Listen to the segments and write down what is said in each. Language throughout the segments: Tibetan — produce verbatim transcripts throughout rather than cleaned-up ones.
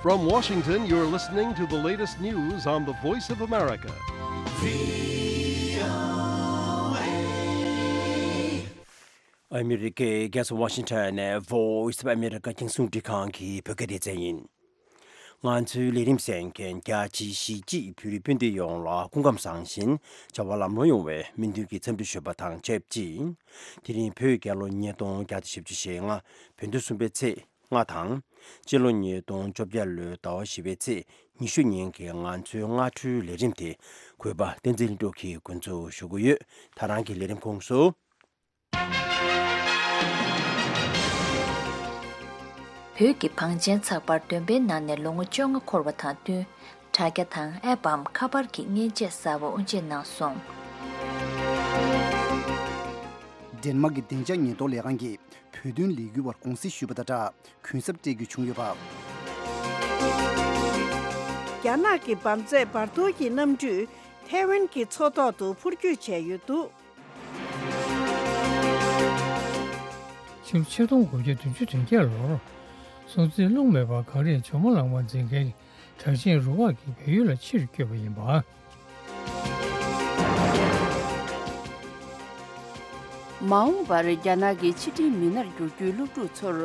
From Washington, you're listening to the latest news on the Voice of America. ཨ་མི་རི་ཀའི་རྒྱལ་ས་ཝ་ཤིང་ཊོན་ནས་Voice of America རྒྱང་སྲིང་རླུང་འཕྲིན་ཁང་གི་བོད་སྐད་སྡེ་ཚན་ཡིན། ང་ཚོའི་ལས་རིམ་གསན་མཁན་རྒྱ་ཆེའི་གཞིས་བྱེས་བོད་རིགས་སྤུན་ཟླ་ཡོངས་ལ་སྐུ་ཁམས་བཟང་ཞིང་བྱ་བ་ལམ་ལྷོང་ཡོང་བའི་སྨོན་འདུན་གྱི་འཚམས་འདྲི་ཞུ་བ་དང་ཆབས་ཅིག་དེ་རིང་བོད་རྒྱལ་ལོ་ཉིས་སྟོང་བརྒྱ་དང་བཞི་བཅུ་ཞེ་ལྔ། བོད་ཟླ་གསུམ་པའི་ཚེས་ལྔ་དང་། སྤྱི་ལོ་ཉིས་སྟོང་བཅོ་བརྒྱད་ལོའི་ཟླ་བ་བཞི་པའི་ཚེས་ཉི་ཤུ་ཉིན་གྱི་ང་ཚོའི་སྔ་དྲོའི་ལས་རིམ་དེ་གུས་པ་བསྟན་འཛིན་ལྷུན་གྲུབ་ཀྱིས་འགོ་འཛུགས་ཞུ་གི་ཡོད། ད་རང་གི་ལས་རིམ་ཁོངས་སུ། བོད་ཀྱི་བང་ཆེན་ཚགས་པར་བདུན་པའི་ནང་ནས་ལོ་ངོ་བཅོ་ལྔ་འཁོར་བ་དང་བསྟུན། དྲ་རྒྱ་དང་ཨེབ་བམ་ཁ་པར་གྱི་མཉེན་ཆས་གསར་པ་དབུ་འབྱེད་གནང་སོང་། ཌེན་མཱག་གི་བདེ་འཇགས་ཉེན་རྟོག་ལས་ཁང་གིས་བོད་དོན་ལས་འགུལ་བར་དགོངས་སེལ་ཞུས་པ་དང་སྦྲགས། གུན་གསབ་སྤྲད་རྒྱུ་བྱུང་ཡོད་པ། རྒྱ་ནག་གི་འབར་རྫས་བར་དོ་གི་གནམ་གྲུས་ཐའེ་ཝན་གྱི་མཚོ་ཐོག་ཏུ་འཕུར་སྐྱོད་བྱས་ཡོད་འདུག། ཕྱི་ལོ་ཆིག་སྟོང་དགུ་བརྒྱ་བདུན་ཅུ་དོན་བརྒྱད་ལོར་སྲོང་བཙན་སློབ་མའི་བར་གངས་རིའི་ཇོ་མོ་གླང་མ་འཛིན་མཁན་གྲགས་ཅན་རུ་ཁག་གིས་བལ་ཡུལ་ལ་ཕྱིར་བསྐྱོད་པ་ཡིན་པ། མ་འོངས་པར་རྒྱ་ནག་གི་ཕྱི་འབྲེལ་མི་སྣར་འགྱུར་རྒྱུའི་སློབ་ཕྲུག་ཚོར་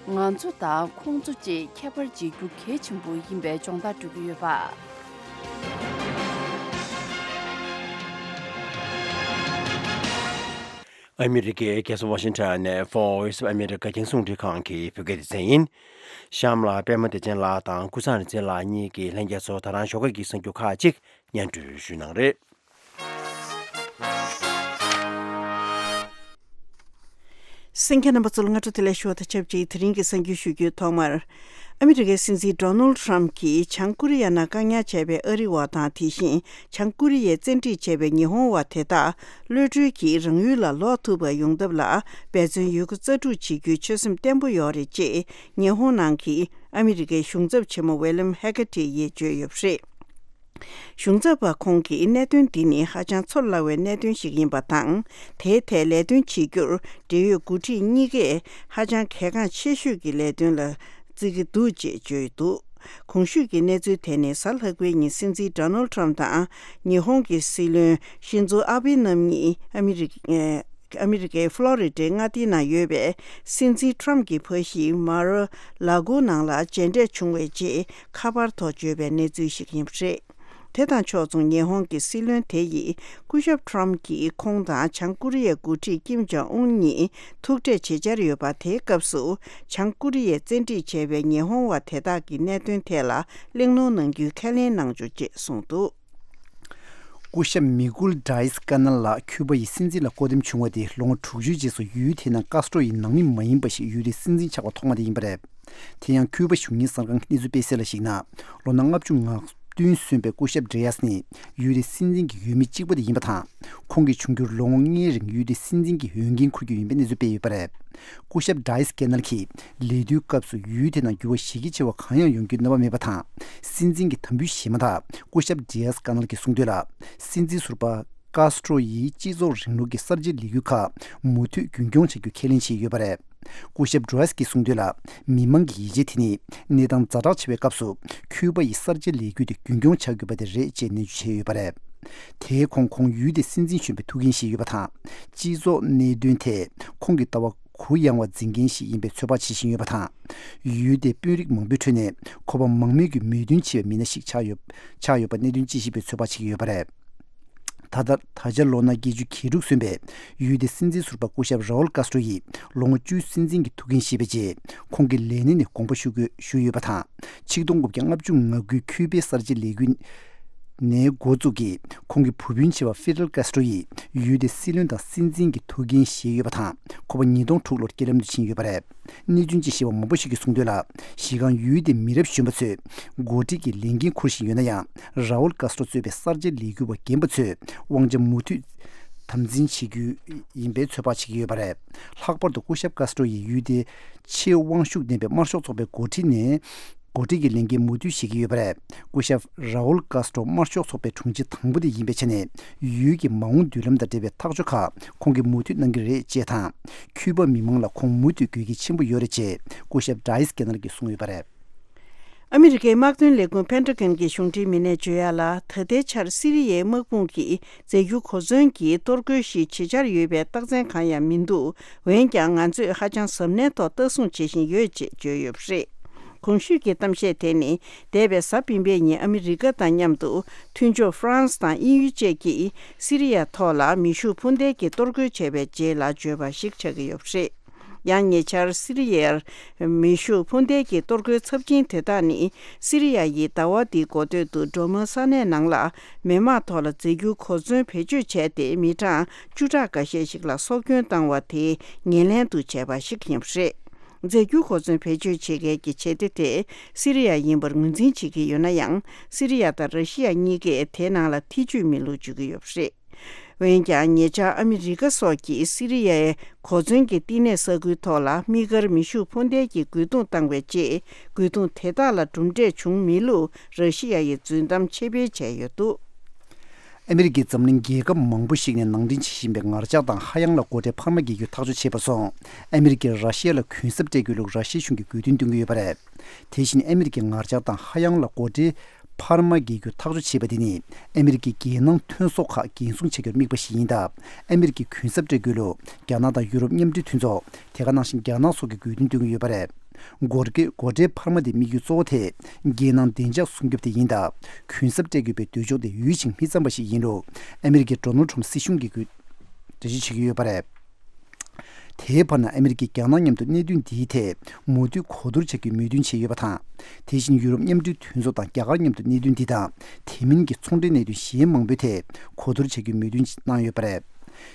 ང་ཚོ་དང་ཁོང་ཚོ་བཅས་ཁྱད་པར་འབྱེད་རྒྱུ་གལ་ཆེན་པོ་ཡིན་པའི་སྦྱོང་བརྡར་སྤྲོད་ཀྱི་ཡོད་པ། ཨ་མི་རི་ཀའི་རྒྱལ་ས་ཝ་ཤིང་ཊོན་ནས་Voice of America རྒྱང་སྲིང་རླུང་འཕྲིན་ཁང་གི་བོད་སྐད་སྡེ་ཚན་ཡིན། གཤམ་ལ་པད་མ་བདེ་ཆེན་ལགས་དང་ཀུན་བཟང་རིག་འཛིན་ལགས་གཉིས་ཀྱིས་ལྷན་རྒྱས་ཚོར་ད་རང་ཞོགས་ཀས་ཀྱི་གསར་འགྱུར་ཁག་ཅིག་སྙན་སྒྲོན་ཞུས་གནང་རེད། གསན་མཁན་རྣམ་པ་ཚོ་ལ་སྔ་དྲོ་བདེ་ལེགས་ཞུ་བ་དང་ཆབས་ཅིག་དེ་རིང་གི་གསར་འགྱུར་ཞུ་རྒྱུའི་ཐོག་མར། ཨ་མི་རི་ཀའི་སྲིད་འཛིན་ཌོ་ནལ་ཊམ་གྱིས་བྱང་ཀོ་རི་ཡ་ནང་བཀག་ཉར་བྱས་པའི་ཨ་རི་བ་དང་དེ་བཞིན་བྱང་ཀོ་རི་ཡས་བཙན་ཁྲིད་བྱས་པའི་ཉི་ཧོང་བ་དེ་དག་གློད་གྲོལ་གྱིས་རང་ཡུལ་ལ་ལོག་ཐུབ་པ་ཡོང་ཐབས་ལ་འབད་བརྩོན་ཡོད་རྒུ་རྩལ་སྤྲུགས་བྱེད་རྒྱུའི་ཆོད་སེམས་བརྟན་པོ་ཡོད་རེད་ཅེས་ཉི་ཧོང་ནང་གི་ཨ་མི་རི་ཀའི་གཞུང་ཚབ་ཆེན་མོ་ཝེ་ལམ་ཧེ་ཀ་ཏི་ཡིས་བརྗོད་ཡོད་པ་རེད། གཞུང་ཚབ་པ་ཁོང་གིས་གནད་དོན་འདི་ནི་ཧ་ཅང་ཚོར་སླ་བའི་གནད་དོན་ཞིག་ཡིན་པ་དང་། དེའི་ཐད་ལས་དོན་བྱེད་རྒྱུར་འབྲེལ་ཡོད་འགོ་ཁྲིད་གཉིས་ཀས་ཧ་ཅང་གལ་འགངས་ཆེ་ཤོས་ཀྱི་ལས་དོན་ལ་བརྩི་གི་འདུག་ཅེས་བརྗོད་འདུག། གོང་ཞུས་ཀྱི་གནས་ཚུལ་དེ་ནི་གཟའ་ལྷག་པའི་ཉིན་སྲིད་འཛིན་ཌོ་ནལ་ཊམ་དང་ཉི་ཧོང་གི་སྲིད་བློན་ཤིན་ཛོ་ཨ་བྷེ་རྣམ་གཉིས་ཨ་མི་རི་ཨ་མི་རི་ཀའི་ཕློ་རི་ཌའི་མངའ་སྡེའི་ནང་ཡོད་པའི་སྲིད་འཛིན་ཊམ་གྱི་ཕ་གཞིས་མར་ཨ་ལ་གོ་ནང་ལ་མཇལ་འཕྲད་བྱུང་བའི་རྗེས་ཁ་པར་ཐོག་བརྗོད་པའི་གནས་ཚུལ་ཞིག་ཡིན་པ་རེད། དེ་དང་ཕྱོགས་མཚུངས་ཉི་ཧོང་གི་སྲིད་བློན་དེ་ཡིས་སྐུ་ཞབས་ཊམ་གྱིས་ཁོང་དང་བྱང་ཀོ་རི་ཡའི་འགོ་ཁྲིད་ཀིམ་ཇོང་ཨུན་གཉིས་ཐུག་འཕྲད་བྱེད་འཆར་ཡོད་པ། དེའི་སྐབས་སུ་བྱང་ཀོ་རི་ཡས་བཙན་ཁྲིད་བྱས་པའི་ཉི་ཧོང་བ་དེ་དག་གི་གནད་དོན་ཐད་ལ་གླེང་སློང་གནང་རྒྱུའི་ཁས་ལེན་གནང་ཆོག་ཅེས་གསུངས་འདུག། སྐུ་ཞབས་མི་གུལ་ཌི་ཡས་ཀ་ནལ་ལགས་ཁྱུ་པ་ཡི་སྲིད་འཛིན་ལ་བསྐོ་འདེམས་བྱུང་བ་དེ་ལོ་ངོ་དྲུག་ཅུའི་རྗེས་སུ་ཡུལ་དེའི་ནང་ཀཱ་སི་ཏྲོ་ཡི་ནང་མི་མ་ཡིན་པ་ཞིག་ཡུལ་དེའི་སྲིད་འཛིན་ཆགས་པ་ཐོག་མ་དེ་ཡིན་པ་རེད། དེ་ཡང་ཁྱུ་པ་གཞུང་གཉེར་གསར་ཁང་གི་གནས་ཚུལ་སྤེལ་གསལ་ལ་གཞིགས་ན། ལོ་ན་ལྔ་བཅུ་ང་བདུན་སོན་པའི་སྐུ་ཞབས་ཌི་ཡས་ནི་ཡུལ་དེའི་སྲིད་འཛིན་གྱི་འོས་མི་གཅིག་པ་དེ་ཡིན་པ་དང་། ཁོང་གིས་འབྱུང་འགྱུར་ལོ་ངོ་ལྔའི་རིང་ཡུལ་དེའི་སྲིད་འཛིན་གྱི་འོས་འགན་འཁུར་རྒྱུ་ཡིན་པའི་གནས་ཚུལ་སྤེལ་ཡོད་པ་རེད། སྐུ་ཞབས་ཌི་ཡས་ཀ་ནལ་གྱིས་ལས་དུས་སྐབས་སུ་ཡུལ་དེ་ནང་འགྱུར་བ་གཞི་རྒྱ་ཆེ་བ་གང་ཡང་ཡོང་རྒྱུ་རྣམ་པ་མེད་པ་དང་། སྲིད་འཛིན་གྱི་དམ་འབུལ་བཞེས་མ་ཐག་སྐུ་ཞབས་ཌི་ཡས་ཀ་ནལ་གྱིས་གསུངས་དོན་ལ། སྲིད་འཛིན་ཟུར་པ་ཀཱ་སི་ཏྲོ་ཡིས་སྤྱི་ཚོགས་རིང་ལུགས་ཀྱི་གསར་བརྗེའི་ལས་འགུལ་ཁག་མུ་མཐུད་རྒྱུན་འཁྱོངས་བྱ་རྒྱུ་ཁས་ལེན་བྱས་ཡོད་པ་རེད། སྐུ་ཞབས་ཌི་ཡས་ཀྱིས་གསུངས་དོན་ལ། མི་མང་གི་ཡིད་ཆེས་དེ་ནི་གནས་སྟངས་ཛ་དྲག་ཆེ་བའི་སྐབས་སུ་ཁྱུ་པ་ཡི་གསར་བརྗེའི་ལས་འགུལ་དེ་རྒྱུན་འཁྱོངས་བྱ་དགོས་པ་དེ་རེད་ཅེས་ནན་བརྗོད་བྱས་ཡོད་པ་རེད། དེའི་གོང་ཁོང་ཡུལ་དེའི་སྲིད་འཛིན་གཞོན་པའི་ཐུགས་འགན་བཞེས་ཡོད་པ་དང་། སྤྱི་ཚོགས་གནད་དོན་ཐད་ཁོང་གི་ལྟ་བ་གུ་ཡངས་པ་འཛིན་མཁན་ཞིག་ཡིན་པའི་ཚོད་དཔག་བྱེད་བཞིན་ཡོད་པ་དང་། ཡུལ་དེའི་དཔོན་རིགས་མང་པོའི་ཁྲོད་ནས་ཁོ་པ་མང་མོས་ཀྱི་མོས་མཐུན་ཆེ་བའི་མི་སྣ་ཞིག་ཆགས་ཡོད་ཆགས་ཡོད་པ་གནད་དོན་དཔྱད་ཞིབ་པས་ཚོད་དཔག་བྱེད་ཀྱི་ཡོད་པ་རེད། ད་ལྟ་ད་ཆ་ལོ་ན་བརྒྱད་ཅུ་གྱ་དྲུག་སོན་པའི་ཡུལ་དེའི་སྲིད་འཛིན་ཟུར་པ་སྐུ་ཞབས་རའོལ་ཀཱ་སི་ཏྲོ་ཡིས་ལོ་ངོ་བཅུའི་སྲིད་འཛིན་གྱི་ཐུགས་འགན་བཞེས་པའི་རྗེས། ཁོང་གི་ལས་གནས་ནས་དགོངས་པ་ཞུ་དགོས་ཞུས་ཡོད་པ་དང་། ཆིག་སྟོང་དགུ་བརྒྱ་ལྔ་བཅུ་ང་དགུའི་ཁྱུ་པའི་གསར་བརྗེའི་ལས་འགུལ་ནས་འགོ་བཙུགས་ཀྱིས་ཁོང་གི་བུ་སྤུན་ཆེ་བ་ཧྥི་ཌེལ་ཀཱ་སི་ཏྲོ་ཡིས་ཡུལ་དེའི་སྲིད་བློན་དང་སྲིད་འཛིན་གྱི་ཐུགས་འགན་བཞེས་ཡོད་པ་དང་། ཁོ་པ་ཉིས་སྟོང་དྲུག་ལོར་རྐྱེན་ལམ་དུ་ཕྱིན་ཡོད་པ་རེད། གནས་ཚུལ་དཔྱད་ཞིབ་པ་མང་པོ་ཞིག་གིས་གསུངས་དོན་ལ། གཞི་རྐང་ཡུལ་དེའི་མི་རབས་གཞོན་པ་ཚོས་འགོ་ཁྲིད་ཀྱི་ལས་འགན་འཁུར་བཞིན་ཡོད་ན་ཡང་། རའོལ་ཀཱ་སི་ཏྲོ་གཙོས་པའི་གསར་བརྗེའི་ལས་འགུལ་བ་རྒན་པ་ཚོས་དབང་ཆ་མུ་མཐུད་དམ་འཛིན་བྱེད་རྒྱུ་ཡིན་པའི་ཚོད་དཔག་བྱེད་ཀྱི་ཡོད་པ་རེད། ལྷག་པར་དུ་སྐུ་ཞབས་ཀཱ་སི་ཏྲོ་ཡིས་ཡུལ་དེའི་ཆེས་དབང་ཤུགས་ལྡན་པའི་དམར་ཤོག་ཚོགས་པའི་འགོ་ཁྲིད་ནས། འགོ་ཁྲིད་ཀྱི་ལས་འགན་མུ་མཐུད་བཞེས་ཀྱི་ཡོད་པ་རེད། སྐུ་ཞབས་རའོལ་ཀཱ་སི་ཏྲོ་དམར་ཤོག་ཚོགས་པའི་དྲུང་ཆེ་དང་པོ་དེ་ཡིན་པའི་ཆ་ནས། ཡུལ་གྱི་མ་འོངས་མདུན་ལམ་དང་འབྲེལ་བའི་ཐག་གཅོད་ཁག་ཁོང་གིས་མུ་མཐུད་གནང་གི་རེད་ཅེས་དང་། ཁྱུ་པ་མི་མང་ལ་ཁོང་མུ་མཐུད་དགོས་གལ་ཆེན་པོ་ཡོད་རེད་ཅེས་སྐུ་ཞབས་ཌི་ཡས་ཀ་ནལ་གྱིས་གསུངས་ཡོད་པ་རེད། ཨ་མི་རི་ཀའི་དམག་དོན་ལས་ཁུངས་Pentagon གྱི་གཞུང་འབྲེལ་མི་སྣས་བརྗོད་ཡག་ལ། ད་ལྟའི་ཆར་སི་རི་ཡའི་དམག་དཔུང་གིས་རྫས་འགྱུར་གོ་མཚོན་གྱི་གཏོར་རྒོལ་ཞིག་བྱེད་འཆར་ཡོད་པའི་རྟགས་མཚན་གང་ཡང་མི་འདུག་འོན་ཀྱང་ང་ཚོས་ཧ་ཅང་གཟབ་ནན་ཐོག་ལྟ་སྲུང་བྱེད་བཞིན་ཡོད་ཅེས་བརྗོད་ཡོད་པ་རེད། གོང་ཞུས་ཀྱི་གཏམ་བཤད་དེ་ནི་འདས་པའི་གཟའ་སྤེན་པའི་ཉིན་ཨ་མི་རི་ཀ་དང་མཉམ་དུ་མཐུན་ཕྱོགས་ཧྥ་རན་སི་དང་དབྱིན་ཡུལ་བཅས་ཀྱིས་སི་རི་ཡ་ཐོག་ལ་མེ་ཤུགས་འཕུར་མདེལ་གྱི་གཏོར་རྒོལ་བྱས་པའི་རྗེས་ལ་བརྗོད་པ་ཞིག་ཆགས་ཀྱི་ཡོད་པ་རེད། ཡང་ཉེ་ཆར་སི་རི་ཡར་མེ་ཤུགས་འཕུར་མདེལ་གྱི་གཏོར་རྒོལ་ཚབས་ཆེན་དེ་དག་ནི་སི་རི་ཡ་ཡི་ཟླ་བ་འདིའི་འགོ་སྟོད་དུ་ཌོ་མོན་ས་གནས་ནང་ལ་མི་དམངས་ཐོག་ལ་རྫས་འགྱུར་གོ་མཚོན་བེད་སྤྱོད་བྱས་ཏེ་མི་གྲངས་བཅུ་ཕྲག་འགའ་ཤས་ཤིག་ལ་སྲོག་སྐྱོན་བཏང་བ་དེ་ངོས་ལེན་དུ་བྱས་པ་ཞིག་ཡིན་པ་རེད། རྫས་འགྱུར་གོ་མཚོན་བེད་སྤྱོད་བྱེད་མཁན་གྱི་བྱེད་གཏེ་དེ་སི་རི་ཡ་ཡིན་པར་ངོས་འཛིན་བྱེད་ཀྱི་ཡོད་ན་ཡང་། སི་རི་ཡ་དང་ར་ཤི་ཡ་གཉིས་ཀས་དེའི་ནང་ལ་ཐེ་ཇུས་མེད་ལུགས་བརྗོད་ཀྱི་ཡོད་པ་རེད། འོན་ཀྱང་ཉེ་ཆར་ཨ་མི་རི་ཀ་སོགས་ཀྱིས་སི་རི་ཡའི་གོ་མཚོན་གྱི་བསྟི་གནས་ས་ཁུལ་ཐོག་ལ་དམིགས་བཀར་མེ་ཤུགས་འཕུར་མདེལ་གྱི་རྒོལ་རྡུང་བཏང་བའི་རྗེས། རྒོལ་རྡུང་དེ་དག་ལ་གྲུབ་འབྲས་བྱུང་མེད་ལུགས་ར་ཤི་ཡ་ཡིས་རྫུན་གཏམ་ཕྱིར་འཕེན་བྱས་ཡོད་འདུག་ཨ་མི་རི་ཀས་འཛམ་གླིང་རྒྱལ་ཁབ་མང་པོ་ཞིག་ནས་ནང་འདྲེན་བྱེད་བཞིན་པའི་ངར་ལྕགས་དང་ཧ་ཡང་ལ་སྒོ་ཁྲལ་འཕར་མ་འགེལ་རྒྱུ་ཐག་གཅོད་བྱས་པ་སོང་། ཨ་མི་རི་ཀས་ར་ཤི་ཡ་ལ་གུན་གསབ་སྤྲད་དགོས་ལུགས་ར་ཤི་ཡ་གཞུང་གིས་དགོས་འདུན་བཏོན་གྱི་ཡོད་པ་རེད། དེ་བཞིན་ཨ་མི་རི་ཀས་ངར་ལྕགས་དང་ཧ་ཡང་ལ་སྒོ་ཁྲལ་འཕར་མ་འགེལ་རྒྱུ་ཐག་གཅོད་བྱས་པ་དེ་ནི་ཨ་མི་རི་ཀའི་རྒྱལ་ནང་ཐོན་ཟོག་ཁག་འགན་སྲུང་བྱ་རྒྱུར་དམིགས་པ་ཞིག་ཡིན་སྟབས། ཨ་མི་རི་ཀས་གུན་གསབ་སྤྲད་དགོས་ལུགས་རྒྱ་ནག་དང་ཡུ་རོབ་མཉམ་འབྲེལ་མཐུན་ཚོགས། དེ་ག་ནང་བཞིན་རྒྱ་ནག་སོགས་ཀྱིས་དགོས་འདུན་བཏོན་གྱི་ཡོད་པ་རེད། སྒོར་གེ་སྒོ་ཁྲལ་འཕར་མ་དེ་དམིགས་ཡུལ་གཙོ་བོ་དེ་རྒྱལ་ནང་བདེ་འཇགས་སྲུང་སྐྱོབ་དེ་ཡིན་སྟབས། གུན་གསབ་སྤྲད་དགོས་པའི་འདོད་ཕྱོགས་དེ་འོས་ཤིང་མི་འཚམ་པ་ཞིག་ཡིན་ལུགས་ཨ་མི་རི་ཀའི་ཌོ་ནལ་ཁྲམ་སྲིད་གཞུང་གིས་འགྲེལ་བརྗོད་བྱེད་ཀྱི་ཡོད་པ་རེད། དེའི་བར་ན་ཨ་མི་རི་ཀས་རྒྱ་ནག་མཉམ་དུ་གནད་དོན་འདིའི་ཐད་མུ་མཐུད་གོ་བསྡུར་བྱ་རྒྱུའི་མོས་མཐུན་བྱས་ཡོད་པ་དང་། དེ་བཞིན་ཡུ་རོབ་མཉམ་འབྲེལ་མཐུན་ཚོགས་དང་རྒྱ་གར་མཉམ་དུ་གནད་དོན་འདི་དང་དེ་མིན་གྱི་ཚོང་འབྲེལ་གནད་དོན་གཞན་མང་པོའི་ཐད་གོ་བསྡུར་བྱ་རྒྱུའི་མོས་མཐུན་གནང་ཡོད་པ་རེད།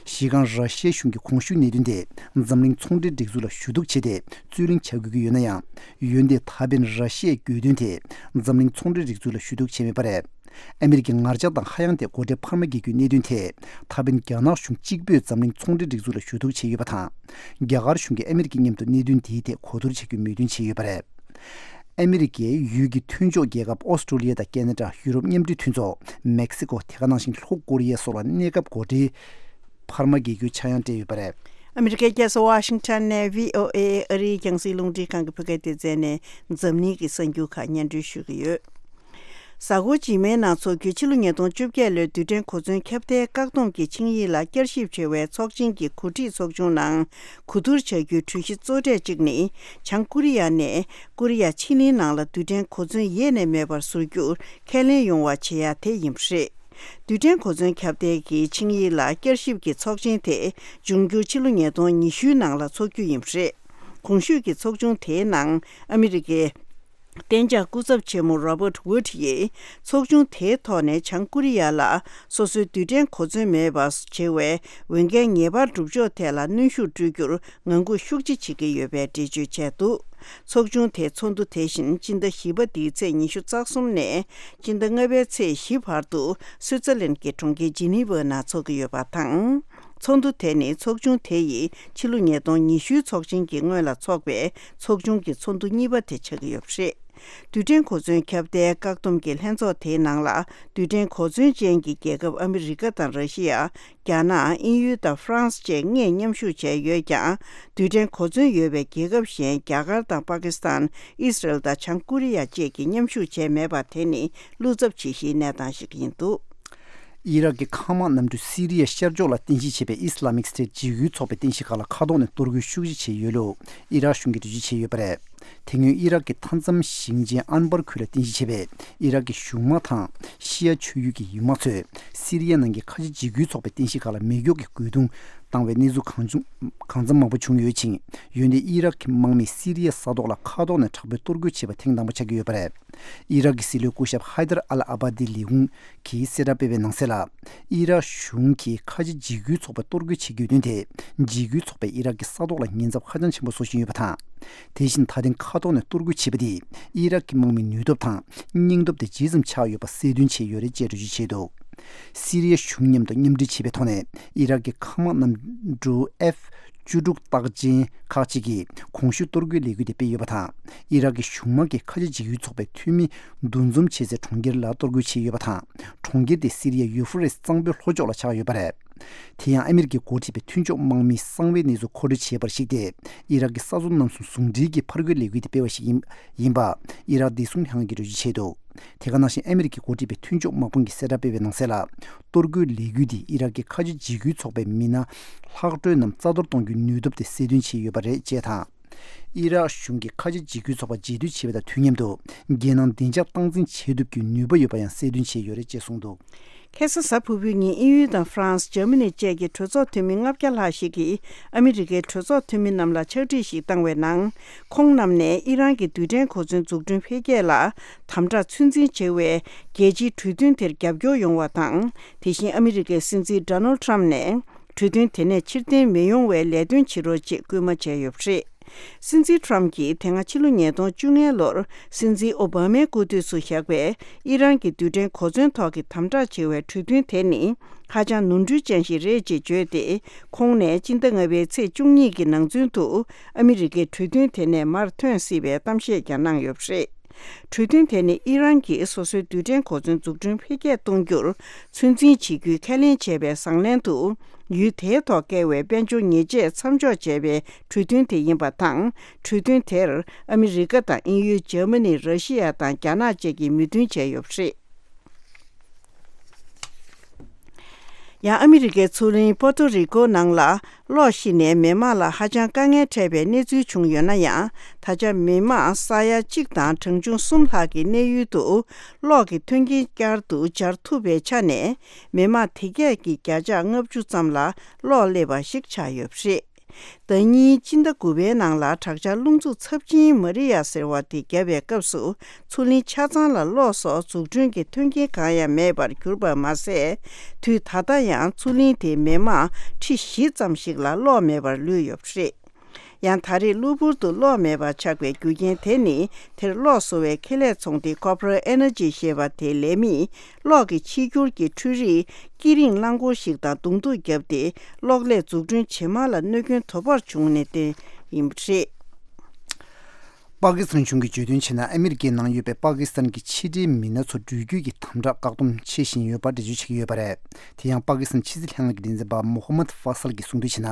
གཞི་རྐང་ར་ཤི་ཡའི་གཞུང་གིས་གོང་ཞུས་གནད་དོན་དེ་འཛམ་གླིང་ཚོང་འབྲེལ་སྒྲིག་འཛུགས་ལ་ཞུ་གཏུག་བྱས་ཏེ་རྩོད་གླེང་བྱ་དགོས་ཀྱི་ཡོད་ན་ཡང་། འོན་ཏེ་ད་ཕན་ར་ཤི་ཡའི་གྱོད་དོན་དེ་འཛམ་གླིང་ཚོང་འབྲེལ་སྒྲིག་འཛུགས་ལ་ཞུ་གཏུག་བྱས་མེད་པ་རེད། ཨ་མི་རི་ཀའི་ངར་ལྕགས་དང་ཧ་ཡང་དེ་སྒོ་ཁྲལ་འཕར་མ་འགེལ་རྒྱུའི་གནད་དོན་ཐད་ད་ཕན་རྒྱ་ནག་གཞུང་གཅིག་པུས་འཛམ་གླིང་ཚོང་འབྲེལ་སྒྲིག་འཛུགས་ལ་ཞུ་གཏུག་བྱས་ཡོད་པ་དང་། རྒྱ་གར་གཞུང་གིས་ཨ་མི་རི་ཀའི་མཉམ་དུ་གནད་དོན་འདིའི་ཐད་གོ་བསྡུར་བྱ་རྒྱུའི་མོས་མཐུན་བྱས་ཡོད་པ་རེད། ཨ་མི་རི་ཀའི་ཡུལ་གྱི་མཐུན་ཕྱོགས་རྒྱལ་ཁབ་ཨོ་སི་ཀྲོ་ལི་ཡ་དང་ཁེ་ན་ཌ། ཡུ་རོབ་མཉམ་འབྲེལ་མཐུན་ཚོགས། མེག་སི་ཀོ། དེ་ག་ནང་བཞིན་ལྷོ་ཀོ་རི་ཡ་སོགས་ལ་གནས་སྐབས་སྒོ་ཁྲལ་འཕར་མ་འགེལ་རྒྱུའི་ཆག་ཡང་སྤྲད་ཡོད་པ་རེད། ཨ་མི་རི་ཀའི་རྒྱལ་ས་ཝ་ཤིང་ཊོན་ནས་བྷི་ཨོ་ཨེ་ཨ་རིའི་རྒྱང་སྲིང་རླུང་འཕྲིན་ཁང་གི་བོད་སྐད་སྡེ་ཚན་ནས་འཛམ་གླིང་གི་གསར་འགྱུར་ཁག་སྙན་སྒྲོན་ཞུ་གི་ཡོད། གཟའ་འཁོར་རྗེས་མའི་ནང་འཚོགས་རྒྱུའི་ཕྱི་ལོ་ཉིས་སྟོང་བཅོ་བརྒྱད་ལོའི་རྡུལ་ཕྲན་གོ་མཚོན་ཁྱབ་གདལ་བཀག་སྡོམ་གྱི་ཆིངས་ཡིག་ལ་བསྐྱར་ཞིབ་བྱ་བའི་ཚོགས་ཆེན་གྱི་གོ་སྒྲིག་ཚོགས་ཆུང་ནང་གོ་བསྡུར་བྱ་རྒྱུའི་གྲོས་གཞི་གཙོ་གྲས་གཅིག་ནི། བྱང་ཀོ་རི་ཡ་ནས་ཀོ་རི་ཡ་ཕྱེད་གླིང་ནང་ལ་རྡུལ་ཕྲན་གོ་མཚོན་ཡེ་ནས་མེད་པར་བཟོ་རྒྱུར་ཁས་ལེན་ཡོང་བ་བྱེད་ཡ་དེ་ཡིན་པ་རེད། རྡུལ་ཕྲན་གོ་མཚོན་ཁྱབ་གདལ་གྱི་ཆིངས་ཡིག་ལ་བསྐྱར་ཞིབ་ཀྱི་ཚོགས་ཆེན་དེ་འབྱུང་འགྱུར་ཕྱི་ལོ་ཉིས་སྟོང་ཉི་ཤུའི་ནང་ལ་འཚོགས་རྒྱུ་ཡིན་པ་རེད། གོང་ཞུས་ཀྱི་ཚོགས་ཆུང་དེའི་ནང་ཨ་མི་རི་ཀའི་གཏན་འཇགས་སྐུ་ཚབ་ཆེན་མོ་Robert Wood ཡིས་ཚོགས་ཆུང་དེའི་ཐོག་ནས་བྱང་ཀོ་རི་ཡ་ལ་སོ་སོའི་རྡུལ་ཕྲན་གོ་མཚོན་མེད་པ་བྱེད་པའི་འོས་འགན་ངེས་པར་སྒྲུབ་ཕྱོགས་ཐད་ལ་གནོན་ཤུགས་སྤྲོད་རྒྱུར་ངང་སྒུག་ཤུགས་ཆེ་བྱེད་ཀྱི་ཡོད་པའི་འགྲེལ་བརྗོད་བྱས་འདུག་ཚོགས་ཆུང་དེའི་ཚོགས་འདུ་དེ་བཞིན་སྤྱི་ཟླ་བཞི་པ་འདིའི་ཚེས་ཉི་ཤུ་རྩ་གསུམ་ནས་སྤྱི་ཟླ་ལྔ་པའི་ཚེས་བཞི་བར་དུ་སུའུ་ཙེར་ལན་གྱི་གྲོང་ཁྱེར་ཇི་ནི་ཝའི་ནང་འཚོགས་ཀྱི་ཡོད་པ་དང་། ཚོགས་འདུ་དེ་ནི་ཚོགས་ཆུང་དེ་ཡི་ཕྱི་ལོ་ཉིས་སྟོང་ཉི་ཤུའི་ཚོགས་ཆེན་གྱི་སྔོན་ལ་འཚོགས་པའི་ཚོགས་ཆུང་གི་ཚོགས་འདུ་གཉིས་པ་དེ་ཆགས་ཀྱི་ཡོད་པ་རེད། རྡུལ་ཕྲན་གོ་མཚོན་ཁྱབ་གདལ་བཀག་སྡོམ་གྱི་ལྷན་ཚོགས་དེའི་ནང་ལ་རྡུལ་ཕྲན་གོ་མཚོན་ཅན་གྱི་རྒྱལ་ཁབ་ཨ་མི་རི་ཀ་དང་ར་ཤི་ཡ། རྒྱ་ནག་དབྱིན་ཡུལ་དང་ཧྥ་རན་སི་བཅས་ལྔས་མཉམ་ཞུགས་བྱས་ཡོད་ཀྱང་། རྡུལ་ཕྲན་གོ་མཚོན་ཡོད་པའི་རྒྱལ་ཁབ་གཞན་རྒྱ་གར་དང་པ་ཀི་སི་ཐན། ཨི་སི་རལ་དང་བྱང་ཀོ་རི་ཡ་བཅས་ཀྱིས་མཉམ་ཞུགས་བྱས་མེད་པ་དེ་ནི་བློ་འཚབ་བྱེད་གཞིའི་གནས་སྟངས་ཤིག་ཡིན་འདུག་ཨི་རག་གི་མཁའ་དམག་གནམ་གྲུ་སི་རི་ཡ་ཤར་ཕྱོགས་ལ་རྟེན་གཞི་བྱས་པའི་ཨི་སི་ལ་མིག་སི་ཊེ་ཊི་འཇིགས་སྐུལ་ཚོགས་པའི་རྟེན་གཞི་ཁག་ལ་མཁའ་ཐོག་ནས་གཏོར་རྒོལ་ཤུགས་ཆེ་བྱས་ཡོད་ལུགས་ཨི་རག་གཞུང་གིས་འགྲེལ་བརྗོད་བྱས་ཡོད་པ་རེད། དེ་སྔོན་ཨི་རག་གི་མཐའ་མཚམས་ཞིང་ཆེན་ཨན་བར་ཁུལ་ལ་རྟེན་གཞི་བྱས་པའི་ཨི་རག་གི་གཞུང་དམག་དང་ཤི་ཡ་ཆོས་ཡུལ་གྱི་ཡུལ་དམག་ཚོས་སི་རི་ཡ་ནང་གི་ཁ་ཆེ་འཇིགས་སྐུལ་ཚོགས་པའི་རྟེན་གཞི་ཁག་ལ་མེ་སྒྱོགས་ཀྱི་རྒོལ་རྡུང་བཏང་བའི་གནས་ཚུལ་གང་བྱུང་གང་འཚམ་མང་པོ་བྱུང་ཡོད་ཅིང་། འོན་ཏེ་ཨི་རག་གི་དམག་མིས་སི་རི་ཡའི་ས་ཐོག་ལ་མཁའ་ཐོག་ནས་དྲག་པོའི་གཏོར་རྒོལ་བྱས་པ་ཐེངས་དང་པོ་ཆགས་ཀྱི་ཡོད་པ་རེད། ཨི་རག་གི་སྲིད་བློན་སྐུ་ཞབས་ཧའི་དར་ཨལ་ཨ་བྷ་དི་ལས་ཁུངས་ཀྱིས་གསལ་བསྒྲགས་སྤེལ་བའི་ནང་གསལ་ལ། ཨི་རག་གཞུང་གིས་ཁ་ཆེ་འཇིགས་སྐུལ་ཚོགས་པ་གཏོར་རྒོལ་བྱེད་དགོས་དོན་དེ། འཇིགས་སྐུལ་ཚོགས་པས་ཨི་རག་གི་ས་ཐོག་ལ་ཉེན་ཚབས་ཧ་ཅང་ཆེན་པོ་བཟོ་བཞིན་ཡོད་པ་དང་། དེ་བཞིན་ད་ཐེངས་མཁའ་ཐོག་ནས་གཏོར་རྒོལ་བྱས་པ་དེས་ཨི་རག་གི་དམག་མིའི་ནུས་སྟོབས་དང་སྙིང་སྟོབས་དེ་ཇི་ཙམ་ཆག་ཡོད་པ་གསལ་སྟོན་བྱས་ཡོད་རེད་ཅེས་འགྲེལ་བརྗོད་བྱས་འདུག་སི་རི་ཡ་གཞུང་མཉམ་དུ་མཉམ་འབྲེལ་བྱས་པའི་ཐོག་ནས་ཨི་རག་གི་མཁའ་དམག་གནམ་གྲུ་ཨེཕ་བཅུ་དྲུག་རྟགས་ཅན་ཁག་ཅིག་གིས་གོང་ཞུས་གཏོར་རྒོལ་ལས་འགུལ་དེ་སྤེལ་ཡོད་པ་དང་། ཨི་རག་གི་གཞུང་དམག་གིས་ཁ་ཆེ་འཇིགས་སྐུལ་ཚོགས་པའི་འཐུས་མི་འདུ་འཛོམས་བྱེད་སའི་གྲོང་ཁྱེར་ལ་གཏོར་རྒོལ་བྱས་ཡོད་པ་དང་། གྲོང་ཁྱེར་དེ་སི་རི་ཡ་ཡུ་ཧྥུ་རེ་སི་གཙང་པོའི་ལྷོ་ཕྱོགས་ལ་ཆགས་ཡོད་པ་རེད། དེ་ཡང་ཨ་མི་རི་ཀའི་འགོ་ཁྲིད་པའི་མཐུན་ཕྱོགས་དམག་མིའི་གསང་བའི་གནས་ཚུལ་མཁོ་སྤྲོད་བྱས་པར་གཞིགས་ཏེ། ཨི་རག་གི་ས་མཚོ་རྣམ་གསུམ་ཟུང་འབྲེལ་གྱི་ཕར་རྒོལ་ལས་འགུལ་དེ་སྤེལ་བ་ཞིག་ཡིན་ཡིན་པ། ཨི་རག་བདེ་སྲུང་ལྷན་ཁང་གིས་འགྲེལ་བརྗོད་བྱས་འདུག་དེ་ག་ནང་བཞིན་ཨ་མི་རི་ཀའི་འགོ་ཁྲིད་པའི་མཐུན་ཕྱོགས་དམག་དཔུང་གིས་གསལ་བསྒྲགས་སྤེལ་བའི་ནང་གསལ་ལ། གཏོར་རྒོལ་ལས་འགུལ་འདིས་ཨི་རག་གི་ཁ་ཆེ་འཇིགས་སྐུལ་ཚོགས་པའི་མི་སྣ་ལྷག་འཕྲོས་རྣམས་རྩ་གཏོར་གཏོང་རྒྱུའི་ནུས་སྟོབས་དེ་གསལ་སྟོན་བྱས་ཡོད་པ་རེད་ཅེས་དང་། ཨི་རག་གཞུང་གིས་ཁ་ཆེ་འཇིགས་སྐུལ་ཚོགས་པ་རྗེས་མཐུད་བྱས་པ་དང་དུས་མཉམ་དུ། རྒྱལ་ནང་བདེ་འཇགས་སྟངས་འཛིན་བྱེད་ཐུབ་རྒྱུའི་ནུས་པ་ཡོད་པ་ཡང་གསལ་སྟོན་བྱས་ཡོད་རེད་ཅེས་གསུངས་འདུག་ཁ་སང་གཟའ་ཕུར་བུའི་ཉིན་དབྱིན་ཡུལ་དང་ཧྥ་རན་སི། འཇར་མ་ནི་བཅས་ཀྱི་གྲོས་ཚོགས་འཐུས་མི་ལྔ་བརྒྱ་ལྷག་ཞིག་གིས་ཨ་མི་རི་ཀའི་གྲོས་ཚོགས་འཐུས་མི་རྣམས་ལ་ཕྱག་བྲིས་ཤིག་བཏང་བའི་ནང་། ཁོང་རྣམས་ནས་ཨི་རན་གྱི་རྡུལ་ཕྲན་གོ་མཚོན་འཛུགས་སྐྲུན་འཕེལ་རྒྱས་ལ་དམ་དྲག་ཚོད་འཛིན་བྱེད་པའི་རྒྱལ་སྤྱིའི་གྲོས་མཐུན་དེར་རྒྱབ་སྐྱོར་ཡོང་བ་དང་། དེ་བཞིན་ཨ་མི་རི་ཀའི་སྲིད་འཛིན་ཌོ་ནལ་ཊམ་ནས་གྲོས་མཐུན་དེ་ནས་ཕྱིར་འཐེན་མི་ཡོང་བའི་ལས་དོན་བྱེད་རོགས་ཅེས་སྐུལ་མ་བྱས་ཡོད་པ་རེད། སྲིད་འཛིན་ཊམ་གྱིས་དེ་སྔ་ཕྱི་ལོ་ཉིས་སྟོང་བཅོ་ལྔ་ལོར་སྲིད་འཛིན་ཨོ་བྷ་མའི་སྐུ་དུས་སུ་བཞག་པའི་ཨི་རན་གྱི་རྡུལ་ཕྲན་གོ་མཚོན་ཐོག་གི་དམ་དྲག་བྱེད་པའི་གྲོས་མཐུན་དེ་ནི་ཧ་ཅང་ནོར་འཁྲུལ་ཅན་ཞིག་རེད་ཅེས་བརྗོད་དེ། ཁོང་ནས་སྤྱི་ཟླ་ལྔ་པའི་ཚེས་བཅུ་གཉིས་ཀྱི་ནང་ཚུན་དུ་ཨ་མི་རི་ཀའི་གྲོས་མཐུན་དེ་ནས་མར་ཐོན་སྲིད་པའི་གཏམ་བཤད་ཀྱང་གནང་ཡོད་པ་རེད། གྲོས་མཐུན་དེ་ནི་ཨི་རན་གྱིས་སོ་སོའི་རྡུལ་ཕྲན་གོ་མཚོན་འཛུགས་སྐྲུན་འཕེལ་རྒྱས་གཏོང་རྒྱུར་ཚོད་འཛིན་བྱེད་རྒྱུའི་ཁས་ལེན་བྱས་པའི་བཟང་ལན་དུ། ཡུལ་དེའི་ཐོག་བཀལ་བའི་དཔལ་འབྱོར་ཉེས་ཆད་མཚམས་འཇོག་བྱས་པའི་གྲོས་མཐུན་དེ་ཡིན་པ་དང་། གྲོས་མཐུན་དེར་ཨ་མི་རི་ཀ་དང་དབྱིན་ཡུལ། འཇར་མ་ནི། ར་ཤི་ཡ་དང་རྒྱ་ནག་བཅས་ཀྱིས་མོས་མཐུན་བྱས་ཡོད་པ་རེད། ཡང་ཨ་མི་རི་ཀའི་མཚོ་གླིང་པོ་ཏོ་རི་ཀོ་ནང་ལ་གློག་ཤི་ནས་མི་མང་ལ་ཧ་ཅང་དཀའ་ངལ་འཕྲད་པའི་གནས་ཚུལ་བྱུང་ཡོད་ན་ཡང་། ད་ཆ་མི་མང་ས་ཡ་གཅིག་དང་གྲངས་ཆུང་གསུམ་ལྷག་གི་གནས་ཡུལ་དུ་གློག་གི་མཐུན་རྐྱེན་བསྐྱར་དུ་སྦྱར་ཐུབ་པའི་ཆ་ནས། མི་མང་དེ་གས་ཀྱི་བརྒྱ་ཆ་ལྔ་བཅུ་ཙམ་ལ་གློག་སླེབས་པ་ཞིག་ཆགས་ཡོད་པ་རེད། ཟླ་གཉིས་སྤྱི་ཟླ་དགུ་པའི་ནང་ལ་དྲག་ཆར་རླུང་འཚུབ་ཚབས་ཆེན་མ་རི་ཡ་ཟེར་བ་དེ་བརྒྱབ་པའི་སྐབས་སུ། མཚོ་གླིང་ཆ་ཚང་ལ་གློག་སོགས་འཛུགས་སྐྲུན་གྱི་མཐུན་རྐྱེན་གང་ཡང་མེད་པར་གྱུར་པ་མ་ཟད། དུས་ད་ལྟ་ཡང་མཚོ་གླིང་དེའི་མི་མང་ཁྲི་བཞི་ཙམ་ཞིག་ལ་གློག་མེད་པར་ལུས་ཡོད་པ་རེད། ཡང་ད་རེས་གློ་བུར་དུ་གློག་མེད་པ་ཆགས་པའི་རྒྱུ་རྐྱེན་དེ་ནི། དེར་གློག་བཟོ་བའི་ཁེ་ལས་ཚོང་སྡེ་Cooper Energy ཞེས་པ་དེའི་ལས་མིས། གློག་གི་གཅིག་གྱུར་གྱི་འཕྲུལ་རིག་དཀྱིལ་རིང་རླངས་འཁོར་ཞིག་དང་གདོང་ཐུག་བརྒྱབ་སྟེ། གློག་ཀླད་འཛུགས་སྐྲུན་ཇེ་མང་ལ་གནོད་སྐྱོན་དོ་ཕོག་བྱུང་ནས་བརྟེན་ཡིན་པ་རེད། པ་ཀི་སི་ཐན་གཞུང་གིས་བརྗོད་དོན་བྱས་ན། ཨ་མི་རི་ཀའི་ནང་ཡོད་པའི་པ་ཀི་སི་ཐན་གྱི་ཕྱི་འབྲེལ་མི་སྣ་ཚོ་འགྲུལ་སྐྱོད་ཀྱི་དམ་དྲག་བཀག་སྡོམ་བྱེད་བཞིན་ཡོད་པར་འགྲེལ་བརྗོད་བྱེད་ཀྱི་ཡོད་པ་རེད། དེ་ཡང་པ་ཀི་སི་ཐན་ཕྱི་སྲིད་ལྷན་ཁང་གི་འགན་འཛིན་པ་མོ་ཧ་མད་ཧྥ་སལ་གྱིས་གསུངས་དོན་བྱས་ན།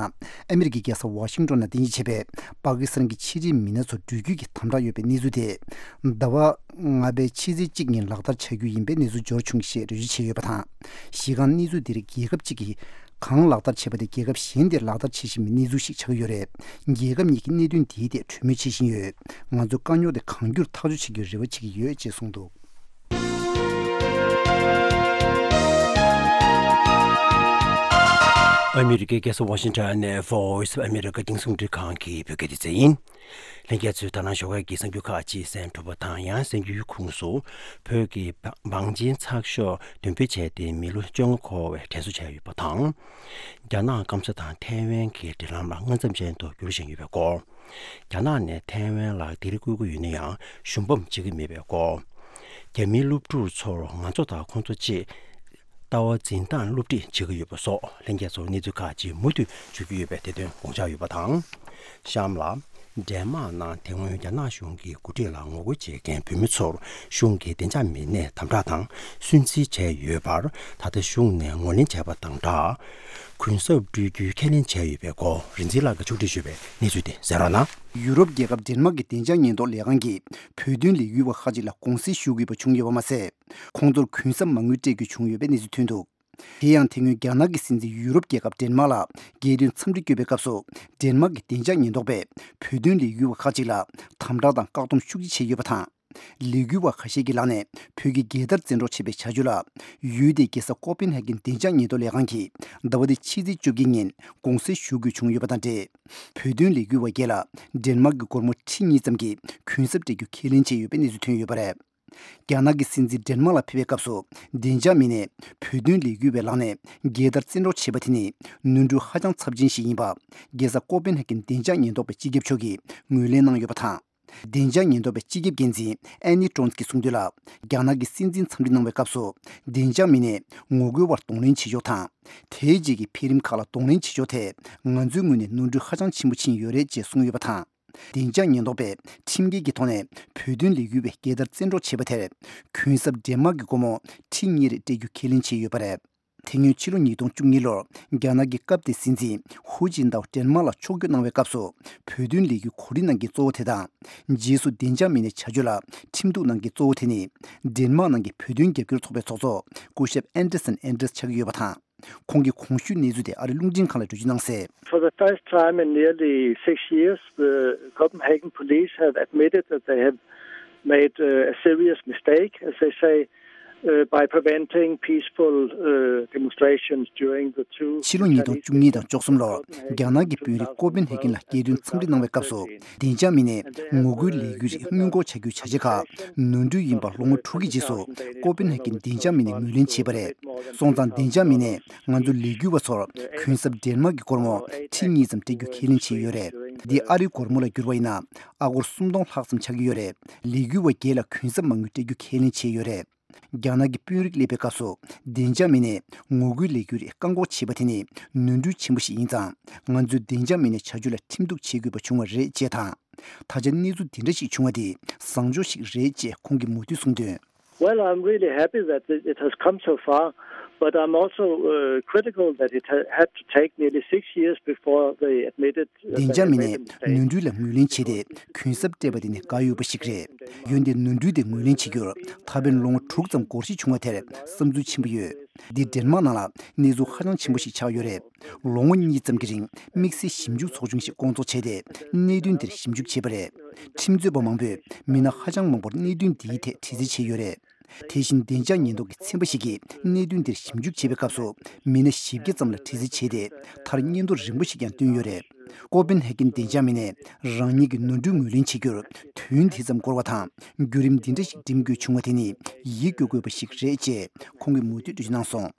ཨ་མི་རི་ཀའི་རྒྱལ་ས་ཝ་ཤིང་ཏོན་ནང་རྟེན་གཞི་བྱས་པའི་པ་ཀི་སི་ཐན་གྱི་ཕྱི་འབྲེལ་མི་སྣ་ཚོ་འགྲུལ་སྐྱོད་ཀྱི་དམ་དྲག་ཡོད་པའི་གནས་ཚུལ་དེ། ཟླ་བ་ལྔ་པའི་ཕྱི་ཚེས་གཅིག་ཉིན་ལག་བསྟར་བྱ་རྒྱུ་ཡིན་པའི་གནས་ཚུལ་འབྱོར་བྱུང་ཞེས་འགྲེལ་བརྗོད་བྱས་ཡོད་པ་དང་། གཞི་རྐང་གནས་ཚུལ་འདིར་རྒྱལ་ཁབ་གཅིག་གིས་གང་ལག་བསྟར་བྱས་པ་དེ་རྒྱལ་ཁབ་གཞན་དེར་ལག་བསྟར་བྱེད་བཞིན་པའི་གནས་ཚུལ་ཞིག་ཆགས་ཀྱི་ཡོད་རེད། རྒྱལ་ཁབ་གཉིས་ཀྱིས་གནད་དོན་འདིའི་ཐད་གྲོས་མོལ་བྱེད་བཞིན་ཡོད། ང་ཚོས་དཀའ་རྙོག་དེ་གང་མགྱོགས་ཐག་གཅོད་བྱེད་རྒྱུའི་རེ་བ་བྱེད་ཀྱི་ཡོད་ཅེས་གསུངས་འདུག་ཨ་མི་རི་ཀའི་རྒྱལ་ས་ཝ་ཤིང་ཊོན་ནས་Voice of America་རྒྱང་སྲིང་རླུང་འཕྲིན་ཁང་གི་བོད་སྐད་སྡེ་ཚན་ཡིན། ལྷན་རྒྱས་ཚོས་ད་ནང་ཞོགས་ཀས་ཀྱི་གསར་འགྱུར་ཁག་ཅིག་གསན་གྲུབ་པ་དང་། ཡང་གསར་འགྱུར་ཁུངས་སུ་བོད་ཀྱི་བང་ཆེན་ཚགས་ཤོག་འདོན་སྤེལ་བྱས་ཏེ་མི་ལོ་བཅོ་ལྔ་འཁོར་བའི་དྲན་གསོ་བྱས་ཡོད་པ་དང་། རྒྱ་ནག་སྐམ་ས་དང་ཐའེ་ཝན་གྱི་འབྲེལ་ལམ་ལ་སྔ་མཚམས་ཅན་དུ་འགྱུར་བཞིན་ཡོད་པའི་སྐོར། རྒྱ་ནག་ནས་ཐའེ་ཝན་ལ་སྡིགས་ར་བསྐུལ་གྱི་ཡོད་ན་ཡང་ཞུམ་པ་བྱེད་ཀྱི་མེད་པའི་སྐོར། རྒྱ་མིའི་སློབ་ཕྲུག་ཚོར་ང་ཚོ་དང་ཁོང་ཚོ་བཅས་ལྟ་བ་འཛིན་སྟངས་སློབ་ཁྲིད་བྱེད་ཀྱི་ཡོད་པ་སོགས་ལྷན་རྒྱས་ཚོར་གནས་ཚུལ་ཁག་ཅིག་མུ་མཐུད་ཞུ་རྒྱུ་ཡོད་པའི་དེ་དོན་དགོངས་འཇགས་ཡོད་པ་དང་། གཤམ་ལ། ཌེན་མཱག་ནང་དེ་སྔོན་རྒྱ་ནག་གཞུང་གི་འགོ་ཁྲིད་ལ་ངོ་རྒོལ་བྱེད་མཁན་བོད་མི་ཚོར་གཞུང་གིས་བདེ་འཇགས་མི་སྣས་དམ་དྲག་དང་སུན་གཙེར་བྱས་ཡོད་པར། ད་ལྟ་གཞུང་ནས་ངོས་ལེན་བྱས་པ་དང་སྦྲགས། གུན་གསབ་སྤྲོད་རྒྱུའི་ཁས་ལེན་བྱས་ཡོད་པའི་སྐོར། རིག་འཛིན་ལགས་ཀྱིས་ཕྱོགས་སྒྲིག་ཞུས་པའི་གནས་ཚུལ་དེ་གསན་རོགས་གནང་། ཡུ་རོབ་རྒྱལ་ཁབ་ཌེན་མཱག་གི་བདེ་འཇགས་ཉེན་རྟོག་ལས་ཁང་གིས་བོད་དོན་ལས་འགུལ་བ་ཁག་ཅིག་ལ་དགོངས་སེལ་ཞུ་དགོས་པ་བྱུང་ཡོད་པ་མ་ཟད། ཁོང་ཚོར་གུན་གསབ་མ་དངུལ་སྤྲད་རྒྱུ་བྱུང་ཡོད་པའི་གནས་ཚུལ་ཐོན་འདུག་དེ་ཡང་དེ་སྔོན་རྒྱ་ནག་གི་སྲིད་འཛིན་ཡུ་རོབ་རྒྱལ་ཁབ་ཌེན་མཱག་ལ་རྒྱལ་དོན་འཚམས་འདྲི་བསྐྱོད་པའི་སྐབས་སུ། ཌེན་མཱག་གི་བདེ་འཇགས་ཉེན་རྟོག་པས་བོད་དོན་ལས་འགུལ་བ་ཁག་ཅིག་ལ་དམ་དྲག་དང་བཀག་སྡོམ་ཤུགས་ཆེ་བྱས་ཡོད་པ་དང་། ལས་འགུལ་བ་ཁ་ཤས་ཀྱི་ལག་ནས་བོད་ཀྱི་རྒྱལ་དར་བཙན་འཕྲོག་བྱས་པའི་བྱ་སྤྱོད་ལ། ཡུལ་དེའི་རྒྱལ་ས་ཀོ་པན་ཧ་གན་བདེ་འཇགས་ཉེན་རྟོག་ལས་ཁང་གིས་ཟླ་བ་འདིའི་ཕྱི་ཚེས་བཅོ་བརྒྱད་ཉིན་དགོངས་སེལ་ཞུ་དགོས་བྱུང་ཡོད་པ་དང་འབྲེལ། བོད་དོན་ལས་འགུལ་བ་བརྒྱད་ལ་ཌེན་མཱག་གི་སྒོར་མོ་ཁྲི་གཉིས་ཙམ་གྱི་གུན་གསབ་སྤྲད་རྒྱུ་ཁས་ལེན་བྱས་ཡོད་པའི་གནས་ཚུལ་ཐོན་ཡོད་པ་རེད། རྒྱ་ནག་གི་སྲིད་འཛིན་ཌེན་མཱག་ལ་ཕེབས་པའི་སྐབས་སུ། བདེ་འཇགས་མི་སྣས་བོད་དོན་ལས་འགུལ་བའི་ལག་ནས་རྒྱལ་དར་བཙན་འཕྲོག་བྱས་པ་དེ་ནི་ནོར་འཁྲུལ་ཧ་ཅང་ཚབས་ཆེན་ཞིག་ཡིན་པ། རྒྱལ་ས་ཀོ་པན་ཧ་གན་བདེ་འཇགས་ཉེན་རྟོག་པའི་སྤྱི་ཁྱབ་མཆོག་གིས་ངོས་ལེན་གནང་ཡོད་པ་དང་། བདེ་འཇགས་ཉེན་རྟོག་པའི་སྤྱི་ཁྱབ་འགན་འཛིན་ཨན་ནི་ཀྲོན་གྱིས་གསུངས་དོན་ལ། རྒྱ་ནག་གི་སྲིད་འཛིན་འཚམས་འདྲི་གནང་བའི་སྐབས་སུ། བདེ་འཇགས་མི་སྣས་ངོ་རྒོལ་བར་གདོང་ལེན་བྱེད་ཕྱོགས་དང་། དེའི་རྗེས་ཀྱི་འཕེལ་རིམ་ཁག་ལ་གདོང་ལེན་བྱེད་ཕྱོགས་ཐད། ང་ཚོའི་ངོས་ནས་ནོར་འཁྲུལ་ཧ་ཅང་ཆེན་པོ་ཕྱིན་ཡོད་རེད་ཅེས་གསུངས་ཡོད་པ་དང་། བདེ་འཇགས་ཉེན་རྟོག་པས་ཁྲིམས་འགལ་གྱི་ཐོག་ནས་བོད་དོན་ལས་འགུལ་བའི་རྒྱལ་དར་བཙན་འཕྲོག་བྱས་པ་དེར། གུན་གསབ་ཌེན་མཱག་གི་སྒོར་མོ་ཁྲི་གཉིས་རེ་སྤྲད་རྒྱུ་ཁས་ལེན་བྱས་ཡོད་པ་རེད། དེ་སྔོན་ཕྱི་ལོ་ཉིས་སྟོང་བཅུ་གཉིས་ལོར་རྒྱ་ནག་གི་སྐབས་དེའི་སྲིད་འཛིན་ཧུའུ་ཅིན་ཏའོ་ཌེན་མཱག་ལ་ཕྱོགས་བསྐྱོད་གནང་བའི་སྐབས་སུ་བོད་དོན་ལས་འགུལ་གོ་སྒྲིག་གནང་མཁན་གཙོ་བོ་དེ་དང་། རྗེས་སུ་བདེ་འཇགས་མི་སྣའི་བྱ་སྤྱོད་ལ་ཁྲིམས་གཏུག་གནང་མཁན་གཙོ་བོ་དེ་ནི་ཌེན་མཱག་ནང་གི་བོད་དོན་རྒྱབ་སྐྱོར་ཚོགས་པའི་ཚོགས་གཙོ་སྐུ་ཞབས་ཨན་ཌར་སན་ཨན་ཌར་སི་ཆགས་ཀྱི་ཡོད་པ་དང་། ཁོང་གིས་གོང་ཞུས་གནས་ཚུལ་དེ་ཨ་རིའི་རླུང་འཕྲིན་ཁང་ལ་འགྲེལ་བརྗོད་གནང་གསལ། For the first time in nearly six years, the Copenhagen police have admitted that they have made uh, a serious mistake, as they say, uh, by preventing peaceful uh, demonstrations during the two ཕྱི་ལོ་ཉིས་སྟོང་བཅུ་གཉིས་དང་བཅུ་གསུམ་ལོར་རྒྱ་ནག་གི་དཔོན་རིགས་ཀོ་པན་ཧེ་གྷན་ལ་རྒྱལ་དོན་འཚམས་འདྲི་གནང་བའི་སྐབས་སུ། བདེ་འཇགས་མི་སྣས་ངོ་རྒོལ་ལས་འགུལ་རིགས་སྔོན་འགོག་བྱ་རྒྱུའི་བྱ་བྱེད་ཁག་ནོར་འཁྲུལ་ཡིན་པ་ལོ་ངོ་དྲུག་གི་རྗེས་སུ་ཀོ་པན་ཧེ་གྷན་བདེ་འཇགས་མི་སྣས་ངོས་ལེན་བྱས་པ་རེད། སོང་ཙང་བདེ་འཇགས་མི་སྣས་ང་ཚོ་ལས་འགུལ་བ་ཚོར་གུན་གསབ་ཌེན་མཱག་གི་སྒོར་མོ་ཁྲི་གཉིས་ཙམ་སྤྲད་རྒྱུ་ཁས་ལེན་བྱས་ཡོད་རེད། འདི་ཨ་རིའི་སྒོར་མོ་ལ་བསྒྱུར་བ་ཡིན་ན་ཨ་སྒོར་སུམ་སྟོང་ལྷག་ཙམ་ཆགས་ཀྱི་ཡོད་རེད། ལས་འགུལ་བ་བརྒྱད་ལ་གུན་གསབ་མ་དངུལ་སྤྲད་རྒྱུ་ཁས་ལེན་བྱས་ཡོད་རེད། རྒྱ་ནག་གི་དཔོན་རིགས་སླེབས་པའི་སྐབས་སུ་བདེ་འཇགས་མི་སྣས་ངོ་རྒོལ་ལས་འགུལ་རིགས་བཀག་འགོག་བྱས་པ་དེ་ནི་ནོར་འཁྲུལ་ཆེན་པོ་ཞིག་ཡིན་ཙང་། ང་ཚོས་བདེ་འཇགས་མི་སྣའི་བྱ་སྤྱོད་ལ་ཁྲིམས་གཏུག་བྱེད་དགོས་པ་བྱུང་བ་རེད་ཅེས་དང་། ད་ཆ་གནས་ཚུལ་འདི་འདྲ་ཞིག་བྱུང་བ་དེ་བཟང་ཕྱོགས་ཤིག་རེད་ཅེས་ཁོང་གིས་མུ་མཐུད་གསུངས་དོན། Well, I'm really happy that it it has come so far, but I'm also uh, critical that it ha- had to take nearly six years before they admitted uh, བདེ་འཇགས་མི་སྣས་ནོར་འཁྲུལ་ལ་ངོས་ལེན་བྱས་ཏེ་གུན་གསབ་སྤྲད་པ་དེ་ནི་དགའ་འོས་པ་ཞིག་རེད། འོན་ཏེ་ནོར་འཁྲུལ་དེ་ངོས་ལེན་བྱེད་རྒྱུར་ད་ཕན་ལོ་ངོ་དྲུག་ཙམ་འགོར་འགྲོ་བྱུང་བ་དེར་བསམ་ཚུལ་ཆེན་པོ་ཡོད། འདི་ཌེན་མཱག་ནང་ལ་གནས་ཚུལ་ཧ་ཅང་ཆེན་པོ་ཞིག་ཆགས་ཡོད་རེད། ལོ་ངོ་གཉིས་ཙམ་གྱི་རིང་དམིགས་བསལ་ཞིབ་འཇུག་ཚོགས་ཆུང་ཞིག་བསྐོང་ཚོགས་བྱས་ཏེ་གནད་དོན་དེར་ཞིབ་འཇུག་བྱས་པ་རེད། ཁྲིམས་རྩོད་པ་མང་པོས་མི་སྣ་ཧ་ཅང་མང་པོར་གནད་དོན་འདིའི་ཐད་དྲི་རྩད་བྱས་ཡོད་རེད། དེ་བཞིན་བདེ་འཇགས་ཉེན་རྟོག་གི་ཚན་པ་ཞིག་གིས་གནད་དོན་དེར་ཞིབ་འཇུག་བྱེད་པའི་སྐབས་སུ་མི་སྣ་བཞི་བརྒྱ་ཙམ་ལ་དྲི་རྩད་བྱས་ཏེ་མཐར་སྙན་ཐོ་རིང་པོ་ཞིག་ཀྱང་བཏོན་ཡོད་རེད། ཀོ་པན་ཧེ་གྷན་བདེ་འཇགས་མི་སྣས་རང་ཉིད་ཀྱི་ནོར་འཁྲུལ་ངོས་ལེན་བྱེད་རྒྱུར་དུས་ཡུན་དེ་ཙམ་འགོར་བ་དང་བརྒྱུད་རིམ་འདི་འདྲ་ཞིག་འགྲིམ་དགོས་བྱུང་བ་དེ་ནི་ཡིད་སྐྱོ་དགོས་པ་ཞིག་རེད་ཅེས་ཁོང་གིས་མུ་མཐུད་འགྲེལ་བརྗོད་གནང་སོང་།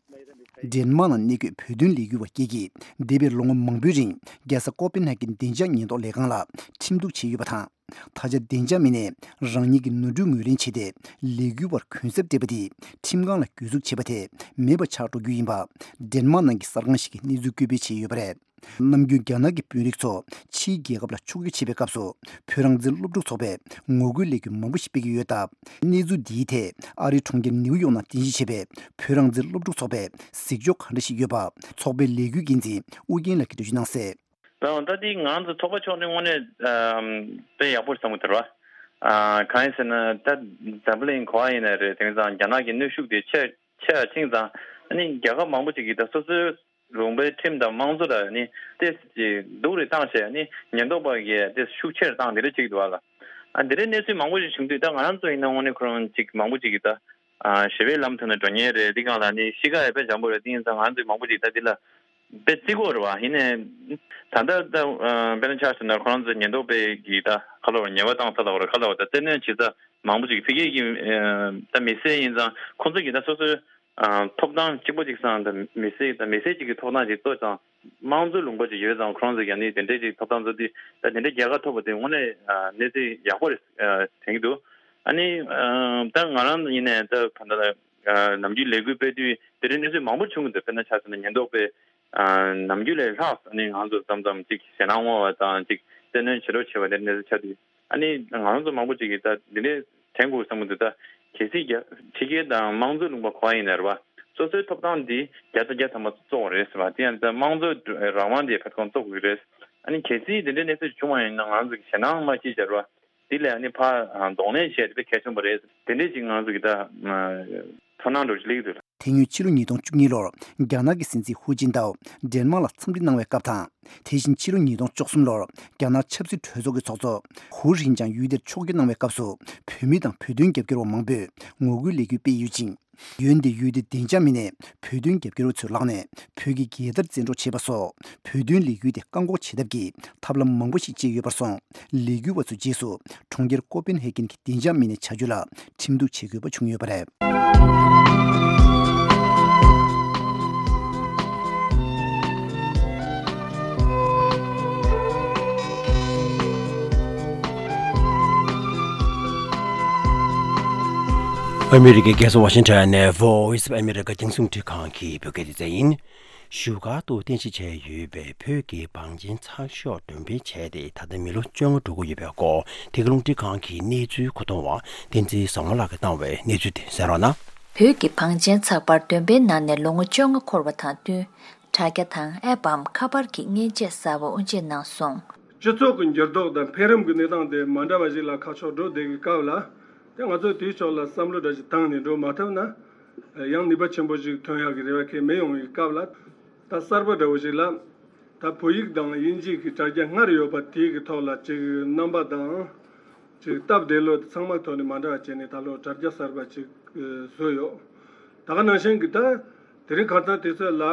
ཌེན་མཱག་ནང་གནས་འཁོད་བོད་དོན་ལས་འགུལ་བ་བརྒྱད་ཀྱིས་འདས་པའི་ལོ་ངོ་མང་པོའི་རིང་རྒྱལ་ས་ཀོ་པན་ཧེ་གྷན་བདེ་འཇགས་ཉེན་རྟོག་ལས་ཁང་ལ་ཁྲིམས་གཏུག་བྱས་ཡོད་པ་དང་། ད་ཆ་བདེ་འཇགས་མི་སྣས་རང་ཉིད་ཀྱི་ནོར་འཁྲུལ་ངོས་ལེན་བྱས་ཏེ་ལས་འགུལ་བར་གུན་གསབ་སྤྲད་པ་དེས་ཁྲིམས་ཁང་ལ་གྱོད་འཛུགས་བྱས་པ་དེ་མེད་པ་ཆགས་འགྲོ་རྒྱུ་ཡིན་པ་ཌེན་མཱག་ནང་གི་གསར་ཁང་ཞིག་གིས་གནས་ཚུལ་བཀོད་སྤེལ་བྱས་ཡོད་པ་རེད། ནམ་རྒྱུན་རྒྱ་ནག་གི་དཔོན་རིགས་ཚོ་ཕྱིའི་རྒྱལ་ཁབ་ལ་ཕྱོགས་བསྐྱོད་བྱེད་པའི་སྐབས་སུ་བོད་རང་བཙན་སློབ་ཕྲུག་ཚོགས་པས་ངོ་རྒོལ་ལས་འགུལ་མང་པོ་ཞིག་སྤེལ་གྱི་ཡོད་སྟབས། གནས་ཚུལ་འདིའི་ཐད་ཨ་རིའི་གྲོང་ཁྱེར་ནིའུ་ཡོག་ནང་རྟེན་གཞི་བྱས་པའི་བོད་རང་བཙན་སློབ་ཕྲུག་ཚོགས་པས་གཟིགས་ཕྱོགས་ག་འདྲ་ཞིག་ཡོད་པ་ཚོགས་པའི་ལས་འགུལ་འགན་འཛིན་ཨུ་རྒྱན་ལགས་ཀྱིས་འགྲེལ་བརྗོད་གནང་གསལ། ད་ད་འདི་ང་ཚོ་ཚོགས་པ་ཕྱོགས་ནས་དངོས་གནས་ཨམ་དཔེ་ཡག་པོ་བསམ་གྱི་འདུག་ར། ཨ་གང་ཡིན་ཟེར་ན་ད་འཛམ་བུ་གླིང་ག་པར་ཡིན་ན་རེད། དེང་སང་རྒྱ་ནག་གི་གནོན་ཤུགས་དེ་ཆེ་ཆེ་ར་ཕྱིན་ཙང་ཨ་ནི་རྒྱལ་ཁབ་མང་པོ་ཅིག་གིས་ད་སོ་སོའི་ལུང་པའི་ཁྲིམས་དང་དམངས་གཙོ་ལ་ཨ་ནི་ཏོག་ཙམ་ཅིག་སྡུག་རུ་བཏང་བྱས་ཨ་ནི་ཉེན་རྟོག་པ་གིས་ཏོག་ཙམ་ཤུགས་ཆེ་རུ་བཏང་དེ་འདྲ་བྱེད་ཀྱི་འདུག་བ་ལ། ཨ་འདི་འདྲའི་གནས་ཚུལ་མང་པོ་ཞིག་བྱུང་དུས་ད་ང་རང་ཚོ་ཡིན་ན་དངོས་གནས་ཁོ་རང་ཅིག་མང་པོ་ཅིག་གིས་ད། ཨ་ཞི་བའི་ལམ་ཐོག་ནས་འགྲོ་མཁན་རེད། འདི་སྒང་ལ་ནི་གཤིས་ཀ་ཡང་དཔེ་འཇམ་པོ་རེད། དེ་ཡིན་ཙང་ང་ཚོས་མང་པོ་ཅིག་ད་འདི་ལ་དཔེ་བརྩི་དགོས་རེད་བ། ཡིན་ནའི་ད་ལྟ་ད་ཨ་དཔེར་ན་ཆ་བཞག་ན་ཁོ་རང་ཚོའི་ཉེན་རྟོག་པས་ཀྱིས་ད་ག་ལབ་རེད། ཉེས་པ་བཏང་ཚར་ལབ་རེད། ག་ལབ་རེད། ད་བཙན་གནོན་བྱེད་ས་མང་པོ་ཅིག་ཕ་གི་གི་ཨ་ད་མི་སེར་ཡིན་ཙང་ཁོང་ཚོ་གིས་ད་སོ་སོའི་ཨ་ཐོབ་ཐང་གཅིག་པོ་གཅིག་སང་ད་མི་སེར་ད་མི་སེར་གཅིག་གི་ཐོབ་ཐང་ཅིག་གཙོ་ཙང་དམངས་གཙོའི་ལུང་པ་ཅིག་ཡོད་ཙང་ཁོ་རང་ཚོ་གིས་ནི་དེ་འདྲའི་ཅིག་ཐོབ་ཐང་ཚོ་དེ་ད་དེ་འདྲའི་རྒྱལ་ཁ་ཐོབ་པ་དེ་དངོས་གནས་ཨ་གནས་ཚུལ་ཡག་པོ་རེད་ཨ་དྲན་གྱི་འདུག་ཨ་ནི་ཨ་ད་ང་རང་ཡིན་ནའི་ད་ད་ལྟ་ཨ་ནམ་རྒྱུན་ལས་འགུལ་སྤེལ་དུས་དེ་རིང་གནས་ཚུལ་མང་པོ་བྱུང་གི་འདུག་དཔེར་ན་ཆ་བཞག་ན་ཉེན་རྟོག་པས་ཨ་ནམ་རྒྱུན་ལས་ལྷག་ཨ་ནི་ང་ཚོ་མཚམས་མཚམས་ཅིག་ཞེད་སྣང་སྔོག་པ་དང་ཅིག་བཙན་གནོན་བྱེད་རོགས་བྱེད་པ་དེ་གནས་ཚུལ་ཆགས་དུས་ཨ་ནི་ང་རང་ཚོ་མང་པོ་ཅིག་གིས་ད་འདི་འདྲའི་དྲན་དགོས་བསམ་གྱི་འདུག་ད་གལ་སྲིད་རྒྱ་ཕྱི་རྒྱལ་དང་དམངས་གཙོའི་ལུང་པ་ག་པར་ཡིན་ནའི་རེད་བ། སོ་སོའི་ཐོབ་ཐང་འདི་བརྒྱ་ཆ་བརྒྱ་ཐམ་པ་གཙོ་བོ་རེད་ཟེར་བ་དེ་ཡང་ད་དམངས་གཙོའི་རང་དབང་དེ་ཕར་ཚུར་གཙོ་དགོས་ཀྱི་རེད། ཨ་ནི་གལ་སྲིད་དེ་འདྲའི་གནས་ཚུལ་བྱུང་བ་ཡིན་ན་ང་ཚོ་གི་ཞེད་སྣང་མ་སྐྱེ་བྱ་རེད་བ། དེ་ལས་ཨ་ནི་ཕར་གདོང་ལེན་བྱས་དེ་དཔེ་གལ་ཆེན་པོ་རེད། དེ་འདྲས་ཅིག་ང་ཚོ་གི་ད་ཚོར་སྣང་འདྲ་ཅིག་སླེབས་ཀྱི་འདུག་དེ་སྔོན་ཕྱི་ལོ་ཉིས་སྟོང་བཅུ་གཉིས་ལོར་རྒྱ་ནག་གི་སྲིད་འཛིན་ཧུའུ་ཅིན་ཏའོ་ཌེན་མཱག་ལ་འཚམས་འདྲི་གནང་བའི་སྐབས་དང་། དེ་བཞིན་ཕྱི་ལོ་ཉིས་སྟོང་བཅུ་གསུམ་ལོར་རྒྱ་ནག་ཆབ་སྲིད་གྲོས་ཚོགས་ཀྱི་ཚོགས་གཙོ་ཧུའུ་ཧྲིན་ཅང་ཡུལ་དེར་ཕྱོགས་བསྐྱོད་གནང་བའི་སྐབས་སུ་བོད་མི་དང་བོད་དོན་རྒྱབ་སྐྱོར་བ་མང་པོས་ངོ་རྒོལ་ལས་འགུལ་སྤེལ་ཡོད་ཅིང་། འོན་ཏེ་ཡུལ་དེའི་བདེ་འཇགས་མི་སྣས་བོད་དོན་རྒྱབ་སྐྱོར་བ་ཚོའི་ལག་ནས་བོད་ཀྱི་རྒྱལ་དར་བཙན་འཕྲོག་བྱས་པ་སོགས་བོད་དོན་ལས་འགུལ་དེ་བཀག་འགོག་བྱེད་ཐབས་ཀྱི་ཐབས་ལམ་མང་པོ་ཞིག་སྤྱད་ཡོད་པར་སོང་། ལས་འགུལ་བ་ཚོས་རྗེས་སུ་གྲོང་ཁྱེར་ཀོ་པན་ཧེ་གྷན་གྱི་བདེ་འཇགས་མི་སྣའི་བྱ་སྤྱོད་ལ་ཁྲིམས་གཏུག་བྱེད་དགོས་པ་བྱུང་ཡོད་པ་རེད། ཨ་མི་རི་ཀའི་རྒྱལ་ས་ཝ་ཤིང་ཊོན་ནས་Voice of America་རྒྱང་སྲིང་རླུང་འཕྲིན་ཁང་གི་བོད་སྐད་སྡེ་ཚན་ཡིན། བཞུགས་སྒར་དུ་རྟེན་གཞི་བྱས་ཡོད་པའི་བོད་ཀྱི་བང་ཆེན་ཚགས་ཤོག་འདོན་སྤེལ་བྱས་ཏེ་ད་ལྟ་མི་ལོ་བཅོ་ལྔ་འགྲོ་གི་ཡོད་པའི་སྐོར་འདི་ག་རླུང་འཕྲིན་ཁང་གི་གནས་ཚུལ་མཁོ་གཏོང་བ་བསྟན་འཛིན་བཟང་མོ་ལགས་ཀྱིས་བཏང་བའི་གནས་ཚུལ་དེ་གསན་རོགས་གནང་། བོད་ཀྱི་བང་ཆེན་ཚགས་པར་བདུན་པའི་ནང་ནས་ལོ་ངོ་བཅོ་ལྔ་འཁོར་བ་དང་བསྟུན། དྲ་རྒྱ་དང་ཨེབ་བམ་ཁ་པར་གྱི་མཉེན་ཆས་གསར་པ་དབུ་འབྱེད་གནང་སོང་། སྤྱི་ཚོགས་ཀྱི་འགྱུར་ལྡོག་དང་འཕེལ་རིམ་གྱི་གནས་སྟངས་དེ་མ་འདྲ་བ་ཞིག་ལ་ཁ་ཕྱོགས་འགྲོ་བསྡད་ཀྱི་སྐབས་ལ། དེ་ང་ཚོས་དེའི་ཕྱོགས་ལ་བསམ་བློ་འདྲ་ཞིག་བཏང་ནས་འགྲོ་མ་ཐུབ་ན། ཡང་ནུས་པ་ཆེན་པོ་ཞིག་ཐོན་ཡག་གི་རེ་བ་གང་ཡང་མི་ཡོང་བའི་སྐབས་ལ། ད་གསར་པ་འདྲ་བོ་ཞིག་ལ། ད་བོད་ཡིག་དང་དབྱིན་ཇི་གི་དྲ་རྒྱ་སྔར་ཡོད་པ་དེའི་གི་ཐོག་ལ་ཅིག་རྣམ་པ་དང་། ཅིག་སྟབས་བདེ་ལོས་ཚང་མ་ཐོག་ནས་མ་འདྲ་བ་བྱས་ནས་ད་ལོ་དྲ་རྒྱ་གསར་པ་ཅིག་བཟོས་ཡོད། ད་ག་ནང་བཞིན་གྱི་ད་དེ་རིང་ཁ་སང་དུས་ཚོད་ལ་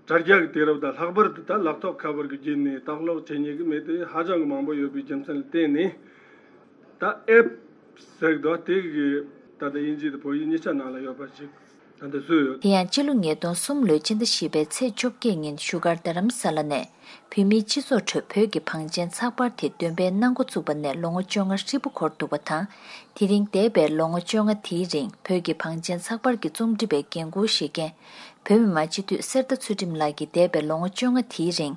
དྲ་རྒྱ་གི་དུས་རབས་དང་ལྷག་པར་དུ་ད་ལག་ཐོགས་ཁ་པར་གྱི་བརྒྱུད་ནས་ལྟ་ཀློག་བྱེད་མཁན་གྱི་མི་དེ་ཧ་ཅང་གི་མང་པོ་ཡོད་པའི་རྒྱུ་མཚན་ལ་བརྟེན་ནས། ད་ཨེབ་ཟེར་གི་འདུག་དེ་གི་ད་ལྟ་དབྱིན་ཇི་དང་བོད་ཡིག་གཉིས་ཆ་ནང་ལ་ཡོད་པ་ཞིག་ད་ལྟ་བཟོས་ཡོད། དེ་ཡང་སྤྱི་ལོ་ཉིས་སྟོང་གསུམ་ལོའི་སྤྱི་ཟླ་བཞི་པའི་ཚེས་བཅོ་བརྒྱད་ཉིན་བཞུགས་སྒར་རྡ་རམ་ས་ལ་ནས། བོད་མིའི་སྤྱི་ཚོགས་ཁྲོད་བོད་ཀྱི་བང་ཆེན་ཚགས་པར་དེ་འདོན་སྤེལ་གནང་འགོ་བཙུགས་པ་ནས་ལོ་ངོ་བཅོ་ལྔ་ཧྲིལ་པོ་འགོར་འདུག་པ་དང་། དེ་རིང་འདས་པའི་ལོ་ངོ་བཅོ་ལྔ་དེའི་རིང་བོད་ཀྱི་བང་ཆེན་ཚགས་པར་གྱི་རྩོམ་སྒྲིག་པའི་འགན་འཁུར་བཞེས་མཁན། བོད་མི་མང་སྤྱི་འཐུས་གསེར་རྟ་ཚུལ་ཁྲིམས་ལགས་ཀྱིས་འདས་པའི་ལོ་ངོ་བཅོ་ལྔ་དེའི་རིང་།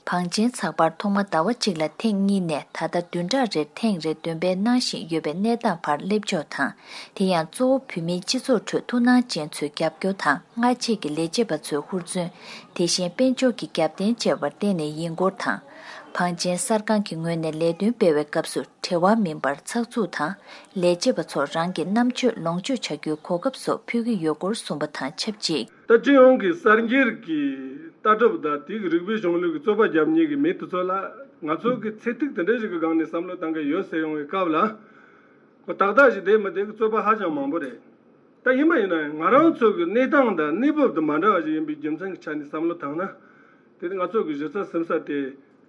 བང་ཆེན་ཚགས་པར་ཐོག་མ་ཟླ་བ་གཅིག་ལ་ཐེངས་གཉིས་ནས་ད་ལྟ་བདུན་ཕྲག་རེར་ཐེངས་རེ་འདོན་སྤེལ་གནང་བཞིན་ཡོད་པའི་གནས་སྟངས་བར་སླེབས་ཕྱོགས་དང་། དེ་ཡང་གཙོ་བོ་བོད་མིའི་སྤྱི་ཚོགས་ཁྲོད་ཐུགས་སྣང་ཅན་ཚོའི་རྒྱབ་སྐྱོར་དང་། སྔ་རྗེས་ཀྱི་ལས་བྱེད་པ་ཚོའི་ཧུར་བརྩོན། དེ་བཞིན་དཔལ་འབྱོར་གྱི་རྒྱབ་རྟེན་བཅས་པར་བརྟེན་ནས་ཡིན་སྐོར་དང་། བང་ཆེན་གསར་ཁང་གི་ངོས་ནས་ལས་དོན་སྤེལ་བའི་སྐབས་སུ་བྲེལ་བ་མིན་པར་ཚགས་ཚུད་དང་། ལས་བྱེད་པ་ཚོར་རང་གི་རྣམ་དཔྱོད་ལོངས་སྤྱོད་བྱ་རྒྱུའི་གོ་སྐབས་སོགས་ཕུལ་གྱི་ཡོད་སྐོར་གསུངས་པ་དང་ཆབས་ཅིག་ད་སྤྱི་ཡོངས་ཀྱི་གསར་འགྱུར་གྱི་ལྟ་གྲུབ་དང་དེའི་རིག་པའི་གཞུང་ལུགས་ཀྱི་རྩོད་པ་རྒྱབ་མཁན་གྱི་མི་དེ་ཚོ་ལ་ང་ཚོ་གི་ཚེ་ཐིག་དེ་འདྲ་ཞིག་གི་སྒང་ནས་བསམ་བློ་བཏང་གི་ཡོད་ཟེར་ཡོང་བའི་སྐབས་ལ། ཁོ་ཏག་ཏག་ཞིག་བསྡད་མི་བསྡད་ཀྱི་རྩོད་པ་ཧ་ཅང་མང་པོ་རེད། ད་ཡིན་པ་ཡིན་ན་ཡང་ང་རང་ཚོ་གི་གནས་སྟངས་དང་གནས་བབ་དང་མ་འདྲ་བ་ཞིག་ཡིན་པའི་རྒྱུ་མཚན་གྱི་ཆ་ནས་བསམ་བློ་བཏང་ན། དེ་ནི་ང་ཚོ་གི་གཞི་རྩ་ཟིན་ས་དེ་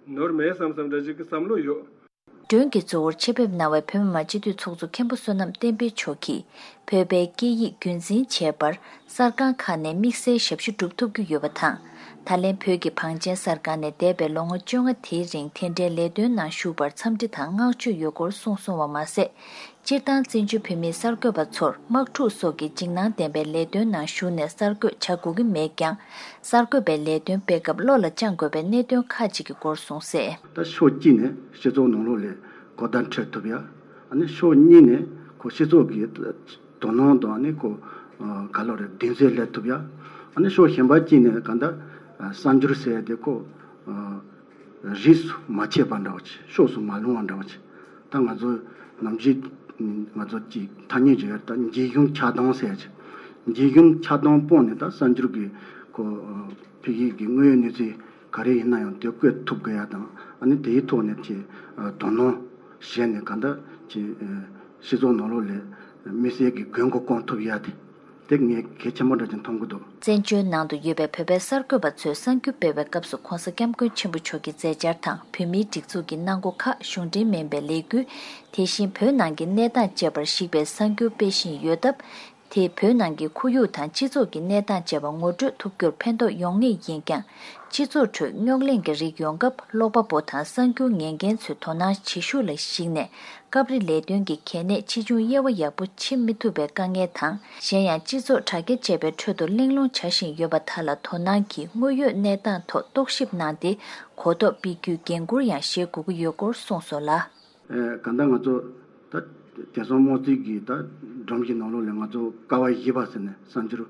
ནོར་མེད་བསམ་བསམ་འདྲ་ཞིག་གི་བསམ་བློ་ཡོད། མགྲོན་གྱི་གཙོ་བོར་ཆེད་ཕེབས་གནང་བའི་བོད་མི་མང་སྤྱི་འཐུས་ཚོགས་གཙོ་མཁན་པོ་བསོད་ནམས་བསྟན་འཕེལ་མཆོག་གིས། བོད་པའི་སྐད་ཡིག་རྒྱུན་འཛིན་བྱེད་པར་གསར་ཁང་ཁག་ནས་དམིགས་བསལ་ཞབས་ཞུ་སྒྲུབ་ཐུབ་ཀྱི་ཡོད་པ་དང་། ད་ལན་བོད་ཀྱི་བང་ཆེན་གསར་ཁང་ནས་འདས་པའི་ལོ་ངོ་བཅོ་ལྔ་དེའི་རིང་དེ་འདྲའི་ལས་དོན་ནང་ཞུགས་པར་འཚམས་འདྲི་དང་བསྔགས་བརྗོད་ཡོད་སྐོར་གསུངས་སོང་བ་མ་ཟད། སྤྱིར་བཏང་བཙན་བྱོལ་བོད་མིའི་གསར་འགོད་པ་ཚོར་དམག་འཁྲུག་སོགས་ཀྱི་འཇིགས་སྣང་ལྡན་པའི་ལས་དོན་ནང་ཞུགས་ནས་གསར་འགོད་བྱ་དགོས་ཀྱི་མེད་ཀྱང་། གསར་འགོད་པའི་ལས་དོན་སྤེལ་སྐབས་བློ་ལ་བཅངས་དགོས་པའི་གནད་དོན་ཁག་ཅིག་གི་སྐོར་གསུངས་གསལ། ད་ཕྱོགས་གཅིག་ནས་སྤྱི་ཚོགས་ནང་ལོགས་ལ་གོ་བརྡ་འཕྲོད་ཐུབ་ཡ། ཨ་ནི་ཕྱོགས་གཉིས་ནས་ཁོ་སྤྱི་ཚོགས་ཀྱི་དོ་སྣང་དང་ཨ་ནི་ཁོ་ག་ལོ་རེད་གདེང་ཚོད་སླེབས་ཐུབ་ཡ། ཨ་ནི་ཕྱོགས་གཞན་པ་གཅིག་ནས་ག་འདྲ་གསར་འགྱུར་ཟེར་ཡ་དེ་ཁོ། རིས་སུ་མ་ཆད་པ་འདྲ་བ་ཅིག་ཕྱོགས་སུ་མ་ལྷུང་བ་འདྲ་བ་ཅིག་ད་ང་ཚོ་ནམ་རྒྱུན་ང་ཚོ་ཅིག་ཐ་སྙད་ཅིག་ཡོད་ད་འཇིགས་ཞུམ་ཆགས་སྡང་ཟེར་ཡ་ཅིག་འཇིགས་ཞུམ་ཆགས་སྡང་སྤོང་ནས་ད་གསར་འགྱུར་གྱི་ཁོ་ཕ་གི་གི་དངོས་ཡོད་གནས་ཚུལ་ག་རེ་ཡིན་ན་ཡང་དེ་བཀོད་ཐུབ་དགོས་ཡ་དང་ཨ་ནི་དེའི་ཐོག་ནས་ཅིག་དོ་སྣང་བྱས་ནས་ག་འདྲ་ཅིག་སྤྱི་ཚོགས་ནང་ལོགས་ལ་དམིགས་བསལ་གྱི་མགོན་སྐོར་སྐོང་ཐུབ་ཡ་དེ། དེ་ངས་གལ་ཆེན་པོ་འདྲ་ཅིག་མཐོང་གི་འདུག་བཙན་བྱོལ་ནང་དུ་ཡོད་པའི་བོད་པའི་གསར་འགོད་པ་ཚོས་གསར་འགྱུར་སྤེལ་བའི་སྐབས་སུ་༧གོང་ས་༧སྐྱབས་མགོན་ཆེན་པོ་མཆོག་གི་མཛད་འཆར་དང་བོད་མིའི་སྒྲིག་འཛུགས་ཀྱི་གནང་སྒོ་ཁག་གཞུང་འབྲེལ་མིན་པའི་ལས་འགུལ། དེ་བཞིན་བོད་ནང་གི་གནས་སྟངས་བཅས་པར་གཞིགས་པའི་གསར་འགྱུར་སྤེལ་བཞིན་ཡོད་སྟབས། དེས་བོད་ནང་གི་ཁོར་ཡུག་དང་སྤྱི་ཚོགས་ཀྱི་གནས་སྟངས་བཅས་པ་ངོ་སྤྲོད་ཐུབ་རྒྱུར་ཕན་ཐོགས་ཡོང་ངེས་ཡིན་ཀྱང་། སྤྱི་ཚོགས་ཁྲོད་རྙོག་གླེང་གི་རིགས་ཡོང་སྐབས་ཀློག་པ་པོ་དང་གསར་འགྱུར་ཉན་མཁན་ཚོའི་དོ་སྣང་བྱེད་ཤུགས་ལ་གཞིགས་ནས། སྐབས་རེ་ལས་དོན་གྱི་གལ་གནད་ཆེ་ཆུང་དབྱེ་བ་ཡག་པོ་ཕྱེ་མི་ཐུབ་པའི་དཀའ་ངལ་དང་། གཞན་ཡང་སྤྱི་ཚོགས་དྲ་རྒྱ་བཅས་པའི་ཁྲོད་དུ་གླེང་སློང་བྱ་བཞིན་ཡོད་པ་དག་ལ་དོ་སྣང་གིས་དངོས་ཡོད་གནས་སྟངས་ཐོག་རྟོག་ཞིབ་གནང་སྟེ། གོ་རྟོགས་སྤེལ་རྒྱུའི་འགན་འཁུར་ཡང་བཞེས་དགོས་ཀྱི་ཡོད་སྐོར་གསུངས་སོང་ལ། ཨེ་གང་ལྟར་ང་ཚོ་ད་དེང་སང་དམངས་གཙོའི་གི་ད་སྒྲོམ་གཞི་ནང་ལོགས་ལ་ང་ཚོ་ཀ་བ་བཞི་པ་ཟེར་ནས་གསར་འགྱུར་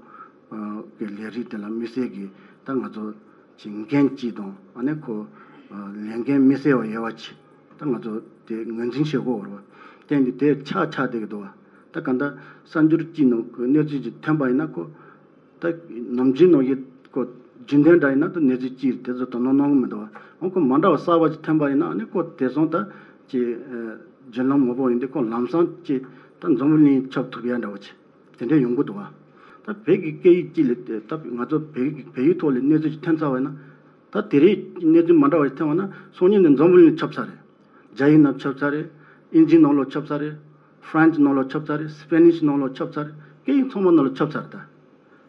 གི་ལས་རིགས་དེ་ལ་དམིགས་བསལ་གྱི་ད་ང་ཚོ་གི་འགན་གཅིག་དང་ཨ་ནི་ཁོ་ལས་འགན་དམིགས་བསལ་བ་ཡོད་པ་ཅིག་ད་ང་ཚོ་དེ་ངོས་འཛིན་བྱེད་དགོས་པ་རེད་བ། དེ་འདི་དེ་ཆགས་ཆགས་བསྡད་ཀྱི་འདུག་བ། ད་ག་འདྲ་གསར་འགྱུར་གཅིག་ནང་གི་གནས་ཚུལ་ཅིག་ཐོན་པ་ཡིན་ན་ཁོ་ད་ནམ་རྒྱུན་ནང་བཞིན་ཁོ་རྒྱུན་ལྡན་འདྲ་ཡིན་ན་ད་གནས་ཚུལ་གཅིག་དེ་ཚོ་དོ་སྣང་གནང་གི་མི་འདུག་བ། འོ་ཁོ་མ་འདྲ་བ་གསར་པ་ཅིག་ཐོན་པ་ཡིན་ན་ཨ་ནི་ཁོ་དེང་སང་ད་ཅིག་བརྒྱུད་ལམ་མང་པོ་ཡིན་དུས་ཁོ་ལམ་སང་ཅིག་ད་འཛམ་བུ་གླིང་ཁྱབ་ཐུབ་ཡ་འདྲ་བ་ཅིག་དེ་འདྲ་ཡོང་གི་འདུག་བ། ད་བོད་ཀྱི་སྐད་ཡིག་གཅིག་ལ་ད་ང་ཚོ་བོད་ཀྱི་བོད་ཡིག་ཐོག་ལ་གནས་ཚུལ་ཅིག་ཐོན་ཚར་བ་ཡིན་ན། ད་དེ་རིང་གནས་ཚུལ་མ་འདྲ་བ་ཞིག་ཐོན་པ་ན་སང་ཉིན་ནས་འཛམ་བུ་གླིང་ཁྱབ་ཚར་རེད། རྒྱ་ཡིག་ནང་ཁྱབ་ཚར་རེད། དབྱིན་ཇིའི་ནང་ལོགས་ཁྱབ་ཚར་རེད། ཧྥ་རན་སི་ནང་ལོགས་ཁྱབ་ཚར་རེད། སི་པེ་ནིས་ནང་ལོགས་ཁྱབ་ཚར་རེད། སྐད་ཡིག་ཚང་མ་ནང་ལོགས་ཁྱབ་ཚར་རེད་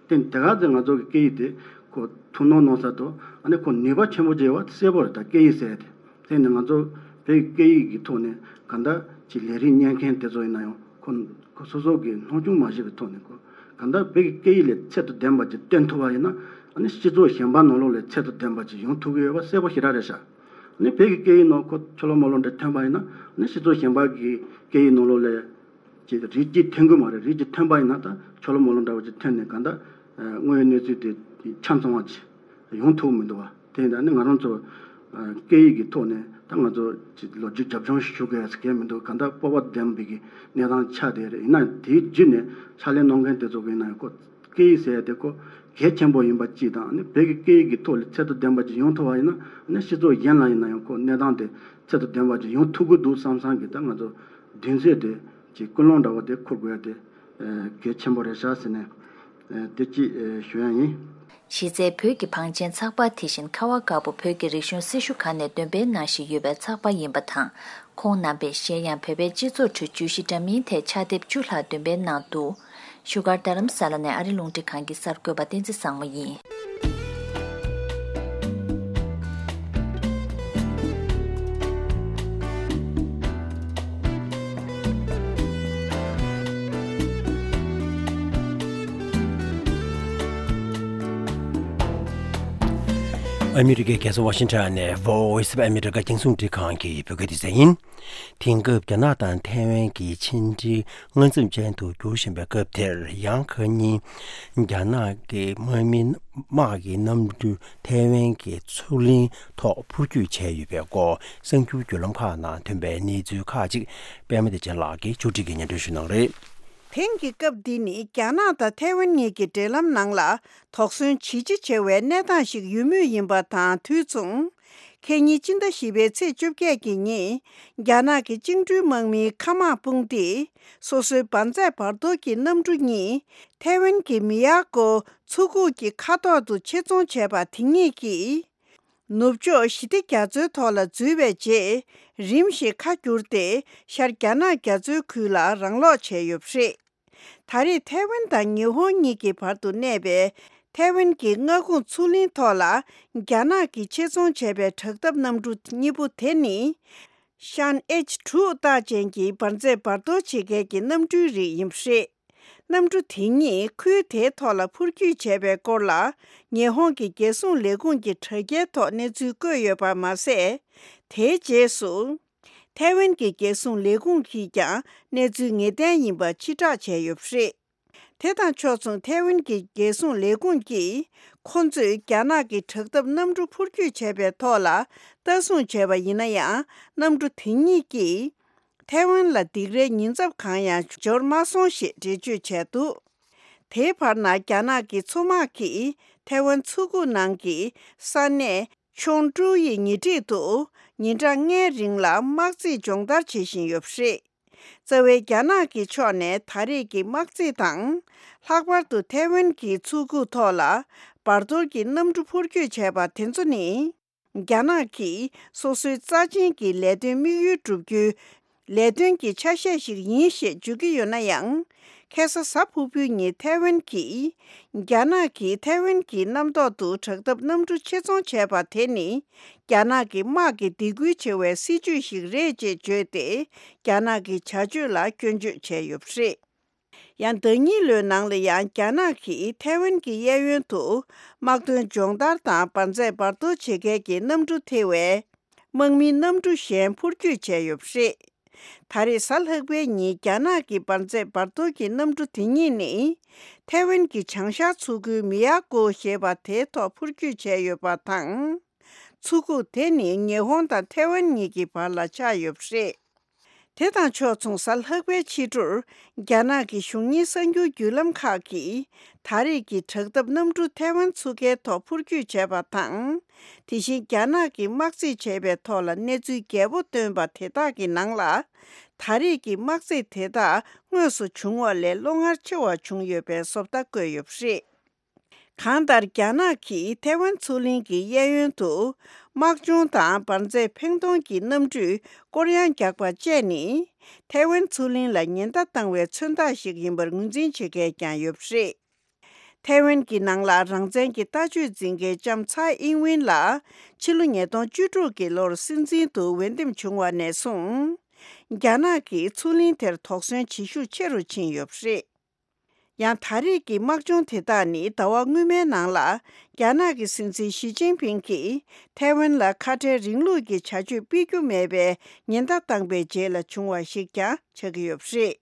ད། དེ་དེ་ག་ཚོད་ང་ཚོ་གི་སྐད་ཡིག་དེ་ཁོ་ཐུགས་སྣང་གནང་ས་དང་ཨ་ནི་ཁོ་ནུས་པ་ཆེན་པོ་ཅིག་ཡོད་པ་གསལ་པོ་རེད་ད་སྐད་ཡིག་ཟེར་ཡ་དེ། དེ་ནི་ང་ཚོ་བོད་སྐད་ཡིག་གི་ཐོག་ནས་གང་ལྟར་ཅིག་ལས་རིགས་གཉེར་མཁན་དེ་ཚོ་ཡིན་ན་ཡང་ཁོ་ཁོ་སོ་སོ་གི་སྣང་ཆུང་མ་བྱས་པའི་ཐོག་ནས་ཁོ་གང་ལྟར་བོད་ཀྱི་སྐད་ཡིག་ལ་ཚད་དང་ལྡན་པ་ཅིག་སྟོན་ཐུབ་པ་ཡིན་ན་ཨ་ནི་སྤྱི་ཚོགས་གཞན་པ་ནང་ལོགས་ལ་ཚད་དང་ལྡན་པ་ཅིག་ཡོང་ཐུབ་ཀྱི་ཡོད་པ་གསལ་པོ་ཞེ་དྲག་རེད་ཤག་ཨ་ནི་བོད་ཀྱི་སྐད་ཡིག་ནང་ཁོ་ཆུ་ལོག་མ་ལོག་འདྲ་ཐོན་པ་ཡིན་ན་ཨ་ནི་སྤྱི་ཚོགས་གཞན་པ་གི་སྐད་ཡིག་ནང་ལོགས་ལ་ ཅིག་རིགས་གཅིག་འཐེན་དགོས་མ་རེད། རིགས་གཅིག་འཐེན་པ་ཡིན་ན་ད་ཆོ་ལོ་མོ་ལོ་འདྲ་བོ་ཅིག་འཐེན་ནས་གང་ལྟར་དངོས་ཡོད་གནས་ཚུལ་དེ་ཆ་ཚང་བ་ཅིག་ཡོང་ཐུབ་མི་འདུག་བ། དེ་ཡིན་ད་ནི་ང་རང་ཚོ་སྐད་ཡིག་གི་ཐོག་ནས་ད་ང་ཚོ་ཅིག་ལོ་རྒྱུས་རྒྱབ་ལྗོངས་ཞུ་དགོས་ཡ་ཟེར་མཁན་མི་འདུག་གང་ལྟར་སྤོབས་པ་ལྡན་པའི་གི་གནས་སྟངས་ཆགས་བསྡད་རེད། ཡིན་ན་དེའི་བརྒྱུད་ནས་ཕྱག་ལས་གནང་མཁན་དེ་ཚོ་གི་ཡིན་ན་ཡང་ཁོ་སྐད་ཡིག་ཟེར་ཡ་དེ་ཁོ་གལ་ཆེན་པོ་ཡིན་པ་གཅིག་དང་། ཨ་ནི་བོད་ཀྱི་སྐད་ཡིག་གི་ཐོག་ལ་ཚད་མཐོ་ལྡན་པ་ཅིག་ཡོང་ཐུབ་པ་ཡིན་ན། ཨ་ནི་སྤྱི་ཚོགས་གཞན་ལ་ཡིན་ན་ཡང་ཁོ་གནས་སྟངས་དེ་ཚད་མཐོ་ལྡན་པ་ཅིག་ཡོང་ཐུབ་ཀྱི་འདུག་བསམ་བསམ་གྱི་ད་ང་ཚོ་མདུན་ཚོད་དེ་ཅིག་ཀུན་སློང་འདྲ་བོ་དེ་འཁུར་དགོས་ཡ་དེ་གལ་ཆེན་པོ་རེད་ཤག་ཟེར་ནས་དེ་གཅིག་ཞུ་ཡ་ཡིན། གཞི་རྩའི་བོད་ཀྱི་བང་ཆེན་ཚགས་པར་དེ་བཞིན་ཁ་བ་དཀར་པོ་བོད་ཀྱི་རིག་གཞུང་སྲི་ཞུ་ཁང་ནས་འདོན་སྤེལ་གནང་བཞིན་ཡོད་པའི་ཚགས་པར་ཡིན་པ་དང་། ཁོང་རྣམ་པས་གཞན་ཡང་བོད་པའི་སྤྱི་ཚོགས་ཁྲོད་བརྗོད་གཞི་འདྲ་མིན་ཐད་ཕྱག་དེབ་བཅུ་ལྷག་འདོན་སྤེལ་གནང་འདུག་བཞུགས་སྒར་རྡ་རམ་ས་ལ་ནས་ཨ་རི་རླུང་འཕྲིན་ཁང་གི་གསར་འགོད་པ་བསྟན་འཛིན་བཟང་མོ་ཡིན། ཨ་མི་རི་ཀའི་རྒྱལ་ས་ཝ་ཤིང་ཊོན་ནས་Voice of America རྒྱང་སྲིང་རླུང་འཕྲིན་ཁང་གི་བོད་སྐད་སྡེ་ཚན་ཡིན། དེང་སྐབས་རྒྱ་ནག་དང་ཐའེ་ཝན་གྱི་ཕྱི་འབྲེལ་མངའ་མཚམས་ཅན་དུ་འགྱུར་བཞིན་པའི་སྐབས་དེར། ཡང་ཁ་ཉིན་རྒྱ་ནག་གི་དམག་མི་དམག་གི་གནམ་གྲུ་ཐའེ་ཝན་གྱི་མཚོ་གླིང་ཐོག་འཕུར་སྐྱོད་བྱས་ཡོད་པའི་སྐོར་གསར་འགྱུར་བརྒྱུད་ལམ་ཁག་ནང་ཐོན་པའི་གནས་ཚུལ་ཁག་ཅིག་པད་མ་བདེ་ཆེན་ལགས་ཀྱིས་ཕྱོགས་སྒྲིག་གིས་སྙན་སྒྲོན་ཞུ་གནང་རེད། དེང་གི་སྐབས་འདི་ནི་རྒྱ་ནག་དང་ཐའེ་ཝན་གཉིས་ཀྱི་འབྲེལ་ལམ་ནང་ལ་དོགས་ཟོན་ཇི་ཆེ་ཆེ་བའི་གནས་སྟངས་ཤིག་ཡོད་མུས་ཡིན་པ་དང་དུས་མཚུངས། ཁེ་ཉིན་སྤྱི་ཟླ་བཞི་པའི་ཚེས་བཅོ་བརྒྱད་ཀྱི་ཉིན། རྒྱ་ནག་གི་བཅིངས་འགྲོལ་དམག་མིའི་མཁའ་དམག་དཔུང་སྡེས་སོ་སོའི་འབར་རྫས་བར་དོར་གྱི་གནམ་གྲུ་གཉིས་ཐའེ་ཝན་གྱི་མི་ཡ་ཀོ་མཚོ་ཁུག་གི་མཁའ་ཐོག་ཏུ་ཆེད་རྫོང་བྱས་པ་དེ་ཉིད་ཀྱིས། ནུབ་ཕྱོགས་ཞི་བདེ་རྒྱ་མཚོའི་ཐོག་ལ་འཛུལ་བའི་རྗེས། རིམ་བཞིན་ཁ་བསྒྱུར་ཏེ་ཤར་རྒྱ་ནག་རྒྱ་མཚོའི་ཁུལ་ལ་རང་སློག་བྱས་ཡོད་པ་རེད། ད་རེས་ཐའེ་ཝན་དང་ཉི་ཧོང་གཉིས་ཀྱི་བར་དུ་གནས་པའི་ཐའེ་ཝན་གྱི་མངའ་ཁོངས་མཚོ་གླིང་ཐོག་ལ་རྒྱ་ནག་གིས་ཆེད་རྫོང་བྱས་པའི་དྲག་འཐབ་གནམ་གྲུ་གཉིས་པོ་དེ་ནི། ཤན་ཨེཆ་དྲུག་རྟགས་ཅན་གྱི་འབར་རྫས་བར་དོར་བྱེད་མཁན་གྱི་གནམ་གྲུའི་རིགས་ཡིན་པ་རེད། གནམ་གྲུ་དེ་ཉིད་ཁུལ་དེའི་ཐོག་ལ་འཕུར་སྐྱོད་བྱས་པའི་སྐོར་ལ། ཉི་ཧོང་གི་རྒྱལ་སྲུང་ལས་ཁུངས་ཀྱི་དྲ་རྒྱའི་ཐོག་གནས་ཚུལ་བཀོད་ཡོད་པ་མ་ཟད། དེའི་རྗེས་སུ། ཐའེ་ཝན་གྱི་རྒྱལ་སྲུང་ལས་ཁུངས་ཀྱིས་ཀྱང་གནས་ཚུལ་ངེས་གཏན་ཡིན་པ་ཕྱིར་བསྒྲགས་བྱས་ཡོད་པ་རེད། དེ་དང་ཕྱོགས་མཚུངས་ཐའེ་ཝན་གྱི་རྒྱལ་སྲུང་ལས་ཁུངས་ཀྱིས། ཁོ་ཚོས་རྒྱ་ནག་གི་དྲག་འཐབ་གནམ་གྲུ་འཕུར་སྐྱོད་བྱས་པའི་ཐོག་ལ་ལྟ་སྲུང་བྱས་པ་ཡིན་ན་ཡང་། གནམ་གྲུ་དེ་ཉིད་ཀྱིས། ཐའེ་ཝན་ལ་སྡིགས་རའི་ཉེན་ཚབས་གང་ཡང་འབྱོར་མ་སོང་ཞེས་འགྲེལ་བརྗོད་བྱས་འདུག་དེའི་བར་ན་རྒྱ་ནག་གི་མཚོ་དམག་གིས་ཐའེ་ཝན་མཚོ་ཁུག་ནང་གི་ས་གནས་ཆོང་ཀྲུའུ་ཡི་ཉེ་འཁྲིས་དུ་ཉིན་གྲངས་ལྔའི་རིང་ལ་དམག་རྩིས་སྦྱོང་བརྡར་བྱེད་བཞིན་ཡོད་པ་རེད། རྩ་བའི་རྒྱ་ནག་གི་ཕྱོགས་ནས་ད་རེས་ཀྱི་དམག་རྩིས་དང་། ལྷག་པར་དུ་ཐའེ་ཝན་གྱི་མཚོ་ཁུག་ཐོག་ལ་བར་དོར་གྱི་གནམ་གྲུ་འཕུར་སྐྱོད་བྱས་པ་དེ་ཚོ་ནི། རྒྱ་ནག་གིས་སོ་སོའི་རྩ་ཆེན་གྱི་ལས་དོན་དམིགས་ཡུལ་བསྒྲུབ་རྒྱུའི་ལས་དོན་གྱི་ཆ་ཤས་ཤིག་ཡིན་ཞེས་བརྗོད་ཀྱི་ཡོད་ན་ཡང་། ཁ་སང་གཟའ་ཕུར་བུའི་ཉིན་ཐའེ་ཝན་གྱིས། རྒྱ་ནག་གིས་ཐའེ་ཝན་གྱི་གནམ་ཐོག་ཏུ་དྲག་འཐབ་གནམ་གྲུ་ཆེད་རྫོང་བྱས་པ་དེ་ནི། རྒྱ་ནག་གི་དམག་གི་སྡིགས་སྐུལ་ཆེ་བའི་སྲིད་ཇུས་ཤིག་རེད་ཅེས་བརྗོད་དེ། རྒྱ་ནག་གི་བྱ་སྤྱོད་ལ་སྐྱོན་བརྗོད་བྱས་ཡོད་པ་རེད། ཡང་ཟླ་གཉིས་ལོའི་ནང་ལ་ཡང་རྒྱ་ནག་གིས་ཐའེ་ཝན་གྱི་གཡས་གཡོན་དུ་དམག་དོན་སྦྱོང་བརྡར་དང་འབར་རྫས་འབར་གཏོར་བྱེད་མཁན་གྱི་གནམ་གྲུ་ཐེ་བའི་དམག་མིའི་གནམ་གྲུ་གཞན་འཕུར་སྐྱོད་བྱས་ཡོད་པ་རེད། ད་རེས་གཟའ་ལྷག་པའི་ཉིན་རྒྱ་ནག་གི་འབར་རྫས་འབར་གཏོར་གྱི་གནམ་གྲུ་དེ་ཉིད་ནི། ཐའེ་ཝན་གྱི་བྱང་ཤར་མཚོ་ཁུལ་མི་ཡ་ཀོ་ཞེས་པ་དེའི་ཐོག་འཕུར་སྐྱོད་བྱས་ཡོད་པ་དང་། མཚོ་ཁུག་དེ་ནི་ཉི་ཧོང་དང་ཐའེ་ཝན་གཉིས་ཀྱི་བར་ལ་ཆགས་ཡོད་པ་རེད། དེ་དང་ཕྱོགས་མཚུངས་གཟའ་ལྷག་པའི་ཕྱི་དྲོར། རྒྱ་ནག་གི་གཞུང་གཉེར་གསར་འགྱུར་བརྒྱུད་ལམ་ཁག་གིས། ད་རེས་ཀྱི་དྲག་འཐབ་གནམ་གྲུ་ཐའེ་ཝན་མཚོ་ཁའི་ཐོག་འཕུར་སྐྱོད་བྱས་པ་དང་། དེ་བཞིན་རྒྱ་ནག་གིས་དམག་རྩིས་བྱས་པའི་ཐོག་ལ་གནས་ཚུལ་རྒྱས་པོ་བཏོན་པ་དེ་དག་གི་ནང་ལ། ད་རེས་ཀྱི་དམག་རྩིས་དེ་དག་དངོས་སུ་བྱུང་བ་ལས་བློ་ངར་ཆེ་བ་བྱུང་ཡོད་པའི་བཟོ་ལྟ་བཀོད་ཡོད་པ་རེད། གང་ལྟར། རྒྱ་ནག་གིས་ཐའེ་ཝན་མཚོ་གླིང་གི་གཡས་གཡོན་དུ། དམག་སྦྱོང་དང་འབར་རྫས་འཕེན་གཏོང་གི་གནམ་གྲུས་སྐོར་གཡང་རྒྱག་པ་བཅས་ནི། ཐའེ་ཝན་མཚོ་གླིང་ལ་ཉེན་བརྡ་བཏང་བའི་མཚོན་རྟགས་ཤིག་ཡིན་པར་ངོས་འཛིན་བྱེད་མཁན་ཀྱང་ཡོད་པ་རེད། ཐའེ་ཝན་གྱི་ནང་ལ་རང་བཙན་གྱི་ལྟ་སྤྱོད་འཛིན་མཁན་ལྕམ་ཚའེ་ཨིན་ཝིན་ལ། ཕྱི་ལོ་ཉིས་སྟོང་བཅུ་དྲུག་གི་ལོར་སྲིད་འཛིན་དུ་འོས་འདེམས་བྱུང་བ་ནས་བཟུང་། རྒྱ་ནག་གིས་མཚོ་གླིང་དེར་དོགས་ཟོན་བྱེད་ཤུགས་ཆེ་རུ་ཕྱིན་ཡོད་པ་རེད། ཡང་ད་རེས་ཀྱི་དམག་སྦྱོང་དེ་དག་ནི་ཟླ་བ་སྔོན་མའི་ནང་ལ། རྒྱ་ནག་གི་སྲིད་འཛིན་ཞི་ཅིན་ཕིང་གིས་ཐའེ་ཝན་ལ་ཁ་བྲལ་རིང་ལུགས་ཀྱི་བྱ་སྤྱོད་སྤེལ་རྒྱུ་མེད་པའི་ཉེན་བརྡ་བཏང་པའི་རྗེས་ལ་བྱུང་བ་ཞིག་ཀྱང་ཆགས་ཀྱི་ཡོད་པ་རེད།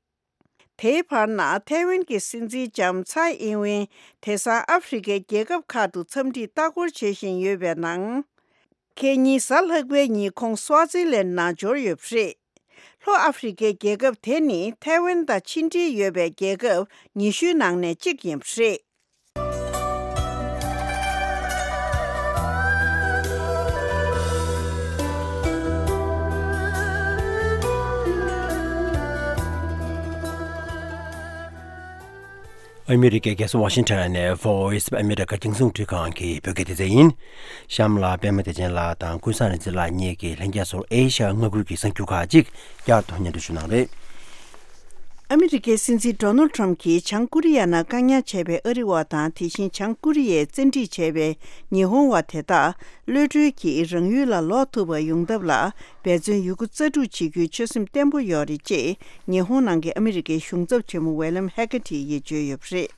དེའི་བར་ན་ཐའེ་ཝན་གྱི་སྲིད་འཛིན་ལྕམ་ཚའེ་ཨིན་ཝེན་དེང་སང་ཨ་ཧྥེ་རི་ཁའི་རྒྱལ་ཁབ་ཁག་ཏུ་འཚམས་འདྲིར་ལྟ་སྐོར་བྱེད་བཞིན་ཡོད་པའི་ནང་། ཁེ་ཉིན་གཟའ་ལྷག་པའི་ཉིན་ཁོང་སུའ་ཙི་ལན་ནང་འབྱོར་ཡོད་པ་རེད། ལྷོ་ཨ་ཧྥེ་རི་ཁའི་རྒྱལ་ཁབ་དེ་ནི་ཐའེ་ཝན་དང་ཕྱི་འབྲེལ་ཡོད་པའི་རྒྱལ་ཁབ་ཉི་ཤུའི་ནང་ནས་གཅིག་ཡིན་པ་རེད། ཨ་མི་རི་ཀའི་རྒྱལ་ས་ཝ་ཤིང་ཊོན་ནས་Voice of America རྒྱང་སྲིང་རླུང་འཕྲིན་ཁང་གི་བོད་སྐད་སྡེ་ཚན་ཡིན། གཤམ་ལ་པད་མ་བདེ་ཆེན་ལགས་དང་ཀུན་བཟང་རིག་འཛིན་ལགས་གཉིས་ཀྱིས་ལྷན་རྒྱས་ཚོར་ཨེ་ཤ་ཡ་མངའ་ཁུལ་གྱི་གསར་འགྱུར་ཁག་ཅིག་བསྐྱར་དུ་སྙན་སྒྲོན་ཞུ་གནང་རེད། ཨ་མི་རི་ཀའི་སྲིད་འཛིན་ཌོ་ནལ་ཊམ་གྱིས་བྱང་ཀོ་རི་ཡ་ནང་བཀག་ཉར་བྱས་པའི་ཨ་རི་བ་དང་དེ་བཞིན་བྱང་ཀོ་རི་ཡས་བཙན་ཁྲིད་བྱས་པའི་ཉི་ཧོང་བ་དེ་དག་གློད་གྲོལ་གྱིས་རང་ཡུལ་ལ་ལོག་ཐུབ་པ་ཡོང་ཐབས་ལ་འབད་བརྩོན་ཡོད་རྒུ་རྩལ་སྤྲུགས་བྱེད་རྒྱུའི་ཆོད་སེམས་བརྟན་པོ་ཡོད་རེད་ཅེས་ཉི་ཧོང་ནང་གི་ཨ་མི་རི་ཀའི་གཞུང་ཚབ་ཆེན་མོ་ཝེ་ལམ་ཧེ་ཀ་ཐིས་ཡིས་བརྗོད་ཡོད་པ་རེད།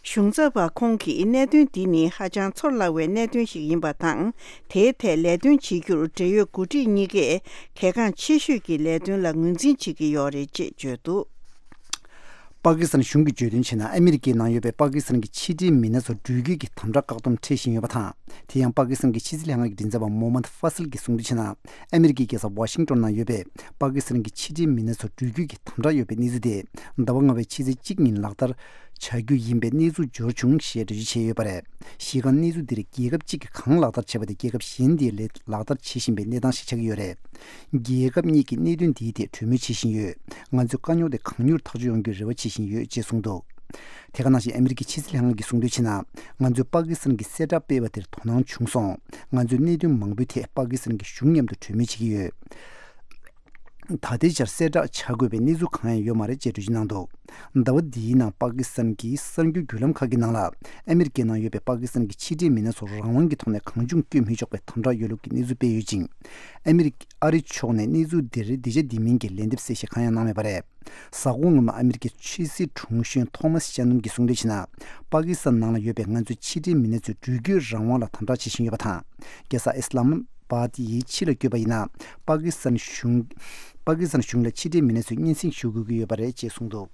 གཞུང་ཚབ་པ་ཁོང་གིས་གནད་དོན་འདི་ནི་ཧ་ཅང་ཚོར་སླ་བའི་གནད་དོན་ཞིག་ཡིན་པ་དང་། དེའི་ཐད་ལས་དོན་བྱེད་རྒྱུར་འབྲེལ་ཡོད་འགོ་ཁྲིད་གཉིས་ཀས་གལ་འགངས་ཆེ་ཤོས་ཀྱི་ལས་དོན་ལ་ངོས་འཛིན་བྱེད་ཀྱི་ཡོད་རེད་ཅེས་བརྗོད་འདུག། པ་ཀི་སི་ཐན་གཞུང་གིས་བརྗོད་དོན་བྱས་ན། ཨ་མི་རི་ཀའི་ནང་ཡོད་པའི་པ་ཀི་སི་ཐན་གྱི་ཕྱི་འབྲེལ་མི་སྣ་ཚོ་འགྲུལ་སྐྱོད་ཀྱི་དམ་དྲག་བཀག་སྡོམ་འཁྲི་བཞིན་ཡོད་པ་དང་། དེ་ཡང་པ་ཀི་སི་ཐན་གྱི་ཕྱི་སྲིད་ལྷན་ཁང་གི་མགྲིན་ཚབ་པ་མོ་མན་ཧྥ་སིལ་གྱིས་གསུངས་དོན་བྱས་ན། ཨ་མི་རི་ཀའི་རྒྱལ་ས་ཝ་ཤིང་ཏོན་ནང་ཡོད་པའི་པ་ཀི་སི་ཐན་གྱི་ཕྱི་འབྲེལ་མི་སྣ་ཚོ་འགྲུལ་སྐྱོད་ཀྱི་དམ་དྲག་ཡོད་པའི་གནས་ཚུལ་དེ་ཟླ་བ་ལྔ་པའི་ཕྱི་ཚེས་གཅིག་ཉིན་ལག་བསྟར་བྱ་རྒྱུ་ཡིན་པའི་གནས་ཚུལ་འབྱོར་བྱུང་ཞེས་འགྲེལ་བརྗོད་བྱས་ཡོད་པ་རེད། གཞི་རྐང་གནས་ཚུལ་འདིར་རྒྱལ་ཁབ་གཅིག་གིས་གང་ལག་བསྟར་བྱས་པ་དེ་རྒྱལ་ཁབ་གཞན་དེས་ལས་ལག་བསྟར་བྱེད་བཞིན་པའི་གནས་སྟངས་ཤིག་ཆགས་ཀྱི་ཡོད་རེད། རྒྱལ་ཁབ་གཉིས་ཀྱིས་གནད་དོན་འདིའི་ཐད་གྲོས་མོལ་བྱེད་བཞིན་ཡོད། ང་ཚོས་དཀའ་རྙོག་དེ་གང་མྱུར་ཐག་གཅོད་ཡོང་རྒྱུའི་རེ་བ་བྱེད་བཞིན་ཡོད་ཅེས་གསུངས་འདུག། དེ་ག་ནང་བཞིན་ཨ་མི་རི་ཀའི་ཕྱི་སྲིད་ལྷན་ཁང་གིས་གསུངས་དོན་བྱས་ན། ང་ཚོས་པ་ཀི་སི་ཐན་གྱི་གསལ་བསྒྲགས་སྤེལ་བ་དེར་དོ་སྣང་བྱུང་སོང་། ང་ཚོས་གནད་དོན་མང་པོའི་ཐད་པ་ཀི་སི་ཐན་གྱི་གཞུང་མཉམ་དུ་གྲོས་མོལ་བྱེད་ཀྱི་ཡོད། ད་ལྟའི་ཆར་གསལ་བསྒྲགས་བྱ་དགོས་པའི་གནས་ཚུལ་གང་ཡང་ཡོད་མ་རེད་ཅེས་འགྲེལ་བརྗོད་གནང་འདུག། ཟླ་བ་འདིའི་ནང་པ་ཀི་སི་ཐན་གྱི་གསར་འགྱུར་བརྒྱུད་ལམ་ཁག་གི་ནང་ལ། ཨ་མི་རི་ཀའི་ནང་ཡོད་པའི་པ་ཀི་སི་ཐན་གྱི་ཕྱི་འབྲེལ་མི་སྣ་ཚོར་རང་དབང་གི་ཐོག་ནས་གང་བྱུང་བསྐྱོད་མི་ཆོག་པའི་དམ་དྲག་ཡོད་ལུགས་ཀྱི་གནས་ཚུལ་སྤེལ་ཡོད་ཅིང་། ཨ་མི་རི་ཀ་ཨ་རི་ཕྱོགས་ནས་གནས་ཚུལ་འདིར་འདི་བྱ་འདི་མིན་གྱི་ལན་འདེབས་གསལ་བཤད་གང་ཡང་གནང་མེད་པ་རེད། གཟའ་འཁོར་སྔོན་མ་ཨ་མི་རི་ཀའི་ཕྱི་སྲིད་དྲུང་གཞོན་ཐོ་མཱས་ཤ་ནོན་གྱིས་གསུངས་དོན་བྱས་ན། པ་ཀི་སི་ཐན་ནང་ལ་ཡོད་པའི་ང་ཚོའི་ཕྱི་འབྲེལ་མི་སྣ་ཚོས་འགྲུལ་སྐྱོད་རང་དབང་ལ་དམ་དྲག་བྱེད་བཞིན་ཡོད་པ་དང་། རྒྱལ་ས་ཨི་སི་ལམ་བྷ་དི་ཡི་ཕྱི་ལ་བསྐྱོད་པ་ཡིན་ན། པ་ཀི་སི་ཐན་གཞུང་། པ་ཀི་སི་ཐན་གཞུང་ལ་ཕྱི་འབྲེལ་མི་སྣ་ཚོས་སྙན་སེང་ཞུ་དགོས་ཀྱི་ཡོད་པ་རེད་ཅེས་གསུངས་འདུག།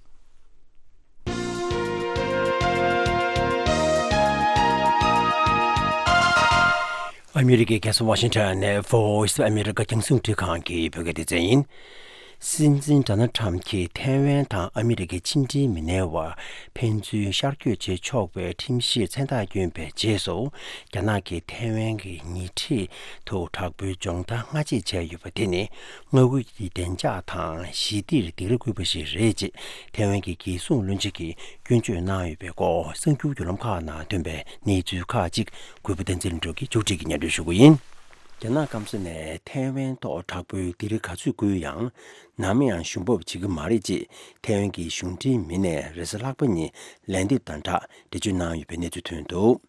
ཨ་མི་རི་ཀའི་རྒྱལ་ས་ཝ་ཤིང་ཊོན་ནས་Voice of America རྒྱང་སྲིང་རླུང་འཕྲིན་ཁང་གི་བོད་སྐད་སྡེ་ཚན་ཡིན། སྲིད་འཛིན་ཌོ་ནལ་ཊམ་གྱིས་ཐའེ་ཝན་དང་ཨ་མི་རི་ཀའི་ཕྱི་འབྲེལ་མི་སྣའི་བར་ཕན་ཚུན་ཤར་བསྐྱོད་བྱེད་ཆོག་པའི་ཁྲིམས་གཞིར་མཚན་རྟགས་བསྐྱོན་པའི་རྗེས་སུ། རྒྱ་ནག་གིས་ཐའེ་ཝན་གྱི་ཉེ་འཁྲིས་དུ་དྲག་པོའི་སྦྱོང་བརྡར་སྔ་རྗེས་བྱས་ཡོད་པ་དེ་ནི། མངའ་ཁུལ་གྱི་བདེ་འཇགས་དང་ཞི་བདེར་སྡིགས་ར་བསྐུལ་བ་ཞིག་རེད་ཅེས་ཐའེ་ཝན་གྱི་རྒྱལ་སྲུང་བློན་ཆེན་གྱིས་སྐྱོན་བརྗོད་གནང་ཡོད་པའི་སྐོར་གསར་འགྱུར་བརྒྱུད་ལམ་ཁག་ནང་ཐོན་པའི་གནས་ཚུལ་ཁག་ཅིག་གུས་པ་བསྟན་འཛིན་ལྷུན་གྲུབ་ཀྱིས་མཇུག་སྒྲིལ་གྱིས་སྙན་སྒྲོན་ཞུ་གི་ཡིན། རྒྱ་ནག་སྐམ་ས་ནས་ཐའེ་ཝན་ཐོག་དྲག་པོའི་སྡིགས་ར་ག་ཚོད་བསྐུལ་ཡང་། ནམ་ཡང་ཞུ་འབབ་བྱེད་ཀྱི་མ་རེད་ཅེས་ཐའེ་ཝན་གྱི་གཞུང་འབྲེལ་མི་སྣས་རེས་གཟའ་ལྷག་པ་ཉིན་ལན་འདེབས་དང་སྦྲགས་འགྲེལ་བརྗོད་གནང་ཡོད་པའི་གནས་ཚུལ་ཐོན་འདུག།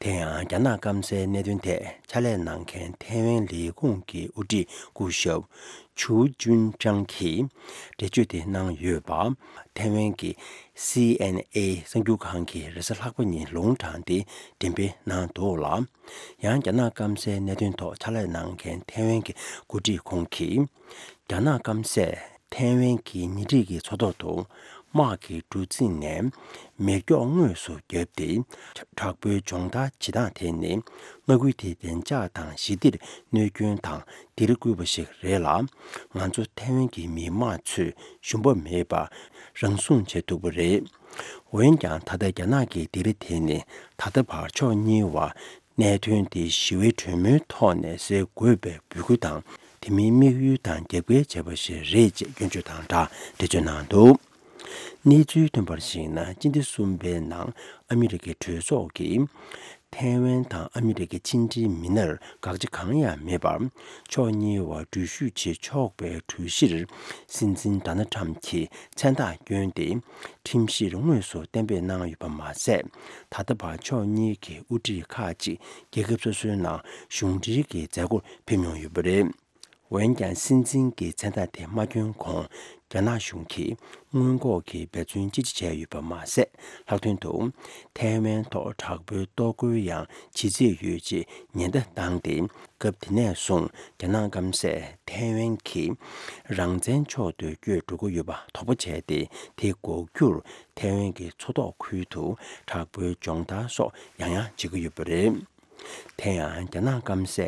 དེ་ཡང་རྒྱ་ནག་སྐམ་སའི་གནད་དོན་ཐད་ཕྱག་ལས་གནང་མཁན་ཐའེ་ཝན་ལས་ཁུངས་ཀྱི་དབུ་ཁྲིད་སྐུ་ཞབས་ཆུའུ་ཅུན་ཀྲང་གིས་འགྲེལ་བརྗོད་དེ་གནང་ཡོད་པ། ཐའེ་ཝན་གྱི་སི་ཨེན་ཨེ་གསར་འགྱུར་ཁང་གིས་རེས་གཟའ་ལྷག་པ་ཉིན་ལུང་དྲངས་ཏེ་འགྲེམས་སྤེལ་གནང་འདུག་ལ། ཡང་རྒྱ་ནག་སྐམ་སའི་གནད་དོན་ཐོག་ཕྱག་ལས་གནང་མཁན་ཐའེ་ཝན་གྱི་འགོ་ཁྲིད་ཁོང་གིས། རྒྱ་ནག་སྐམ་སས་ཐའེ་ཝན་གྱི་ཉེ་འཁྲིས་ཀྱི་མཚོ་ཐོག་ཏུ་དམག་གི་གྲུ་གཟིངས་ནས་མེ་སྒྱོགས་དངོས་སུ་བརྒྱབ་སྟེ། དྲག་པོའི་སྦྱོང་བརྡར་བྱེད་སྟངས་དེ་ནི་མངའ་ཁུལ་དེའི་བདེ་འཇགས་དང་ཞི་བདེར་གནོད་སྐྱོན་དང་སྡིགས་ར་བསྐུལ་བ་ཞིག་རེད་ལ། ང་ཚོ་ཐའེ་ཝན་གྱི་མི་དམངས་ཚོས་ཞུམ་པ་མེད་པར་རང་སྲུང་བྱེད་ཐུབ་པ་རེད། འོན་ཀྱང་ད་ལྟ་རྒྱ་ནག་གི་སྡིགས་ར་དེ་ནི་ད་ལྟ་བར་ཕྱོགས་གཉིས་བར། གནད་དོན་དེ་ཞི་བའི་གྲོས་མོལ་ཐོག་ནས་སེལ་དགོས་པའི་འབོད་སྐུལ་དང་། དེ་མིན་དམིགས་ཡུལ་དང་རྒྱབ་འགལ་བྱས་པ་ཞིག་རེད་ཅེས་སྐྱོན་བརྗོད་དང་སྦྲགས་འགྲེལ་བརྗོད་གནང་འདུག། གནས་ཚུལ་ཐོན་པར་གཞིགས་ན། སྤྱི་ཟླ་གསུམ་པའི་ནང་ཨ་མི་རི་ཀའི་གྲོས་ཚོགས་ཀྱིས་ཐའེ་ཝན་དང་ཨ་མི་རི་ཀའི་ཕྱི་འབྲེལ་མི་སྣར་དགག་བྱ་གང་ཡང་མེད་པར། ཕྱོགས་གཉིས་བར་འགྲུལ་བཞུད་བྱེད་ཆོག་པའི་གྲོས་གཞིར་སྲིད་འཛིན་ཌོ་ནལ་ཊམ་གྱིས་མཚན་རྟགས་བསྐྱོན་ཏེ། ཁྲིམས་གཞིར་དངོས་སུ་གཏན་འབེབས་གནང་ཡོད་པ་མ་ཟད། ད་ལྟ་བར་ཕྱོགས་གཉིས་ཀྱི་དབུ་ཁྲིད་ཁག་ཅིག་རྒྱལ་ཁབ་སོ་སོའི་ནང་གཞུང་འབྲེལ་གྱི་མཛད་སྒོར་ཕེབས་མྱོང་ཡོད་པ་རེད། འོན་ཀྱང་སྲིད་འཛིན་གྱི་མཚན་རྟགས་དེ་མ་བསྐྱོན་གོང་རྒྱ་ནག་གཞུང་གིས་སྔོན་འགོག་གི་འབད་བརྩོན་ཅི་ཆེ་བྱས་ཡོད་པ་མ་ཟད། ལྷག་དོན་དུ་ཐའེ་ཝན་ཐོག་དྲག་པོའི་གཏོར་རྒོལ་ཡང་བྱེད་རྩིས་ཡོད་ཅེས་ཉེན་བརྡ་བཏང་སྟེ། སྐབས་དེ་ནས་བཟུང་རྒྱ་ནག་སྐམ་སས་ཐའེ་ཝན་གྱིས་རང་བཙན་ཕྱོགས་སུ་བསྐྱོད་འགྲོ་གི་ཡོད་པ་དོགས་པ་བྱས་ཏེ། དེ་འགོག་རྒྱུར་ཐའེ་ཝན་གྱི་མཚོ་ཐོག་ཁུལ་དུ་དྲག་པོའི་སྦྱོང་བརྡར་སོགས་ཡང་ཡང་བྱེད་ཀྱི་ཡོད་པ་རེད། དེ་ཡང་རྒྱ་ནག་སྐམ་སས་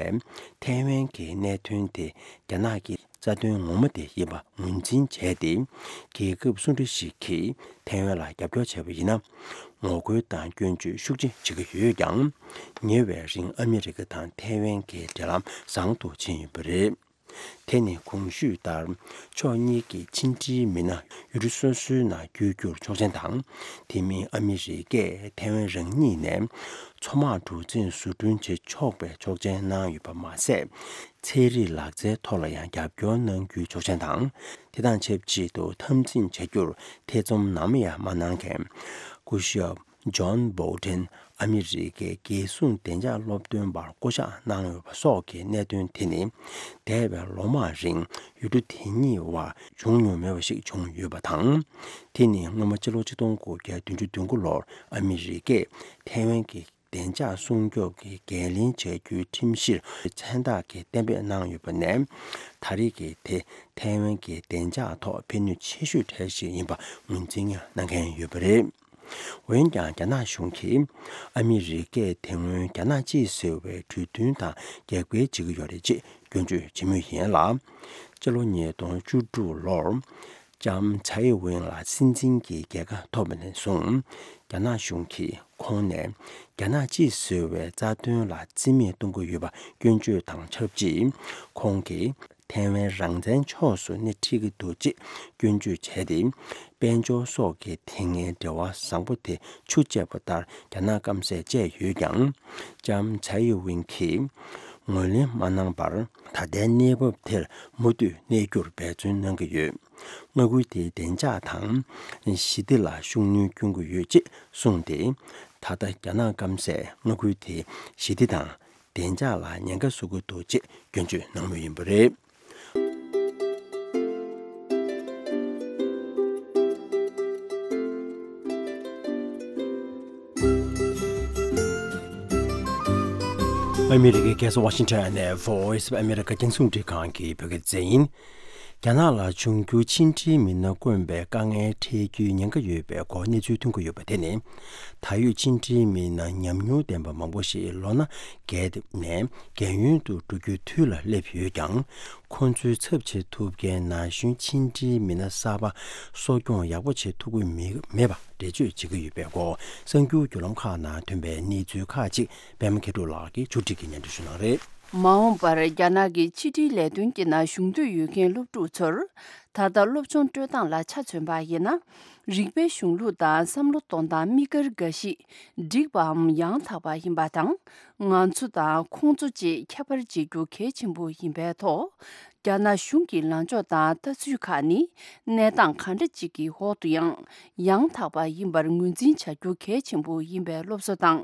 ཐའེ་ཝན་གྱི་གནད་དོན་དེ་རྒྱ་ནག་གི་རྩ་དོན་ངོ་མ་དེ་ཡིན་པ་ངོས་འཛིན་བྱས་ཏེ། རྒྱལ་ཁབ་སུ་འདྲ་ཞིག་གིས་ཐའེ་ཝན་ལ་རྒྱབ་སྐྱོར་བྱས་པ་ཡིན་ན། ངོ་རྒོལ་དང་སྐྱོན་བརྗོད་ཤུགས་ཆེ་བྱེད་ཀྱི་ཡོད་ཀྱང་། ཉེ་བའི་རིང་ཨ་མི་རི་ཀ་དང་ཐའེ་ཝན་གྱི་འབྲེལ་ལམ་བཟང་དུ་ཕྱིན་ཡོད་པ་རེད། དེ་ནི་གོང་ཞུས་ལྟར། ཕྱོགས་གཉིས་ཀྱི་ཕྱི་འབྲེལ་མི་སྣ་ཡུལ་གྲུ་སོ་སོའི་ནང་བསྐྱོད་རྒྱུར་ཆོག་མཆན་དང་། དེ་མིན་ཨ་མི་རི་ཀས་ཐའེ་ཝན་རང་ཉིད་ནས་མཚོ་དམག་གྲུ་གཟིངས་བཟོ་སྐྲུན་བྱེད་ཆོག་པའི་ཆོག་མཆན་གནང་ཡོད་པ་མ་ཟད། ཚན་རིག་ལག་རྩལ་ཐོག་ལ་ཡང་རྒྱབ་སྐྱོར་གནང་རྒྱུའི་ཆོག་མཆན་དང་། དེ་དང་ཆབས་ཅིག་ཏུ་འཐབ་འཛིང་བྱ་རྒྱུར་ཐེ་ཚོམ་ནམ་ཡང་མ་གནང་མཁན། སྐུ་ཞབས་ཇོན་བྷོལ་ཊན་ཨ་མི་རི་ཀའི་རྒྱལ་སྲུང་བདེ་འཇགས་སློབ་སྟོན་པར་བསྐོ་གཞག་གནང་ཡོད་པ་སོགས་ཀྱི་གནད་དོན་དེ་ནི། འདས་པའི་ལོ་མང་རིང་ཡུལ་གྲུ་དེ་གཉིས་དབར་བྱུང་མྱོང་མེད་པ་ཞིག་བྱུང་ཡོད་པ་དང་། དེ་ནི་སྔོན་མ་ཕྱི་ལོ་ཆིག་སྟོང་དགུ་བརྒྱ་བདུན་ཅུ་དོན་དགུ་ལོར་ཨ་མི་རི་ཀས་ཐའེ་ཝན་གྱི་བདེ་འཇགས་སྲུང་སྐྱོབ་ཀྱི་འགན་ལེན་བྱ་རྒྱུའི་ཁྲིམས་གཞིར་མཚན་རྟགས་ཀྱི་གཏན་འབེབས་གནང་ཡོད་པ་ནས། ད་རེས་ཀྱི་དེ་ཐའེ་ཝན་གྱི་བདེ་འཇགས་ཐོག་ཕན་ནུས་ཆེ་ཤོས་གྲས་ཤིག་ཡིན་པ་ངོས་འཛིན་གནང་མཁན་ཡོད་པ་རེད། འོན་ཀྱང་རྒྱ་ནག་གཞུང་གིས་ཨ་མི་རི་ཀས་དེ་སྔོན་རྒྱ་ནག་གཅིག་ཟེར་བའི་གྲོས་མཐུན་དང་རྒྱབ་འགལ་བྱེད་ཀྱི་ཡོད་རེད་ཅེས་སྐྱོན་བརྗོད་བྱེད་མུས་ཡིན་ལ། སྤྱི་ལོ་ཉིས་སྟོང་བཅུ་དྲུག་ལོར་ལྕམ་ཚའེ་ཝེན་ལ་སྲིད་འཛིན་གྱི་རྒྱལ་ཁ་ཐོབ་པ་ནས་བཟུང་། རྒྱ་ནག་གཞུང་གིས་ཁོང་ནས་རྒྱ་ནག་གཅིག་ཟེར་བའི་རྩ་དོན་ལ་རྩིས་མེད་གཏོང་གི་ཡོད་པ་སྐྱོན་བརྗོད་དང་ཆབས་ཅིག་ཁོང་གིས་ཐའེ་ཝན་རང་བཙན་ཕྱོགས་སུ་སྣེ་ཁྲིད་ཀྱི་འདུག་ཅེས་སྐྱོན་བརྗོད་བྱས་ཏེ། དཔལ་འབྱོར་སོགས་ཀྱི་དེ་སྔའི་འབྲེལ་བ་བཟང་པོ་དེ་ཆུ་བཅད་པ་ལྟར་རྒྱ་ནག་སྐམ་སས་བཅད་ཡོད་ཀྱང་། ལྕམ་ཚའེ་ཝེན་གྱིས་ངོས་ལེན་མ་གནང་བར། ད་ལྟའི་གནས་བབ་དེར་མུ་མཐུད་གནས་རྒྱུར་འབད་བརྩོན་གནང་གི་ཡོད། མངའ་ཁུལ་དེའི་བདེ་འཇགས་དང་ཞི་བདེ་ལ་ཤུགས་སྣོན་སྐྱོན་གྱི་ཡོད་ཅེས་གསུངས་ཏེ། ད་ལྟ་རྒྱ་ནག་སྐམ་སས་མངའ་ཁུལ་དེའི་ཞི་བདེ་དང་བདེ་འཇགས་ལ་ཉེན་ཁ་བཟོ་གི་འདུག་ཅེས་སྐྱོན་བརྗོད་གནང་མུས་ཡིན་པ་རེད། ཨ་མི་རི་ཀའི་རྒྱལ་ས་ཝ་ཤིང་ཊོན་ནས་Voice of America རྒྱང་སྲིང་རླུང་འཕྲིན་ཁང་གི་བོད་སྐད་སྡེ་ཚན་ཡིན། རྒྱ་ནག་ལ་འབྱུང་འགྱུར་ཕྱི་འབྲེལ་མི་སྣ་དཀོན་པའི་དཀའ་ངལ་འཕྲད་རྒྱུའི་ཉེན་ཁ་ཡོད་པའི་སྐོར་གནས་ཚུལ་ཐོན་གྱི་ཡོད་པ་དེ་ནི། ད་ཡོད་ཕྱི་འབྲེལ་མི་སྣ་ཉམས་མྱོང་ལྡན་པ་མང་པོ་ཞིག་ལོ་ན་རྒས་ནས་རྒས་ཡོལ་དུ་འགྲོ་རྒྱུའི་དུས་ལ་སླེབས་ཡོད་ཀྱང་། ཁོ་ཚོའི་ཚབ་བྱེད་ཐུབ་མཁན་ན་གཞོན་ཕྱི་འབྲེལ་མི་སྣ་གསར་པ་གསོ་སྐྱོང་ཡག་པོ་བྱེད་ཐུབ་ཀྱི་མི་མེད་པ་འགྲེལ་བརྗོད་བྱེད་ཀྱི་ཡོད་པའི་སྐོར་གསར་འགྱུར་བརྒྱུད་ལམ་ཁག་ནང་ཐོན་པའི་གནས་ཚུལ་ཁག་ཅིག་པད་མ་མཁས་གྲུབ་ལགས་ཀྱིས་ཕྱོགས་སྒྲིག་གིས་སྙན་སྒྲོན་ཞུ་གནང་རེད། མ་འོངས་པར་རྒྱ་ནག་གི་ཕྱི་འབྲེལ་ལས་དོན་གྱི་ནང་ཞུགས་འདོད་ཡོད་མཁན་སློབ་ཕྲུག་ཚོར། ད་ལྟ་སློབ་སྦྱོང་སྤྲོད་སྟངས་ལ་ཆ་མཚོན་པ་ཡིན་ན། རིག་པའི་གཞུང་ལུགས་དང་བསམ་བློ་གཏོང་སྟངས་དམིགས་བཀར་འགའ་ཞིག་འགྲིག་པའམ་ཡང་དག་པ་ཡིན་པ་དང་། ང་ཚོ་དང་ཁོང་ཚོ་བཅས་ཁྱད་པར་འབྱེད་རྒྱུ་གལ་ཆེན་པོ་ཡིན་པའི་ཐོག་རྒྱ་ནག་གཞུང་གི་ལངས་ཕྱོགས་དང་ལྟ་ཚུལ་ཁག་ནི། གནས་སྟངས་གང་འདྲ་ཅིག་གི་འོག་ཏུ་ཡང་ཡང་དག་པ་ཡིན་པར་ངོས་འཛིན་བྱ་རྒྱུ་གལ་ཆེན་པོ་ཡིན་པའི་སློབ་གསོ་དང་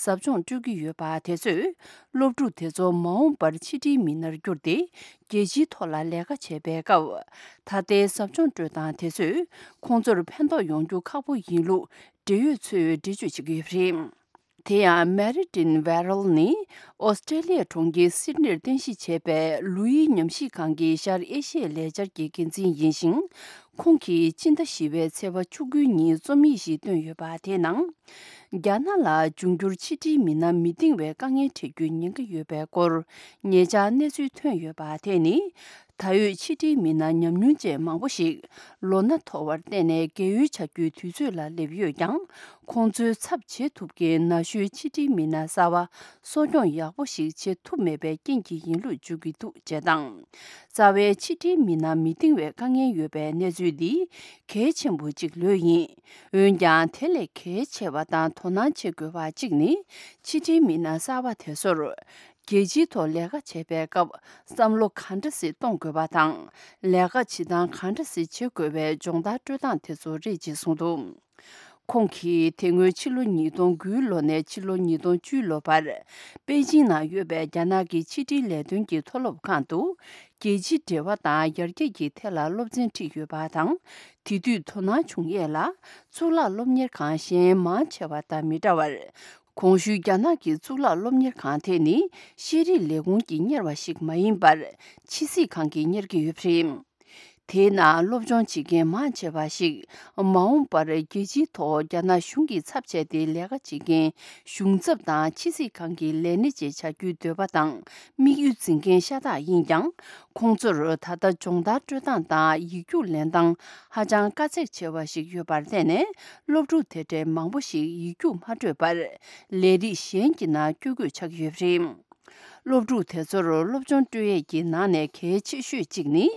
ཟབ་སྦྱོང་སྤྲོད་ཀྱི་ཡོད་པ་དེ་ཚོས། སློབ་ཕྲུག་དེ་ཚོ་མ་འོངས་པར་ཕྱི་འབྲེལ་མི་སྣར་གྱུར་ཏེ། རྒྱལ་སྤྱིའི་ཐོག་ལ་ལས་ཀ་བྱེད་པའི་སྐབས། ད་ལྟའི་ཟབ་སྦྱོང་སྤྲོད་སྟངས་དེ་ཚོས་ཁོང་ཚོར་ཕན་ཐོགས་ཡོང་རྒྱུ་ཁག་པོ་ཡིན་ལུགས་འབྲེལ་ཡོད་ཚོས་འགྲེལ་བརྗོད་བྱེད་ཀྱི་ཡོད་པ་རེད། དེ་ཡང་Martin Verrall ནི་ཨོ་སི་ཀྲེ་ལི་ཡའི་གྲོང་ཁྱེར་སིད་ནིར་རྟེན་གཞི་བྱས་པའི་ལོ་ཡི་ཉམས་ཞིབ་ཁང་གི་ཤར་ཨེ་ཤི་ཡའི་ལས་འཆར་གྱི་འགན་འཛིན་ཡིན་ཞིང་། ཁོང་གིས་སྤྱི་ཟླ་བཞི་པའི་ཚེས་པ་བཅུ་དགུ་ཉིན་རྩོམ་ཡིག་ཞིག་བཏོན་ཡོད་པ་དེའི་ནང་། རྒྱ་ནག་ལ་འབྱུང་འགྱུར་ཕྱི་འབྲེལ་མི་སྣ་མི་འདང་བའི་དཀའ་ངལ་འཕྲད་རྒྱུའི་ཉེན་ཁ་ཡོད་པའི་སྐོར་ཉེ་ཆར་གནས་ཚུལ་ཐོན་ཡོད་པ་དེ་ནི། ད་ཡོད་ཕྱི་འབྲེལ་མི་སྣ་ཉམས་མྱོང་ཅན་མང་པོ་ཞིག་ལོ་ན་མཐོ་བར་བརྟེན་ནས་རྒས་ཡོལ་བྱ་རྒྱུའི་དུས་ཚོད་ལ་སླེབས་ཡོད་ཀྱང་། ཁོང་ཚོའི་ཚབ་བྱེད་ཐུབ་མཁན་ན་གཞོན་ཕྱི་འབྲེལ་མི་སྣ་གསར་པ་གསོ་སྐྱོང་ཡག་པོ་ཞིག་བྱེད་ཐུབ་མེད་པའི་རྐྱེན་གྱིས་ཡིན་ལུགས་བརྗོད་ཀྱི་འདུག་ཅེས་དང་། རྩ་བའི་ཕྱི་འབྲེལ་མི་སྣ་མི་འདང་བའི་དཀའ་ངལ་ཡོད་པའི་གནས་ཚུལ་འདི་གལ་ཆེན་པོ་གཅིག་ལོས་ཡིན། འོན་ཀྱང་དེ་ལས་གལ་ཆེ་བ་དང་དོ་སྣང་བྱེད་དགོས་པ་གཅིག་ནི། ཕྱི་འབྲེལ་མི་སྣ་གསར་པ་དེ་ཚོར། རྒྱལ་སྤྱིའི་ཐོག་ལས་ཀ་བྱེད་པའི་སྐབས་བསམ་བློ་གང་འདྲ་ཞིག་གཏོང་དགོས་པ་དང་། ལས་ཀ་བྱེད་སྟངས་གང་འདྲ་ཞིག་བྱེད་དགོས་པའི་སྦྱོང་བརྡར་སྤྲོད་སྟངས་དེ་ཚོ་རེད་ཅེས་གསུངས་འདུག་ཁོང་གིས་དེ་སྔོན་ཕྱི་ལོ་ཉིས་སྟོང་དགུའི་ལོ་ནས་ཕྱི་ལོ་ཉིས་སྟོང་བཅུའི་ལོ་བར། པེ་ཅིང་ནང་ཡོད་པའི་རྒྱ་ནག་གི་ཕྱི་དྲིལ་ལས་དོན་གྱི་མཐོ་སློབ་ཁང་དུ། རྒྱལ་སྤྱིའི་འབྲེལ་བ་དང་ཡར་རྒྱས་ཀྱི་ཐད་ལ་སློབ་ཚན་ཁྲིད་ཡོད་པ་དང་། དེ་དུས་དོ་སྣང་བྱུང་ཡས་ལ། གཙུག་ལག་སློབ་གཉེར་ཁང་གཞན་མང་ཆེ་བ་དང་མི་འདྲ་བར། གོང་ཞུས་རྒྱ་ནག་གི་གཙུག་ལག་སློབ་གཉེར་ཁང་དེ་ནི་ཤེས་རིག་ལས་ཁུངས་ཀྱིས་གཉེར་བ་ཞིག་མ་ཡིན་པར། ཕྱི་སྲིད་ཁང་གིས་གཉེར་གྱི་ཡོད་པ་རེད། དེའི་ནང་སློབ་སྦྱོང་བྱེད་མཁན་མང་ཆེ་བ་ཞིག་མ་འོངས་པར་རྒྱལ་སྤྱིའི་ཐོག་རྒྱ་ནག་གཞུང་གི་ཚབ་བྱས་ཏེ་ལས་ཀ་བྱེད་མཁན་གཞུང་ཚབ་དང་ཕྱི་སྲིད་ཁང་གི་ལས་སྣེ་བཅས་བྱ་རྒྱུའི་འདོད་པ་དང་དམིགས་ཡུལ་འཛིན་མཁན་ཤ་སྟག་ཡིན་ཀྱང་། ཁོང་ཚོར་ད་ལྟ་སྦྱོང་བརྡར་སྤྲོད་སྟངས་དང་ཡིག་རྒྱུགས་ལེན་སྟངས་ཧ་ཅང་དཀའ་ཚེགས་ཆེ་བ་ཞིག་ཡོད་པར་བརྟེན་ནས། སློབ་ཕྲུག་དེ་འདྲའི་མང་པོ་ཞིག་ཡིག་རྒྱུགས་མ་སྤྲོད་པར་ལས་རིགས་གཞན་གྱི་ནང་བསྐྱོད་དགོས་ཆགས་ཀྱི་ཡོད་པ་རེད། སློབ་ཕྲུག་དེ་ཚོར་སློབ་སྦྱོང་སྤྲོད་ཡས་ཀྱི་ནང་ནས་གལ་ཆེ་ཤོས་གཅིག་ནི།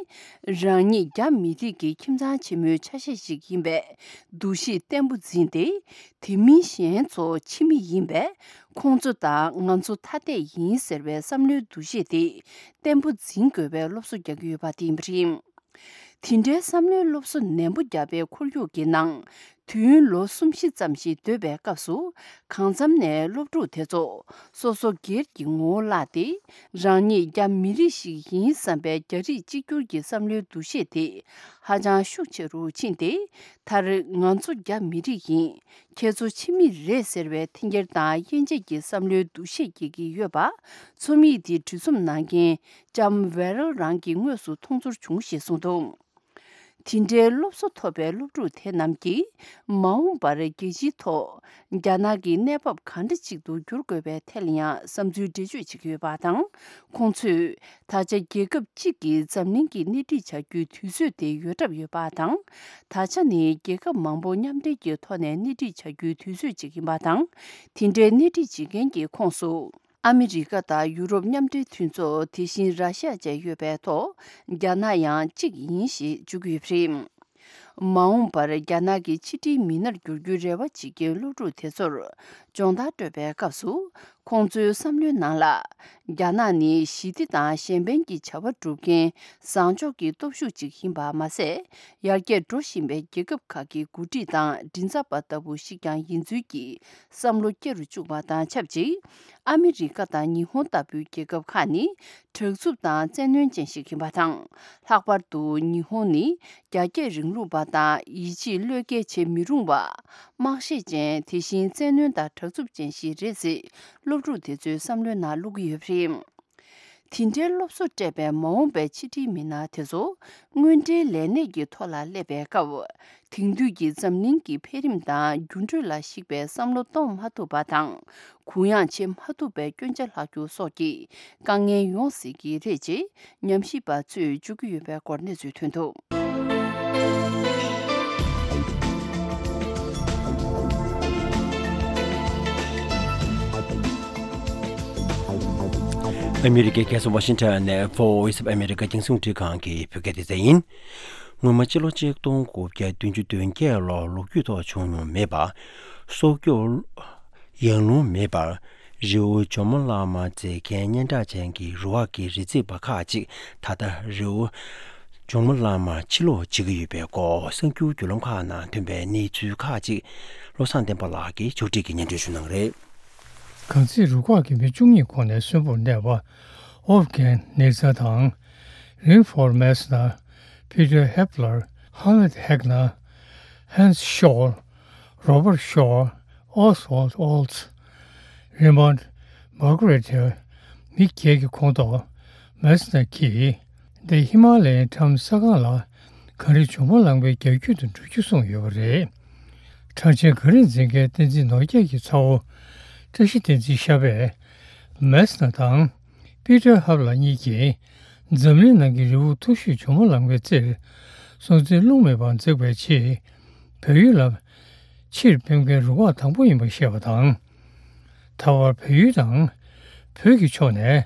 རང་ཉིད་རྒྱ་མི་རིགས་ཀྱི་ཁྱིམ་ཚང་ཆེན་མོའི་ཆ་ཤས་ཤིག་ཡིན་པའི་འདུ་ཤེས་བརྟན་པོ་འཛིན་ཏེ། དེ་མིན་གཞན་ཚོ་ཕྱི་མི་ཡིན་པས། ཁོང་ཚོ་དང་ང་ཚོ་ཐ་དད་ཡིན་ཟེར་བའི་བསམ་བློའི་འདུ་ཤེས་དེ་བརྟན་པོ་འཛིན་དགོས་པའི་སློབ་གསོ་རྒྱག་གི་ཡོད་པ་དེ་ཡིན་པ་རེད། དེ་འདྲའི་བསམ་བློའི་སློབ་གསོ་ནན་པོ་བརྒྱབ་པའི་ཁོར་ཡུག་གི་ནང་། དུས་ཡུན་ལོ་གསུམ་བཞི་ཙམ་ཞིག་སྡོད་པའི་སྐབས་སུ། གང་འཚམ་ནས་སློབ་ཕྲུག་དེ་ཚོ་སོ་སོ་སྒེར་གྱི་ངོ་བོ་བརླག་སྟེ། རང་ཉིད་རྒྱ་མི་རིགས་ཤིག་ཡིན་བསམ་པའི་རྒྱ་རིགས་གཅིག་གྱུར་གྱི་བསམ་བློའི་འདུ་ཤེས་དེ་ཧ་ཅང་ཤུགས་ཆེ་རུ་ཕྱིན་ཏེ། མཐར་ང་ཚོ་རྒྱ་མི་རིགས་ཡིན། ཁྱེད་ཚོ་ཕྱི་མི་རེད་ཟེར་བའི་འཐེན་འཁྱེར་དང་དབྱེ་འབྱེད་ཀྱི་བསམ་བློའི་འདུ་ཤེས་སྐྱེ་གི་ཡོད་པ། རྩོམ་ཡིག་འདི་འབྲི་རྩོམ་གནང་མཁན་ལྕམ་ཝེ་རལ་རང་གིས་དངོས་སུ་མཐོང་ཚོར་བྱུང་ཞེས་གསུངས་འདུག་དེ་འདྲའི་སློབ་གསོ་ཐོབ་པའི་སློབ་ཕྲུག་དེ་རྣམས་ཀྱིས། མ་འོངས་པར་རྒྱལ་སྤྱིའི་ཐོག་རྒྱ་ནག་གི་གནས་བབ་གང་འདྲ་ཅིག་ཏུ་འགྱུར་དགོས་པའི་ཐད་ལ་ཡང་བསམ་ཚུལ་འགྲེལ་བརྗོད་བྱེད་ཀྱི་ཡོད་པ་དང་། ཁོང་ཚོས་ད་ཆ་རྒྱལ་ཁབ་གཅིག་གིས་འཛམ་གླིང་གི་སྣེ་ཁྲིད་བྱ་རྒྱུའི་དུས་ཚོད་དེ་ཡོལ་གྲབས་ཡོད་པ་དང་། ད་ཆ་ནི་རྒྱལ་ཁབ་མང་པོ་མཉམ་འབྲེལ་གྱི་ཐོག་ནས་སྣེ་ཁྲིད་བྱ་རྒྱུའི་དུས་ཚོད་ཅིག་ཡིན་པ་དང་། དེ་འདྲའི་སྣེ་ཁྲིད་བྱེད་མཁན་གྱི་ཁོངས་སུ། ཨ་མི་རི་ཀ་དང་ཡུ་རོབ་མཉམ་འབྲེལ་མཐུན་ཚོགས། དེ་བཞིན་ར་ཤ་བཅས་ཡོད་པའི་ཐོག་རྒྱ་ནག་ཡང་གཅིག་ཡིན་ཞེས་བརྗོད་ཀྱི་ཡོད་པ་རེད། མ་འོངས་པར་རྒྱ་ནག་གི་ཕྱི་དྲིལ་མི་སྣར་འགྱུར་རྒྱུའི་རེ་བ་བྱེད་མཁན་སློབ་ཕྲུག་དེ་ཚོར་སྦྱོང་བརྡར་སྤྲོད་པའི་སྐབས་སུ། ཁོང་ཚོའི་བསམ་བློའི་ནང་ལ། རྒྱ་ནག་ནི་ཞི་བདེ་དང་གཞན་ཕན་གྱི་བྱ་བ་སྒྲུབ་མཁན་བཟང་ཕྱོགས་ཀྱི་སྟོབས་ཤུགས་ཅིག་ཡིན་པ་མ་ཟད། ཡར་རྒྱས་འགྲོ་བཞིན་པའི་རྒྱལ་ཁབ་ཁག་གི་འགོ་ཁྲིད་དང་མགྲིན་ཚབ་པ་ལྟ་བུ་ཞིག་ཀྱང་ཡིན་ཚུལ་གྱི་བསམ་བློ་སྐྱེ་རུ་བཅུག་པ་དང་ཆབས་ཅིག་ཨ་མི་རི་ཀ་དང་ཉི་ཧོང་ལྟ་བུའི་རྒྱལ་ཁབ་ཁག་ནི་དྲག་རྩུབ་དང་བཙན་གནོན་ཅན་ཞིག་ཡིན་པ་དང་། ལྷག་པར་དུ་ཉི་ཧོང་ནི་རྒྱ་སྐྱེད་རིང་ལུགས་པ་དང་ཡིད་ཆེས་བློས་འགེལ་བྱེད་མི་རུང་བ། དམག་ཤེད་ཅན། དེ་བཞིན་བཙན་གནོན་དང་དྲག་རྩུབ་ཅན་ཞིག་རེད་ཅེས་སློབ་ཕྲུག་དེ་ཚོའི་བསམ་བློའི་ནང་བླུགས་ཀྱི་ཡོད་པ་རེད། དེ་འདྲའི་སློབ་གསོ་སྤྲད་པའི་མ་འོངས་པའི་ཕྱི་དྲིལ་མི་སྣ་དེ་ཚོ་དངོས་འབྲེལ་ལས་གནས་ཀྱི་ཐོག་ལ་སླེབས་པའི་སྐབས། དེང་དུས་ཀྱི་འཛམ་གླིང་གི་འཕེལ་རིམ་དང་འགྱུར་འགྲོས་ལ་གཞིགས་པའི་བསམ་བློ་གཏོང་མ་ཐུབ་པ་དང་། གུ་ཡངས་བྱེད་མ་ཐུབ་པའི་སྐྱོན་ཆ་ལྷག་རྒྱུ་སོགས་ཀྱི་དཀའ་ངལ་ཡོང་སྲིད་ཀྱི་རེད་ཅེས་ཉམས་ཞིབ་པ་ཚོས་བརྗོད་ཀྱི་ཡོད་པའི་སྐོར་གནས་ཚུལ་ཐོན་འདུག་ཨ་མི་རི་ཀའི་རྒྱལ་ས་ཝ་ཤིང་ཊོན་ནས་Voice of America རྒྱང་སྲིང་རླུང་འཕྲིན་ཁང་གི་བོད་སྐད་སྡེ་ཚན་ཡིན། སྔོན་མ་སྤྱི་ལོ་ཆིག་སྟོང་དགུ་བརྒྱ་བདུན་ཅུ་དོན་བརྒྱད་ལོར་ལོ་རྒྱུས་ཐོག་བྱུང་མྱོང་མེད་པ། སྲོག་སྐྱོབ་ཡང་ལུང་མེད་པར། རི་བོ་ཇོ་མོ་གླང་མ་འཛེག་མཁན་སྙན་གྲགས་ཅན་གྱི་རུ་ཁག་གི་རི་འཛེག་པ་ཁག་ཅིག་ད་ལྟ་རི་བོ་ཇོ་མོ་གླང་མར་ཕྱིར་ལོག་བྱེད་ཀྱི་ཡོད་པའི་སྐོར་གསར་འགྱུར་བརྒྱུད་ལམ་ཁག་ནང་ཐོན་པའི་གནས་ཚུལ་ཁག་ཅིག་བློ་བཟང་བསྟན་པ་ལགས་ཀྱིས་ཕྱོགས་སྒྲིག་གིས་སྙན་སྒྲོན་ཞུ་གནང་གི་རེད། གངས་འཛེག་རུ་ཁག་གི་མི་བཅུ་གཉིས་ཁོངས་ནས་གསོན་པོར་གནས་པ། ཨོབ་གྷན་ནེ་ཚར་དང་། རིན་ཧྥོར་མེ་སི་ནར། པི་ཏར་ཧེབ་ལར། ཧ་མད་ཧེག་ནར། ཧན་སི་ཤོལ། རོ་བར་ཤོར། ཨོ་སི་ཝལ་ཨོལ་ཚི། རི་མོན་མར་གྷ་རེ་ཊ། མི་བརྒྱད་ཀྱི་ཁོངས་གཏོགས་མེ་སི་ནར་གྱིས། འདི་ཧི་མ་ལ་ཡའི་འགྲམ་ས་སྒང་ལ་གངས་རི་ཇོ་མོ་གླང་མའི་རྒྱ་ཁྱོན་དུ་འགྲོ་རྒྱུ་གསུངས་ཡོད་པ་རེད། གྲགས་ཅན་གངས་རི་འཛེག་མཁན་བསྟན་འཛིན་ནོར་རྒྱས་ཀྱི་ཚ་བོ་བཀྲ་ཤིས་བསྟན་འཛིན་ཤ་པས་མེ་སི་ནར་དང་པི་ཏར་ཧེབ་ལར་གཉིས་ཀྱིས་འཛམ་གླིང་ནང་གི་རི་བོ་མཐོ་ཤོས་ཇོ་མོ་གླང་མའི་རྩེར་སྲོག་འཛིན་རླུང་མེད་པར་འཛེགས་པའི་ཆེད་བལ་ཡུལ་ལ་ཕྱིར་ཕེབས་མཁན་རུ་ཁག་དང་པོ་ཡིན་པ་བཤད་པ་དང་། ད་བར་བལ་ཡུལ་དང་བོད་ཀྱི་ཕྱོགས་ནས་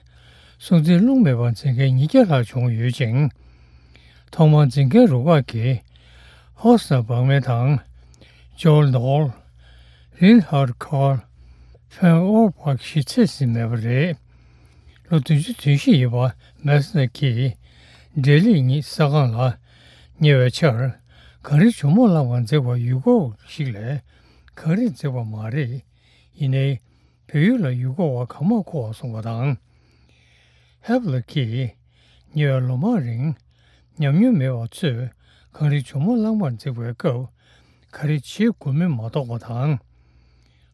སྲོག་འཛིན་རླུང་མེད་པར་འཛེག་མཁན་ཉིས་བརྒྱ་ལྷག་བྱུང་ཡོད་ཅིང་། ཐོག་མར་འཛིན་མཁན་རུ་ཁག་གིས་ཧོ་སི་ནར་བག་མེ་དང་། ཇོལ་ནོལ། རིན་ཧར་ཁར། ཕན་ཨོར་བག་ཞེས་ཚད་ཟིན་མེད་པ་རེད། ལོ་བདུན་ཅུ་དོན་བཞི་ཡིན་པ་མེ་སི་ནར་གྱིས་འབྲས་ལེགས་ཉིད་ས་སྒང་ལ་ཉེ་བའི་ཆར་གངས་རི་ཇོ་མོ་གླང་མར་འཛེགས་པར་ཡུལ་སྐོར་བ་ཞིག་ལས་ གང་རིགས་འཛེགས་པ་མ་རེད། ཡིན་ནའི། བལ་ཡུལ་ལ་ཡུལ་སྐོར་བ་གང་མང་འཁོར་བ་གསུངས་པ་དང་། ཧེབ་ལ་གིས་ཉེ་བའི་ལོ་མང་རིང་ཉམས་མྱོང་མེད་པ་ཚོས་གངས་རིའི་ཇོ་མོ་གླང་མར་འཛེགས་པའི་སྐབས་ག་རེ་བྱེད་དགོས་མིན་མ་རྟོགས་པ་དང་།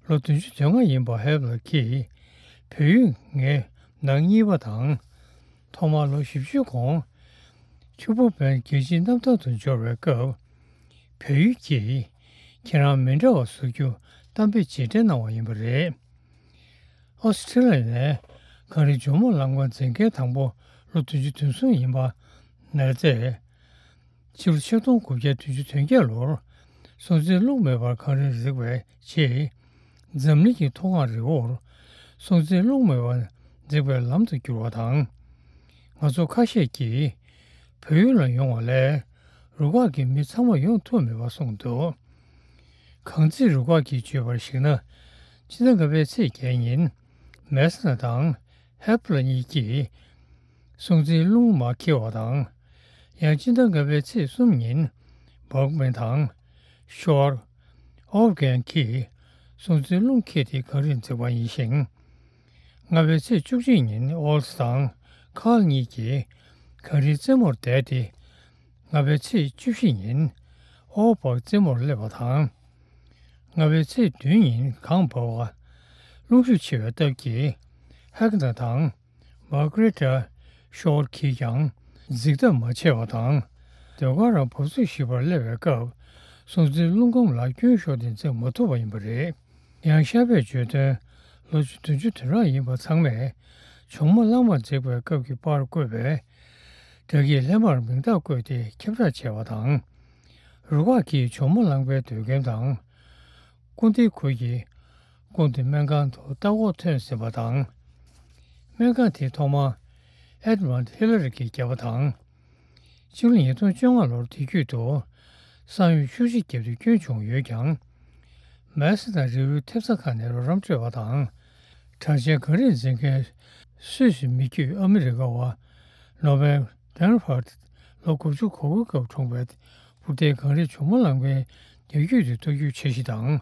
ལོ་བདུན་ཅུ་དོན་ལྔ་ཡིན་པ་ཧེབ་ལ་གིས་བལ་ཡུལ་ངའི་ནང་གཉིས་པ་དང་། ཐོག་མར་ལོ་བཞི་བཅུའི་གོང་ཆུ་བོ་བན་རྒྱལ་སྤྱིའི་གནམ་ཐང་དུ་འབྱོར་བའི་སྐབས། བལ་ཡུལ་གྱིས་ཁྱེད་རང་མི་འདྲ་བ་བཟོ་རྒྱུ་གཏམ་དཔེ་རྗེས་དྲན་གནང་བ་ཡིན་པ་རེད། ཨོ་སི་ཁྲི་ལི་ཡ་ནས་གངས་རིའི་ཇོ་མོ་གླང་མར་འཛེག་མཁན་དང་པོ་ལོ་བདུན་ཅུ་དོན་གསུམ་ཡིན་པ་ནར་རྫས། ཕྱི་ལོ་ཆིག་སྟོང་དགུ་བརྒྱ་བདུན་ཅུ་དོན་བརྒྱད་ལོར་སྲོང་བཙན་སློབ་མའི་བར་གངས་རིར་འཛེགས་པའི་རྗེས། འཛམ་གླིང་གི་མཐོ་སྒང་རི་བོར་སྲོང་བཙན་སློབ་མའི་བར་འཛེགས་པའི་ལམ་དུ་གྱུར་བ་དང་། ང་ཚོ་ཁ་ཤས་ཀྱིས་བལ་ཡུལ་ལ་ཡོང་བ་ལས་རུ་ཁག་གི་མི་ཚང་མ་ཡོང་ཐུབ་མེད་པ་གསུངས་འདུག། གངས་རྩེ་རུ་ཁག་གིས་བརྗོད་པར་གཞིགས་ན། སྤྱི་ཟླ་ལྔ་པའི་ཚེས་བརྒྱད་ཉིན་མེ་ས་ན་དང་ཧེབ་ལ་གཉིས་ཀྱིས་སྲོང་བཙན་སློབ་མ་འཁྱེར་བ་དང་། ཡང་སྤྱི་ཟླ་ལྔ་པའི་ཚེས་གསུམ་ཉིན་སྦག་མན་དང་ཤོར་ཨོབ་གན་གྱིས་སྲོང་བཙན་སློབ་འཁྱེར་ཏེ་གངས་རིར་འཛེགས་པ་ཡིན་ཞིང་། ལྔ་པའི་ཚེས་བཅུ་གཅིག་ཉིན་ཨོལ་སི་དང་ཁཱརལ་གཉིས་ཀྱིས་གངས་རིའི་རྩེ་མོར་བསྡད་དེ། ལྔ་པའི་ཚེས་བཅུ་བཞི་ཉིན་ཨོ་བག་རྩེ་མོར་སླེབས་པ་དང་། ལྔ་པའི་ཚེས་བདུན་ཉིན་གངས་འབབ་པ་རླུང་ཤུགས་ཆེ་བའི་སྟབས་ཀྱིས་ཧེག་ན་དང་མར་གྷ་རེ་ཊ་ཤོར་གྱིས་ཀྱང་འཛེག་ཐབས་མ་བྱས་པ་དང་། ཟློས་གར་རམ་འབབ་ཚུགས་ཞིག་པར་སླེབས་པའི་སྐབས་སྲོང་བཙན་སློབ་སྐམ་ལ་སྐྱོན་ཤོར་ཏེ་འཛེག་མ་ཐུབ་པ་ཡིན་པ་རེད། ཡང་ཤར་པས་བརྗོད་དོན་ལོ་བདུན་ཅུ་དོན་གྲངས་ཡིན་པ་ཚང་མས་ཇོ་མོ་གླང་མར་འཛེགས་པའི་སྐབས་ཀྱི་པར་བཀོད་པའི་སྒྲ་སྐྱེད་ལྷད་མར་མིང་རྟགས་བཀོད་དེ་ཁྱབ་བསྒྲགས་བྱས་པ་དང་། རུ་ཁག་གིས་ཇོ་མོ་གླང་པའི་སྡོད་ཁང་དང་སྐུ་འདིའི་ཁུལ་གྱི་སྐུ་འདི་སྨན་ཁང་དུ་ལྟ་སྐོར་ཐོན་ཟིན་པ་དང་། སྨན་ཁང་དེ་ཐོག་མར་ཨེ་ཌི་མོན་ཌི་ཧི་ལ་རི་གིས་བརྒྱབ་པ་དང་། ཕྱི་ལོ་ཉིས་སྟོང་བཅོ་ལྔ་ལོར་དེ་རྒྱུད་དུ་ས་ཡོམ་ཤུགས་ཆེ་བརྒྱབ་སྟེ་སྐྱོན་བྱུང་ཡོད་ཀྱང་། མེ་ས་དང་རི་བོའི་ཐེབས་རྩ་ཁག་ནས་རོགས་རམ་སྤྲོད་པ་དང་། གྲགས་ཅན་གངས་རི་འཛེག་མཁན་སུད་སི་མི་རྒྱུད་ཨ་མི་རི་ཀ་བ་ནོ་བེལ་ཌན་ཧར་ལོ་དགུ་བཅུ་གོ་དགུ་སྐབས་འཁྲུངས་པའི་འབུར་མདེལ་གངས་རི་ཇོ་མོ་གླང་པའི་རྒྱ་རྒྱུད་དུ་གཏོར་རྒྱུའི་འཆར་གཞི་དང་།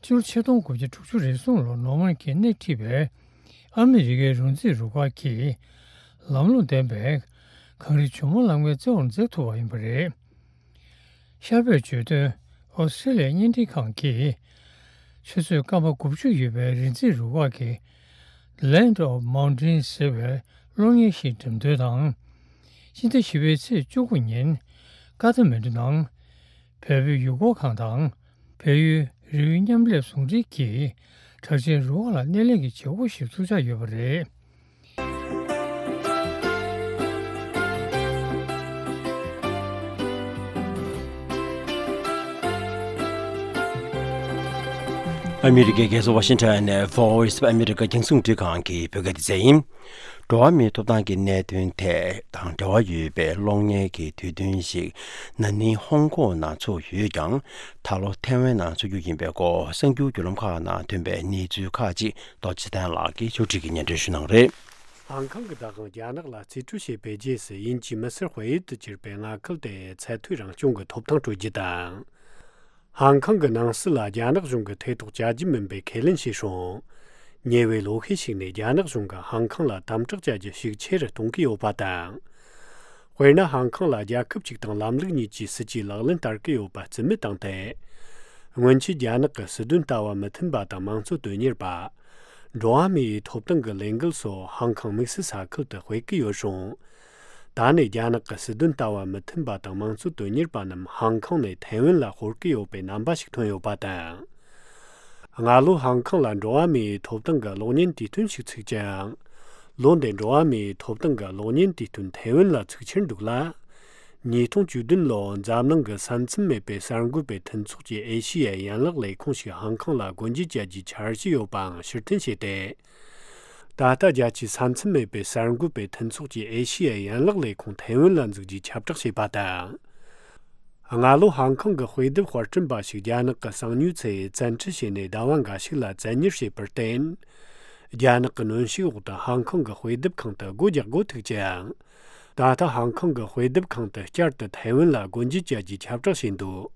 སྤྱི་ལོ་ཆིག་སྟོང་དགུ་བརྒྱ་དྲུག་ཅུ་རེ་གསུམ་ལོར་ནོར་མན་གྱིས་སྣེ་ཁྲིད་པའི་ཨ་མི་རི་ཀའི་རོ་འཛིན་རུ་ཁག་གིས་ལམ་ལྷོང་ལྡན་པའི་གངས་རི་ཇོ་མོ་གླང་པའི་རྩེ་བར་འཛེགས་ཐུབ་པ་ཡིན་པ་རེད། ཤར་པས་བརྗོད་དོན་ཨོ་སི་ཀྲི་ལི་ཡའི་བརྙན་འཕྲིན་ཁང་གིས་ཆུ་ཚོད་སྐར་མ་དགུ་བཅུ་ཡོད་པའི་རི་འཛིན་རུ་ཁག་གི་Land of Mountains ཟེར་བའི་གློག་བརྙན་ཞིག་འགྲེམས་སྟོན་དང་། སྤྱི་ཟླ་བཞི་པའི་ཚེས་བཅུ་དགུ་ཉིན་ཀ་ཐ་མན་ཌུ་ནང་བལ་པོའི་ཡུལ་སྐོར་ཁང་དང་། བལ་ཡུལ་རི་བོའི་མཉམ་ལས་ཟུང་འབྲེལ་གྱིས་གྲགས་ཅན་རུ་ཁག་ལ་སྣེ་ལེན་གྱི་བྱེད་སྒོ་ཞིག་ཚུགས་འཆར་ཡོད་པ་རེད། ཨ་མི་རི་ཀའི་རྒྱལ་ས་ཝ་ཤིང་ཊོན་ནས་Voice of America རྒྱང་སྲིང་རླུང་འཕྲིན་ཁང་གི་བོད་སྐད་སྡེ་ཚན་ཡིན། འགྲོ་བ་མིའི་ཐོབ་ཐང་གི་གནད་དོན་ཐད་དང་འབྲེལ་བ་ཡོད་པའི་གློག་བརྙན་གྱི་དུས་སྟོན་ཞིག་ན་ནིང་ཧོང་ཀོང་ནང་ཚུགས་ཡོད་ཀྱང་། ད་ལོ་ཐའེ་ཝན་ནང་ཚུགས་རྒྱུ་ཡིན་པའི་སྐོར་གསར་འགྱུར་བརྒྱུད་ལམ་ཁག་ནང་ཐོན་པའི་གནས་ཚུལ་ཁག་ཅིག་རྡོ་རྗེ་གདན་ལགས་ཀྱིས་ཕྱོགས་སྒྲིག་གིས་སྙན་སྒྲོན་ཞུ་གནང་རེད། ཧང་ཀང་གི་བདག་དབང་རྒྱ་ནག་ལ་རྩིས་སྤྲོད་བྱས་པའི་རྗེས་སུ་དབྱིན་ཇིའི་མི་སེར་དཔལ་ཡུལ་དུ་གྱུར་པའི་མངའ་ཁུལ་དེ་ཚད་མཐོའི་རང་སྐྱོང་གི་ཐོབ་ཐང་སྤྲོད་རྒྱུ་དང་། ཧང་ཀང་གི་ནང་སྲིད་ལ་རྒྱ་ནག་གཞུང་གིས་ཐེ་གཏོགས་བྱ་རྒྱུ་མིན་པའི་ཁས་ལེན་བྱས་སོང་། ཉེ་བའི་ལོ་ཤས་ཤིག་ནས་རྒྱ་ནག་གཞུང་གིས་ཧང་ཀང་ལ་དམ་དྲག་བྱ་རྒྱུ་ཤུགས་ཆེ་རུ་གཏོང་གི་ཡོད་པ་དང་། དཔེར་ན། ཧང་ཀང་ལ་རྒྱལ་ཁབ་གཅིག་དང་ལམ་ལུགས་གཉིས་ཀྱི་སྲིད་ཇུས་ལག་ལེན་བསྟར་གྱི་ཡོད་པ་རྩིས་མེད་བཏང་སྟེ། སྔོན་ཆད་རྒྱ་ནག་གི་སྲིད་དོན་ལྟ་བ་མི་མཐུན་པ་དང་དམངས་གཙོ་དོན་གཉེར་པ། འགྲོ་བ་མིའི་ཐོབ་ཐང་གི་ལས་འགུལ་སོགས་ཧང་ཀང་དམིགས་བསལ་ས་ཁུལ་དུ་སྤེལ་གྱི་ཡོད་རུང་། ད་ནས་རྒྱ་ནག་གི་སྲིད་དོན་ལྟ་བ་མི་མཐུན་པ་དང་དམངས་གཙོ་དོན་གཉེར་པ་རྣམས་ཧང་ཀང་ནས་ཐའེ་ཝན་ལ་སྤོར་གྱི་ཡོད་པའི་རྣམ་པ་ཞིག་ཐོན་ཡོད་པ་དང་། སྔ་ལོ་ཧང་ཀང་ལ་འགྲོ་བ་མིའི་ཐོབ་ཐང་གི་གློག་བརྙན་དུས་སྟོན་ཞིག་ཚུགས་ཀྱང་། ལོ་འདིར་འགྲོ་བ་མིའི་ཐོབ་ཐང་གི་གློག་བརྙན་དུས་སྟོན་ཐའེ་ཝན་ལ་ཚུགས་འཆར་འདུག་ལ། ཉིས་སྟོང་བཅུ་བདུན་ལོར་འཛམ་གླིང་གི་ས་མཚམས་མེད་པའི་གསར་འགོད་པའི་མཐུན་ཚོགས་ཀྱི་ཨེ་ཤི་ཡའི་ཡན་ལག་ལས་ཁུངས་ཤིག་ཧང་ཀང་ལ་སྒོ་འབྱེད་བྱ་རྒྱུའི་འཆར་གཞི་ཡོད་པའང་ཕྱིར་འཐེན་བྱས་ཏེ། ད་ལྟ་རྒྱལ་སྤྱིའི་ས་མཚམས་མེད་པའི་གསར་འགོད་པའི་མཐུན་ཚོགས་ཀྱི་ཨེ་ཤི་ཡའི་ཡན་ལག་ལས་ཁུངས་ཐའེ་ཝན་ལ་འཛུགས་རྒྱུའི་ཁྱབ་བསྒྲགས་བྱས་པ་དང་། སྔ་ལོ་ཧང་ཀང་གི་དཔེ་དེབ་དཔར་སྐྲུན་པ་ཞིག་རྒྱ་ནག་གི་གསང་ཉུལ་ཚད་བཙན་ཁྲིད་བྱས་ནས་ཟླ་བ་འགའ་ཞིག་ལ་བཙན་གཉེར་བྱས་པར་བརྟེན། རྒྱ་ནག་གི་གནོན་ཤུགས་འོག་ཏུ་ཧང་ཀང་གི་དཔེ་དེབ་ཁང་དུ་སྒོ་རྒྱག་དགོས་ཐུག་ཅིང་། ད་ལྟ་ཧང་ཀང་གི་དཔེ་དེབ་ཁང་དུ་བསྐྱར་དུ་ཐའེ་ཝན་ལ་སྒོ་འབྱེད་བྱ་རྒྱུའི་ཁྱབ་བསྒྲགས་བྱས་འདུག།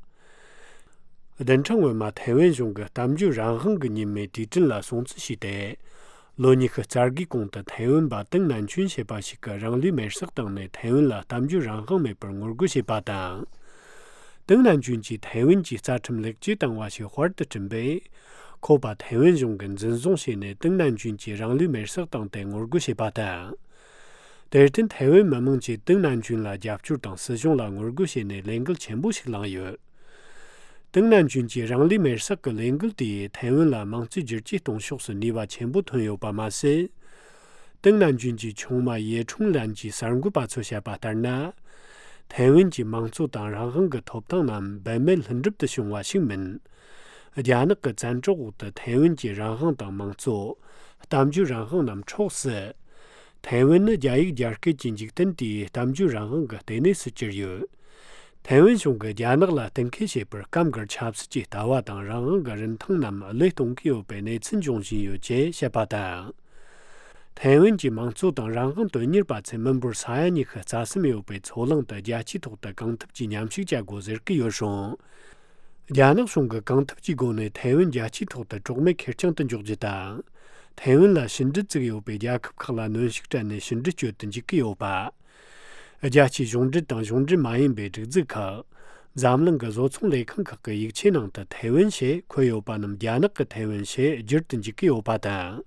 བདུན་ཕྲག་སྔོན་མ་ཐའེ་ཝན་གཞུང་གིས་གཏམ་བརྗོད་རང་དབང་གི་ཉིན་མོའི་དུས་དྲན་ལ་སྲུང་བརྩི་བྱས་ཏེ། ལོ་ཉི་ཤུ་རྩ་དགུའི་གོང་དུ་ཐའེ་ཝན་པ་ཏིང་ནན་ཆུན་ཞེས་པ་ཞིག་གིས་རང་ལུས་མེར་སྲེག་བཏང་ནས་ཐའེ་ཝན་ལ་གཏམ་བརྗོད་རང་དབང་མེད་པར་ངོ་རྒོལ་བྱས་པ་དང་། ཏིང་ནན་ཆུན་གྱིས་ཐའེ་ཝན་གྱི་རྩ་ཁྲིམས་ལེགས་བཅོས་བཏང་བ་ཞིག་དཔར་དུ་བསྐྲུན་པས། ཁོ་པ་ཐའེ་ཝན་གཞུང་གིས་འཛིན་བཟུང་བྱས་ནས་ཏིང་ནན་ཆུན་གྱིས་རང་ལུས་མེར་སྲེག་བཏང་སྟེ་ངོ་རྒོལ་བྱས་པ་དང་། དེར་བརྟེན་ཐའེ་ཝན་མི་མང་གིས་ཏིང་ནན་ཆུན་ལ་རྒྱབ་སྐྱོར་དང་སྲིད་གཞུང་ལ་ངོ་རྒོལ་བྱས་ནས་ལས་འགུལ་ཆེན་པོ་ཞིག་བསླངས་ཡོད། ཏིང་ནན་ཆུན་གྱི་རང་ལུས་མེར་སྲེག་གི་ལས་འགུལ་དེས་ཐའེ་ཝན་ལ་དམངས་གཙོའི་བསྒྱུར་བཅོས་གཏོང་ཕྱོགས་སུ་ནུས་པ་ཆེན་པོ་ཐོན་ཡོད་པ་མ་ཟད། ཏིང་ནན་ཆུན་གྱི་ཆུང་མ་ཡེ་ཁྲུང་ལན་གྱིས་གསར་འགོད་པ་ཚོར་བཤད་པ་ལྟར་ན། ཐའེ་ཝན་གྱི་དམངས་གཙོ་དང་རང་དབང་གི་ཐོབ་ཐང་རྣམས་འབད་མེད་ལྷུན་གྲུབ་ཏུ་བྱུང་བ་ཞིག་མིན། རྒྱ་ནག་གི་བཙན་འཕྲོག་འོག་ཏུ་ཐའེ་ཝན་གྱི་རང་དབང་དང་དམངས་གཙོ། གཏམ་བརྗོད་རང་དབང་རྣམས་འཕྲོག་སྲིད། ཐའེ་ཝན་ནི་རྒྱ་ཡིག་རྒྱ་སྐད་ཀྱི་འཇིག་རྟེན་དེའི་གཏམ་བརྗོད་རང་དབང་གི་ལྟེ་གནས་སུ་གྱུར་ཡོད། ཐའེ་ཝན་གཞུང་གིས་རྒྱ་ནག་ལ་གཏན་འཁེལ་བྱས་པར་སྐབས་འགར་ཆབ་སྲིད་ཀྱི་ལྟ་བ་དང་རང་དབང་གི་རིན་ཐང་རྣམས་བློས་གཏོང་གི་ཡོད་པའི་གནས་ཚུལ་འབྱུང་བཞིན་ཡོད་ཅེས་བཤད་པ་དང་། ཐའེ་ཝན་གྱི་དམངས་གཙོ་དང་རང་དབང་དོན་གཉེར་པ་ཚོས་མི་འབོར་ས་ཡ་ཉི་ཤུ་རྩ་གསུམ་ཡོད་པའི་མཚོ་གླིང་དུ་རྒྱལ་སྤྱིའི་ཐོག་ཏུ་གང་ཐུབ་ཀྱིས་མཉམ་ཞུགས་བྱ་དགོས་ཟེར་གྱི་ཡོད་རུང་། རྒྱ་ནག་གཞུང་གིས་གང་ཐུབ་ཀྱི་སྒོ་ནས་ཐའེ་ཝན་རྒྱལ་སྤྱིའི་ཐོག་ཏུ་གྲོགས་མེད་ཁེར་རྐྱང་དུ་འཇོག་རྒྱུ་དང་། ཐའེ་ཝན་ལ་ཕྱི་འབྲེལ་བཙུགས་ཡོད་པའི་རྒྱལ་ཁབ་ཁག་ལ་གནོན་ཤུགས་སྤྲད་ནས་ཕྱི་འབྲེལ་གཅོད་དུ་འཇུག་གི་ཡོད་པ། རྒྱལ་སྤྱིའི་གཞུང་འབྲེལ་དང་གཞུང་འབྲེལ་མ་ཡིན་པའི་སྒྲིག་འཛུགས་ཁག་འཛམ་གླིང་གི་བཟོ་ཚོང་ལས་ཁང་ཁག་གི་ཡིག་ཆའི་ནང་དུ་ཐའེ་ཝན་ཞེས་འཁོད་ཡོད་པ་རྣམས་རྒྱ་ནག་གི་ཐའེ་ཝན་ཞེས་བསྒྱུར་དུ་འཇུག་གི་ཡོད་པ་དང་།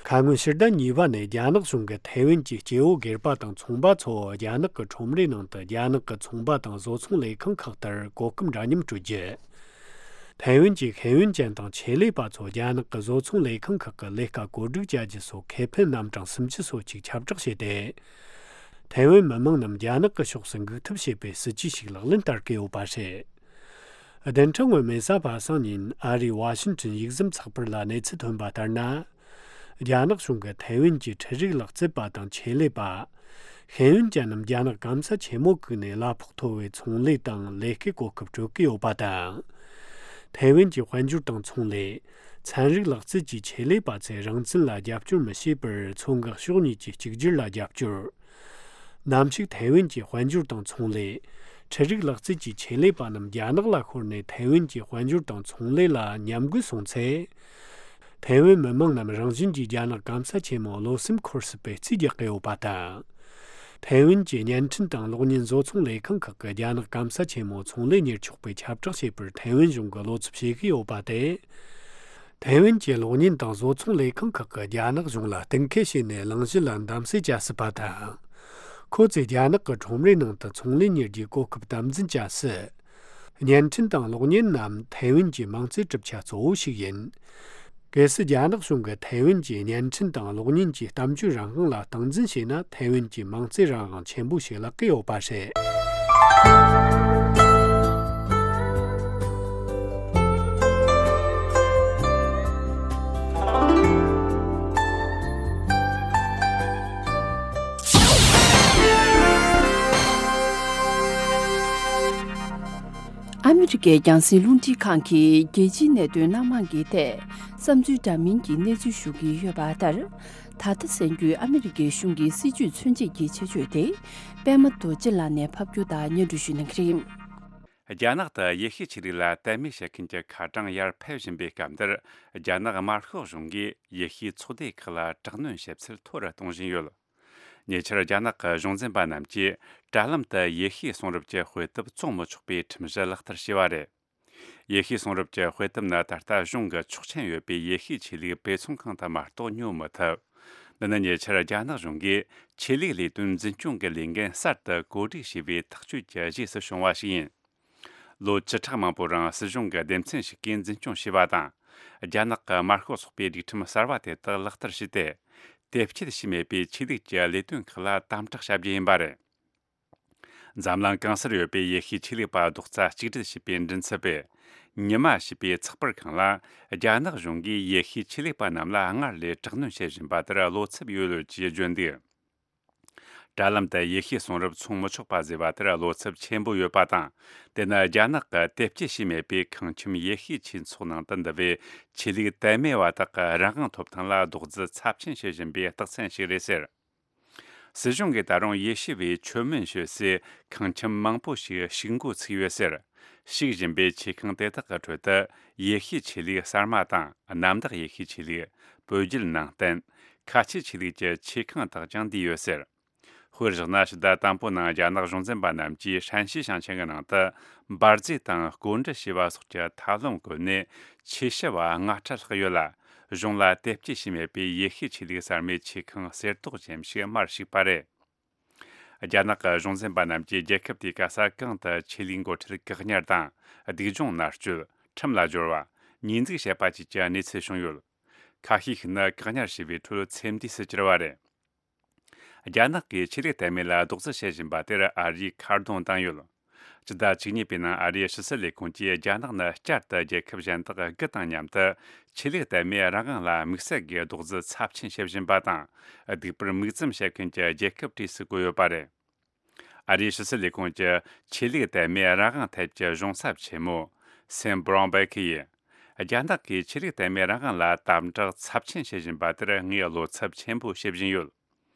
ཁ་སྔོན་ཕྱི་ཟླ་གཉིས་པ་ནས་རྒྱ་ནག་གཞུང་གིས་ཐའེ་ཝན་གྱི་སྐྱེ་བོ་སྒེར་པ་དང་ཚོང་པ་ཚོ་རྒྱ་ནག་གི་ཁྲོམ་རའི་ནང་དུ་རྒྱ་ནག་གི་ཚོང་པ་དང་བཟོ་ཚོང་ལས་ཁང་ཁག་ལྟར་གོ་སྐབས་འདྲ་མཉམ་སྤྲོད་རྒྱུ། ཐའེ་ཝན་གྱི་ཤེས་ཡོན་ཅན་དང་ཆེད་ལས་པ་ཚོ་རྒྱ་ནག་གི་བཟོ་ཚོང་ལས་ཁང་ཁག་གི་ལས་ཀ་བཀོད་སྒྲིག་བྱ་རྒྱུ་སོགས་ཁེ་ཕན་རྣམ་གྲངས་སུམ་ཅུ་སོ་གཅིག་ཁྱབ་བསྒྲགས་བྱས་ཏེ། ཐའེ་ཝན་མི་མང་རྣམས་རྒྱ་ནག་གི་ཕྱོགས་སུ་འགུག་ཐབས་བྱེད་པའི་སྲིད་ཇུས་ཤིག་ལག་ལེན་བསྟར་གྱི་ཡོད་པ་རེད། བདུན་ཕྲག་སྔོན་མའི་གཟའ་པ་སངས་ཉིན་ཨ་རིའི་ཝ་ཤིན་ཏོན་ཡིག་ཟམ་ཚགས་པར་ལ་གནས་ཚུལ་ཐོན་པ་ལྟར་ན། རྒྱ་ནག་གཞུང་གིས་ཐའེ་ཝན་གྱི་འཕྲུལ་རིག་ལག་རྩལ་པ་དང་ཆེད་ལས་པ། ཤེས་ཡོན་ཅན་རྣམས་རྒྱ་ནག་སྐམ་ས་ཆེན་མོ་བཀུག་ནས་གླ་ཕོགས་མཐོ་བའི་ཚོང་ལས་དང་ལས་ཀའི་གོ་སྐབས་སྤྲོད་ཀྱི་ཡོད་པ་དང་། ཐའེ་ཝན་གྱི་དཔལ་འབྱོར་དང་ཚོང་ལས། ཚན་རིག་ལག་རྩལ་གྱི་ཆེད་ལས་པ་ཚོས་རང་བཙན་ལ་རྒྱབ་སྐྱོར་མི་བྱེད་པར་མཚོ་འགག་ཕྱོགས་གཉིས་ཀྱི་གཅིག་གྱུར་ལ་རྒྱབ་སྐྱོར། ནམ་ཞིག་ཐའེ་ཝན་གྱི་དཔལ་འབྱོར་དང་ཚོང་ལས། འཕྲུལ་རིག་ལག་རྩལ་གྱི་ཆེད་ལས་པ་རྣམས་རྒྱ་ནག་ལ་ཤོར་ནས་ཐའེ་ཝན་གྱི་དཔལ་འབྱོར་དང་ཚོང་ལས་ལ་ཉམས་རྒུད་སོང་ཚེ། ཐའེ་ཝན་མི་མང་རྣམས་རང་བཞིན་གྱིས་རྒྱ་ནག་སྐམ་ས་ཆེན་མོ་བློ་སེམས་འཁོར་སྲིད་པའི་རྩིས་རྒྱག་གི་ཡོད་པ་དང་། ཐའེ་ཝན་གྱི་བརྙན་འཕྲིན་དང་གློག་བརྙན་བཟོ་ཚོང་ལས་ཁང་ཁག་གིས་རྒྱ་ནག་སྐམ་ས་ཆེན་མོ་ཚོང་ལས་གཉེར་ཆོག་པའི་ཁྱབ་བསྒྲགས་བྱས་པར་ཐའེ་ཝན་གཞུང་གིས་བློ་འཚབ་བྱེད་ཀྱི་ཡོད་པ་སྟེ། ཐའེ་ཝན་གྱི་གློག་བརྙན་དང་བཟོ་ཚོང་ལས་ཁང་ཁག་གིས་རྒྱ་ནག་གཞུང་ལ་གཏན་འཁེལ་བྱས་ནས་གླེང་གཞི་ལ་གདམ་གསེས་བྱ་སྲིད་པ་དང་། ཁོ་ཚོས་རྒྱ་ནག་གི་ཁྲོམ་རའི་ནང་དུ་ཚོང་ལས་གཉེར་རྒྱུའི་གོ་སྐབས་དམ་འཛིན་བྱ་སྲིད། བརྙན་འཕྲིན་དང་གློག་བརྙན་རྣམས་ཐའེ་ཝན་གྱི་མང་གཙོའི་གྲུབ་ཆ་གཙོ་བོ་ཞིག་ཡིན། གལ་སྲིད་རྒྱ་ནག་གཞུང་གིས་ཐའེ་ཝན་གྱི་བརྙན་འཕྲིན་དང་གློག་བརྙན་གྱི་གཏམ་བརྗོད་རང་དབང་ལ་སྟངས་འཛིན་བྱས་ན། ཐའེ་ཝན་གྱི་མང་གཙོའི་རང་དབང་ཆེན་པོ་ཞིག་བརླག་གི་ཡོད་པ་རེད། ཨ་མི་རི་ཀའི་རྒྱང་སྲིང་རླུང་འཕྲིན་ཁང་གིས་རྒྱལ་སྤྱིའི་གནད་དོན་སྣ་མང་གི་ཐད་བསམ་ཚུལ་འདྲ་མིན་གྱི་གནས་ཚུལ་ཞུ་གི་ཡོད་པ་ལྟར། ད་ལྟ་གསན་རྒྱུའི་ཨ་མི་རི་ཀའི་གཞུང་གི་སྲིད་ཇུས་མཚོན་བྱེད་ཀྱི་ཆེད་བརྗོད་དེ། པད་མ་རྡོ་རྗེ་ལགས་ནས་ཕབ་སྒྱུར་དང་སྙན་སྒྲོན་ཞུ་གནང་གི་རེད། རྒྱ་ནག་ཏུ་ཡེ་ཤུའི་ཆོས་ལུགས་ལ་དད་མོས་བྱེད་མཁན་གྱི་ཁ་གྲངས་ཡར་འཕེལ་བཞིན་པའི་སྐབས་འདིར། རྒྱ་ནག་དམར་ཤོག་གཞུང་གིས་ཡེ་ཤུའི་ཚོགས་སྡེ་ཁག་ལ་དྲག་གནོན་བྱེད་ཚད་མཐོ་རུ་གཏོང་བཞིན་ཡོད། ཉེ་ཆར་རྒྱ་ནག་གི་གཞུང་འཛིན་པ་རྣམས་ཀྱིས་དྲ་ལམ་དུ་ཡེ་ཤུའི་གསུང་རབ་ཀྱི་དཔེ་དེབ་བཙོང་མི་ཆོག་པའི་ཁྲིམས་གཞི་ལག་བསྟར་བྱས་པ་རེད། ཡེ་ཤུའི་གསུང་རབ་ཀྱི་དཔེ་དེབ་ནི་ད་ལྟ་གཞུང་གི་ཆོག་མཆན་ཡོད་པའི་ཡེ་ཤུའི་ཆོས་ལུགས་དཔེ་ཚོང་ཁང་དུ་མ་གཏོགས་ཉོ་མི་ཐུབ། འདི་ནི་ཉེ་ཆར་རྒྱ་ནག་གཞུང་གིས་ཆོས་ལུགས་ལས་དོན་འཛིན་སྐྱོང་གི་ལས་འགན་གསར་དུ་བཀོད་སྒྲིག་བྱས་པའི་ཐག་གཅོད་ཀྱི་རྗེས་སུ་བྱུང་བ་ཞིག་ཡིན། ལོ་བཅུ་ཕྲག་མང་པོའི་རིང་སྲིད་གཞུང་གི་སྡེ་ཚན་ཞིག་གིས་འཛིན་སྐྱོང་བྱས་པ་དང་། རྒྱ་ནག་གི་དམར་ཤོག་ཚོགས་པའི་སྒྲིག་ཁྲིམས་གསར་བ་དེ་དག་ལག་བསྟར་བྱས་ཏེ། དེབ་སྐྱེལ་བྱས་མེད་པའི་ཆོས་ལུགས་ཀྱི་ལས་དོན་ཁག་ལ་དམ་དྲག་བྱ་རྒྱུ་ཡིན་པ་རེད། འཛམ་གླིང་གང་སར་ཡོད་པའི་ཡེ་ཤུའི་ཆོས་ལུགས་པ་རྡོག་རྩ་གཅིག་སྒྲིལ་བྱས་པའི་མགྲིན་ཚབ་པས། ཉི་མ་ཞེས་པའི་ཚགས་པར་ཁང་ལ། རྒྱ་ནག་གཞུང་གིས་ཡེ་ཤུའི་ཆོས་ལུགས་པ་རྣམས་ལ་སྔར་ལས་དྲག་གནོན་བྱེད་བཞིན་པ་དེར་བློ་འཚབ་ཡོད་ལུགས་ཀྱིས་བརྗོད་འདུག། དྲ་ལམ་དུ་ཡེ་ཤུའི་གསུང་རབ་བཙོང་མི་ཆོག་པ་བཟོས་པ་དེར་བློ་འཚབ་ཆེན་པོ་ཡོད་པ་དང་། དེ་ནི་རྒྱ་ནག་གི་དེབ་སྐྱེལ་བྱས་མེད་པའི་ཁང་ཁྱིམ་ཡེ་ཤུའི་ཆོས་ཚོགས་ནང་དུ་འདུ་བའི་ཆོས་ལུགས་དད་མོས་པ་དག་གི་རང་དབང་ཐོབ་ཐང་ལ་རྡོག་རྫིས་ཚབས་ཆེན་བྱེད་བཞིན་པའི་རྟགས་མཚན་ཞིག་རེད་ཟེར། སྲིད་གཞུང་གིས་ད་རུང་ཡེ་ཤུ་བའི་ཆོས་མིན་ཞུ་སའི་ཁང་ཁྱིམ་མང་པོ་ཞིག་ཕྱུགས་འགོ་ཚུགས་ཡོད་ཟེར། ཕྱུག་བཞིན་པའི་ཆེ་ཁང་དེ་དག་གི་ཁྲོད་དུ་ཡེ་ཤུའི་ཆོས་ལུགས་གསར་མ་དང་གནམ་བདག་ཡེ་ཤུའི་ཆོས་ལུགས། བོད་བརྒྱུད་ནང་བསྟན། ཁ་ཆེའི་ཆོས་ལུགས་ཀྱི་ཆེ་ཁང་དག་ཀྱང་འདུས་ཡོད་ཟེར། དཔེར་བཞག་ན། ཕྱི་ཟླ་དང་པོའི་ནང་རྒྱ་ནག་གཞུང་འཛིན་པ་རྣམས་ཀྱིས་ཧྲན་ཤི་ཞིང་ཆེན་གྱི་ནང་དུ་འབར་རྫས་དང་བརྐོས་འབྲེལ་བྱས་པ་སོགས་ཀྱི་ཐབས་ལམ་བཀོལ་ནས་ཆོས་ཞུ་བ་ལྔ་ཁྲི་ལྷག་ཡོད་ལ། གཞུང་ལ་དེབ་སྐྱེལ་བྱས་མེད་པའི་ཡེ་ཤུའི་ཆོས་ལུགས་གསར་མའི་ཆེ་ཁང་གསེར་ཏོག་ཅན་ཞིག་མར་ཞུགས་པ་རེད། རྒྱ་ནག་གི་གཞུང་འཛིན་པ་རྣམས་ཀྱིས་རྒྱལ་ཁབ་དེའི་ག་ས་གང་དུ་ཆོས་ལུགས་འགོ་ཁྲིད་བཀག་ཉར་དང་། སྡིགས་སྦྱོང་མནར་གཅོད། ཁྲིམས་ལ་སྦྱོར་བ། ཉེས་འཛུགས་བྱས་པ་བཅས་ཀྱི་གནས་ཚུལ་བྱུང་ཡོད། ཁ་ཤས་ཤིག་ནི་བཀག་ཉར་བྱས་པའི་ཁྲོད་ཚེ་འདས་སུ་གྱུར་བ་རེད། རྒྱ་ནག་གིས་ཆོས་ལུགས་དད་མོས་ལ་རྡོག་རྫིས་བྱེད་བཞིན་པ་དེར་ཨ་རིས་ཁ་རྡུང་བཏང་ཡོད། སྤྱི་ཟླ་བཅུ་གཉིས་པའི་ནང་ཨ་རིའི་ཕྱི་སྲིད་ལས་ཁུངས་ཀྱིས་རྒྱ་ནག་ནི་བསྐྱར་དུ་རྒྱལ་ཁབ་གཞན་དག་དགུ་དང་མཉམ་དུ་ཆོས་ལུགས་དད་མོས་རང་དབང་ལ་དམིགས་བསལ་གྱི་རྡོག་རྫིས་ཚབས་ཆེན་བྱེད་བཞིན་པ་དང་། སྡིགས་པར་དམིགས་འཛིན་བྱེད་མཁན་གྱི་རྒྱལ་ཁབ་གྲས་སུ་བཀོད་ཡོད་པ་རེད། ཨ་རིའི་ཕྱི་སྲིད་ལས་ཁུངས་ཀྱི་ཆོས་ལུགས་དད་མོས་རང་དབང་ཐད་ཀྱི་གཞུང་ཚབ་ཆེན་མོ་སེམ་བྷྲོན་བྷེ་ཁི་ཡིས། རྒྱ་ནག་གིས་ཆོས་ལུགས་དད་མོས་རང་དབང་ལ་དམ་དྲག་ཚབས་ཆེན་བྱེད་བཞིན་པ་དེར་ངས་བློ་འཚབ་ཆེན་པོ་བྱེད་བཞིན་ཡོད།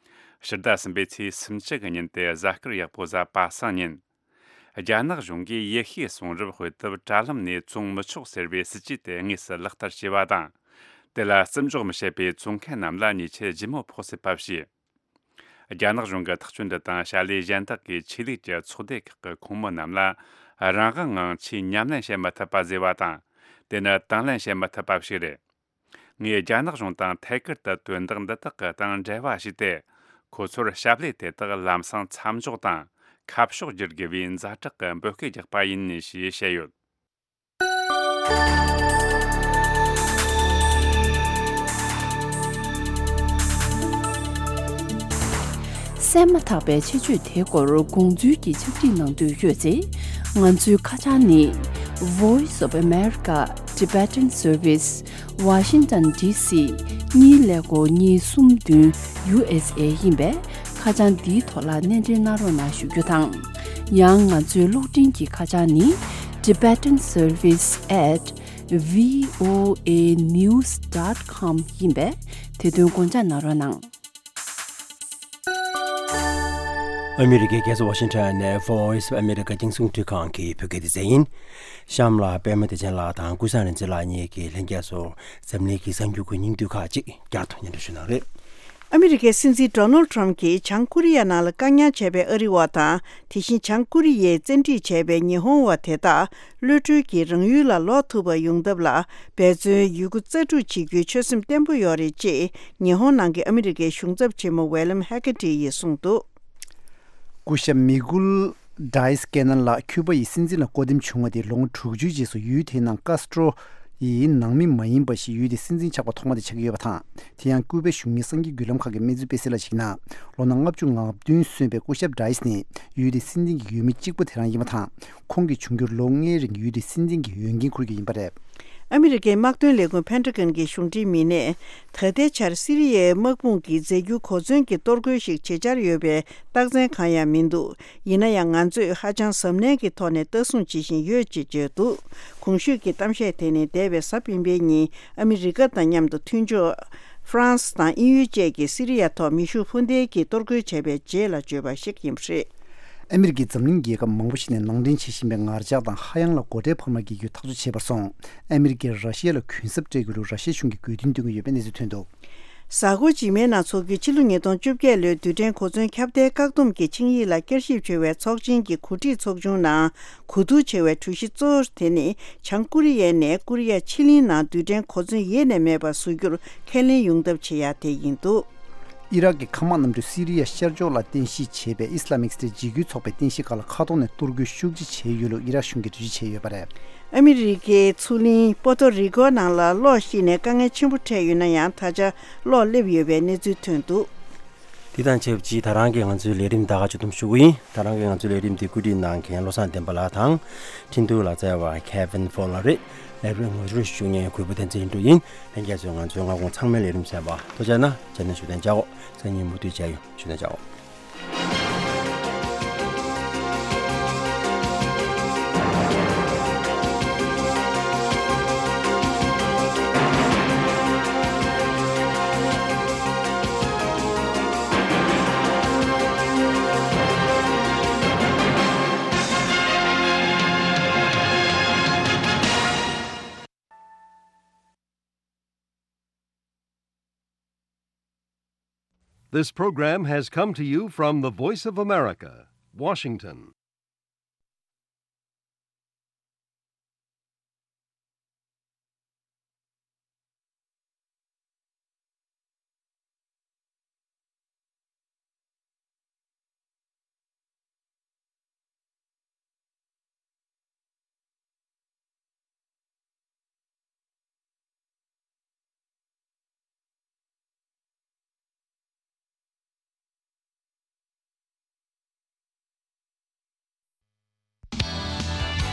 ཕྱི་ཟླ་གསུམ་པའི་ཚེས་སུམ་ཅུ་གི་ཉིན་ཏེ་གཟའ་སྐར་ཡག་པོ་གཟའ་པ་སངས་ཉིན། རྒྱ་ནག་གཞུང་གིས་ཡེ་ཤུའི་གསུང་རབ་དཔེ་དེབ་དྲ་ལམ་ནས་བཙོང་མི་ཆོག་ཟེར་བའི་སྲིད་ཇུས་དེ་དངོས་སུ་ལག་བསྟར་བྱས་པ་དང་། དེ་ལ་བརྩི་འཇོག་མི་བྱེད་པའི་བཙོང་མཁན་རྣམས་ལ་ཉེས་ཆད་ལྗིད་མོ་ཕོག་སྲིད་པ་བྱས། རྒྱ་ནག་གཞུང་གི་ཐག་གཅོད་འདི་དང་བྱ་ལས་གཞན་དག་གིས་ཆོས་ལུགས་ཀྱི་ཚོགས་སྡེ་ཁག་གི་ཁོངས་མི་རྣམས་ལ་རང་དབང་ངང་ཆོས་ཉམས་ལེན་བྱེད་མི་ཐུབ་པ་བཟོས་པ་དང་། དེ་ནི་དང་ལེན་བྱེད་མི་ཐུབ་པ་ཞིག་རེད། ངས་རྒྱ་ནག་གཞུང་དང་ཐད་ཀར་དུ་དོན་དག་འདི་དག་གི་སྟེང་འབྲེལ་བ་བྱས་ཏེ། ཁོ་ཚོར་ཞབས་ལས་དེ་དག་ལམ་སང་མཚམས་འཇོག་དང་ཁ་ཕྱོགས་བསྒྱུར་དགོས་པའི་ཛ་དྲག་གི་འབོད་སྐུལ་རྒྱག་པ་ཡིན་ཞེས་བཤད་ཡོད། གསན་མ་ཐག་པའི་ཆེད་བརྗོད་དེའི་སྐོར་དགོངས་ཚུལ་གྱི་ཕྱག་བྲིས་གནང་འདོད་ཡོད་ཚེ། ང་ཚོའི་ཁ་བྱང་ནི། Voice of America Tibetan Service, Washington D C གཉིས་ཀླད་ཀོར་གཉིས་གསུམ་བདུན་U S A ཡིན་པས། ཁ་བྱང་འདིའི་ཐོག་ལ་སྣེ་འདྲེན་གནང་རོགས་གནང་ཞུ་རྒྱུ་དང་། ཡང་ང་ཚོའི་གློག་འཕྲིན་གྱི་ཁ་བྱང་ནི། Tibetan Service at V O A news dot com ཡིན་པས། དེ་དོན་དགོངས་འཇགས་གནང་རོགས་གནང་། ཨ་མི་རི་ཀའི་རྒྱལ་ས་ཝ་ཤིང་ཊོན་ནས་Voice of America རྒྱང་སྲིང་རླུང་འཕྲིན་ཁང་གི་བོད་སྐད་སྡེ་ཚན་ཡིན། གཤམ་ལ་པད་མ་བདེ་ཆེན་ལགས་དང་ཀུན་བཟང་རིག་འཛིན་ལགས་གཉིས་ཀྱིས་ལྷན་རྒྱས་ཚོར་འཛམ་གླིང་གི་གསར་འགྱུར་གྱི་སྙིང་བསྡུས་ཁག་ཅིག་བསྐྱར་དུ་སྙན་སྒྲོན་ཞུ་གནང་རེད། ཨ་མི་རི་ཀའི་སྲིད་འཛིན་ཌོ་ནལ་ཊམ་གྱིས་བྱང་ཀོ་རི་ཡ་ནང་ལ་བཀག་ཉར་བྱས་པའི་ཨ་རི་བ་དང་། དེ་བཞིན་བྱང་ཀོ་རི་ཡས་བཙན་ཁྲིད་བྱས་པའི་ཉི་ཧོང་བ་དེ་དག་གློད་གྲོལ་གྱིས་རང་ཡུལ་ལ་ལོག་ཐུབ་པ་ཡོང་ཐབས་ལ་འབད་བརྩོན་ཡོད་རྒུ་རྩལ་སྤྲུགས་བྱེད་རྒྱུའི་ཆོད་སེམས་བརྟན་པོ་ཡོད་རེད་ཅེས་ཉི་ཧོང་ནང་གི་ཨ་མི་རི་ཀའི་གཞུང་ཚབ་ཆེན་མོ་ཝེ་ལམ་ཧེ་ཀ་ཏི་ཡིས་གསུངས་འདུག། སྐུ་ཞབས་མི་གུལ་ཌའི་སི་ཀེ་ནན་ལགས་ཁྱུ་པ་ཡི་སྲིད་འཛིན་ལ་བསྐོ་འདེམས་བྱུང་བ་དེ་ལོ་ངོ་དྲུག་ཅུའི་རྗེས་སུ་ཡུལ་དེའི་ནང་ཀཱས་ཏྲོ་ཡི་ནང་མི་མ་ཡིན་པ་ཞིག་ཡུལ་དེའི་སྲིད་འཛིན་ཆགས་པ་ཐོག་མ་དེ་ཆགས་ཀྱི་ཡོད་པ་དང་། དེ་ཡང་ཀུའུ་པའི་གཞུང་གཉེར་གསར་འགྱུར་བརྒྱུད་ལམ་ཁག་གིས་སྨྲས་ཚུལ་སྤེལ་གསལ་ལ་གཞིགས་ན། ལོ་ན་ལྔ་བཅུ་ང་བདུན་སོན་པའི་སྐུ་ཞབས་ཌའི་སི་ནི་ཡུལ་དེའི་སྲིད་འཛིན་གྱི་འོས་མི་གཅིག་པུ་དེ་རང་ཡིན་པ་དང་། ཁོང་གིས་འབྱུང་འགྱུར་ལོ་ལྔའི་རིང་ཡུལ་དེའི་སྲིད་འཛིན་གྱི་འོས་འགན་འཁུར་རྒྱུ་ཡིན་པ་རེད། ཨ་མི་རི་ཀའི་དམག་དོན་ལས་ཁུངས་ཕན་ཊ་གྷོན་གྱི་གཞུང་འབྲེལ་མི་སྣས། ད་ལྟའི་ཆར་སི་རི་ཡའི་དམག་དཔུང་གིས་རྫས་འགྱུར་གོ་མཚོན་གྱི་གཏོར་རྒོལ་ཞིག་བྱེད་འཆར་ཡོད་པའི་རྟགས་མཚན་གང་ཡང་མི་འདུག། ཡིན་ན་ཡང་ང་ཚོས་ཧ་ཅང་གཟབ་ནན་གྱི་ཐོག་ནས་ལྟ་སྲུང་བྱེད་བཞིན་ཡོད་ཅེས་བརྗོད་འདུག། གོང་ཞུས་ཀྱི་གཏམ་བཤད་དེ་ནི་འདས་པའི་གཟའ་སྤེན་པའི་ཉིན་ཨ་མི་རི་ཀ་དང་མཉམ་དུ་མཐུན་ཕྱོགས་ཧྥ་རན་སི་དང་དབྱིན་ཡུལ་བཅས་ཀྱིས་སི་རི་ཡ་ཐོག་མེ་ཤུགས་འཕུར་མདེལ་གྱིས་གཏོར་རྒོལ་བྱས་པའི་རྗེས་ལ་བརྗོད་པ་ཞིག་ཡིན་པ་རེད། ཨ་མི་རི་ཀས་འཛམ་གླིང་རྒྱལ་ཁབ་མང་པོ་ཞིག་ནས་ནང་འདྲེན་བྱེད་བཞིན་པའི་ངར་ལྕགས་དང་ཧ་ཡང་ལ་སྒོ་ཁྲལ་འཕར་མ་བརྒྱབ་རྒྱུ་ཐག་གཅོད་བྱས་པར་སོང་། ཨ་མི་རི་ཀས་ར་ཤི་ཡ་ལ་གུན་གསབ་སྤྲད་དགོས་ལུགས་ར་ཤི་ཡའི་གཞུང་གིས་དགོས་འདུན་འདོན་གྱི་ཡོད་པའི་གནས་ཚུལ་ཐོན་འདུག། གཟའ་འཁོར་རྗེས་མའི་ནང་འཚོགས་རྒྱུའི་ཕྱི་ལོ་ཉིས་སྟོང་བཅོ་བརྒྱད་ལོའི་རྡུལ་ཕྲན་གོ་མཚོན་ཁྱབ་གདལ་བཀག་སྡོམ་གྱི་ཆིངས་ཡིག་ལ་བསྐྱར་ཞིབ་བྱ་བའི་ཚོགས་ཆེན་གྱི་གོ་སྒྲིག་ཚོགས་ཆུང་ནང་གོ་བསྡུར་བྱ་བའི་གྲོས་གཞི་གཙོ་བོ་དེ་ནི་བྱང་ཀོ་རི་ཡའི་ནས་ཀོ་རི་ཡ་ཕྱེད་གླིང་ནང་རྡུལ་ཕྲན་གོ་མཚོན་ཡེ་ནས་མེད་པ་བཟོ་རྒྱུར་ཁས་ལེན་ཡོང་ཐབས་བྱེད་ཡ་དེ་ཡིན་འདུག། ཨི་རག་གི་མཁའ་དམག་གནམ་གྲུས་སི་རི་ཡ་ཤར་ཕྱོགས་ལ་རྟེན་གཞི་བྱས་པའི་ཨི་སི་ལ་མིག་སི་ཊེཊ་འཇིགས་སྐུལ་ཚོགས་པའི་རྟེན་གཞི་ཁག་ལ་མཁའ་ཐོག་ནས་གཏོར་རྒོལ་ཤུགས་ཆེ་བྱས་ཡོད་ལུགས་ཨི་རག་གཞུང་གིས་འགྲེལ་བརྗོད་བྱས་ཡོད་པ་རེད། ཨ་མི་རི་ཀའི་མཚོ་གླིང་པོ་ཏོ་རི་ཀོ་ནང་ལ་གློག་ཤིག་ནས་དཀའ་ངལ་ཆེན་པོ་འཕྲད་ཡོད་ན་ཡང་ད་ཆ་གློག་སླེབས་ཡོད་པའི་གནས་ཚུལ་ཐོན་འདུག། འདི་དང་ཆབས་ཅིག་ད་རང་གི་ང་ཚོའི་ལས་རིམ་ད་ག་ཅིག་སྡོམ་ཞུ་གི་ཡིན། ད་རང་གི་ང་ཚོའི་ལས་རིམ་འདི་བཀོད་སྒྲིག་གནང་མཁན་བློ་བཟང་བསྟན་པ་ལགས་དང་། འཕྲིན་ཐུང་ལག་རྩལ་བ་Kevin Fowler རེད། ལས་རིམ་ངོ་སྤྲོད་ཞུ་མཁན་གུས་པ་བསྟན་འཛིན་ལྷུན་གྲུབ་ཡིན། ལྷན་རྒྱས་ཚོས་ང་ཚོའི་སྔ་དགོང་ཚང་མའི་ལས་རིམ་གསན་པ་ཐུགས་རྗེ་གནང་། རྗེས་ནས་ཞུ་དན་བྱའོ། སང་ཉིན་མུ་མཐུད་མཇལ་ཡོང་། ཞུ་དན་བྱའོ། This program has come to you from the Voice of America, Washington.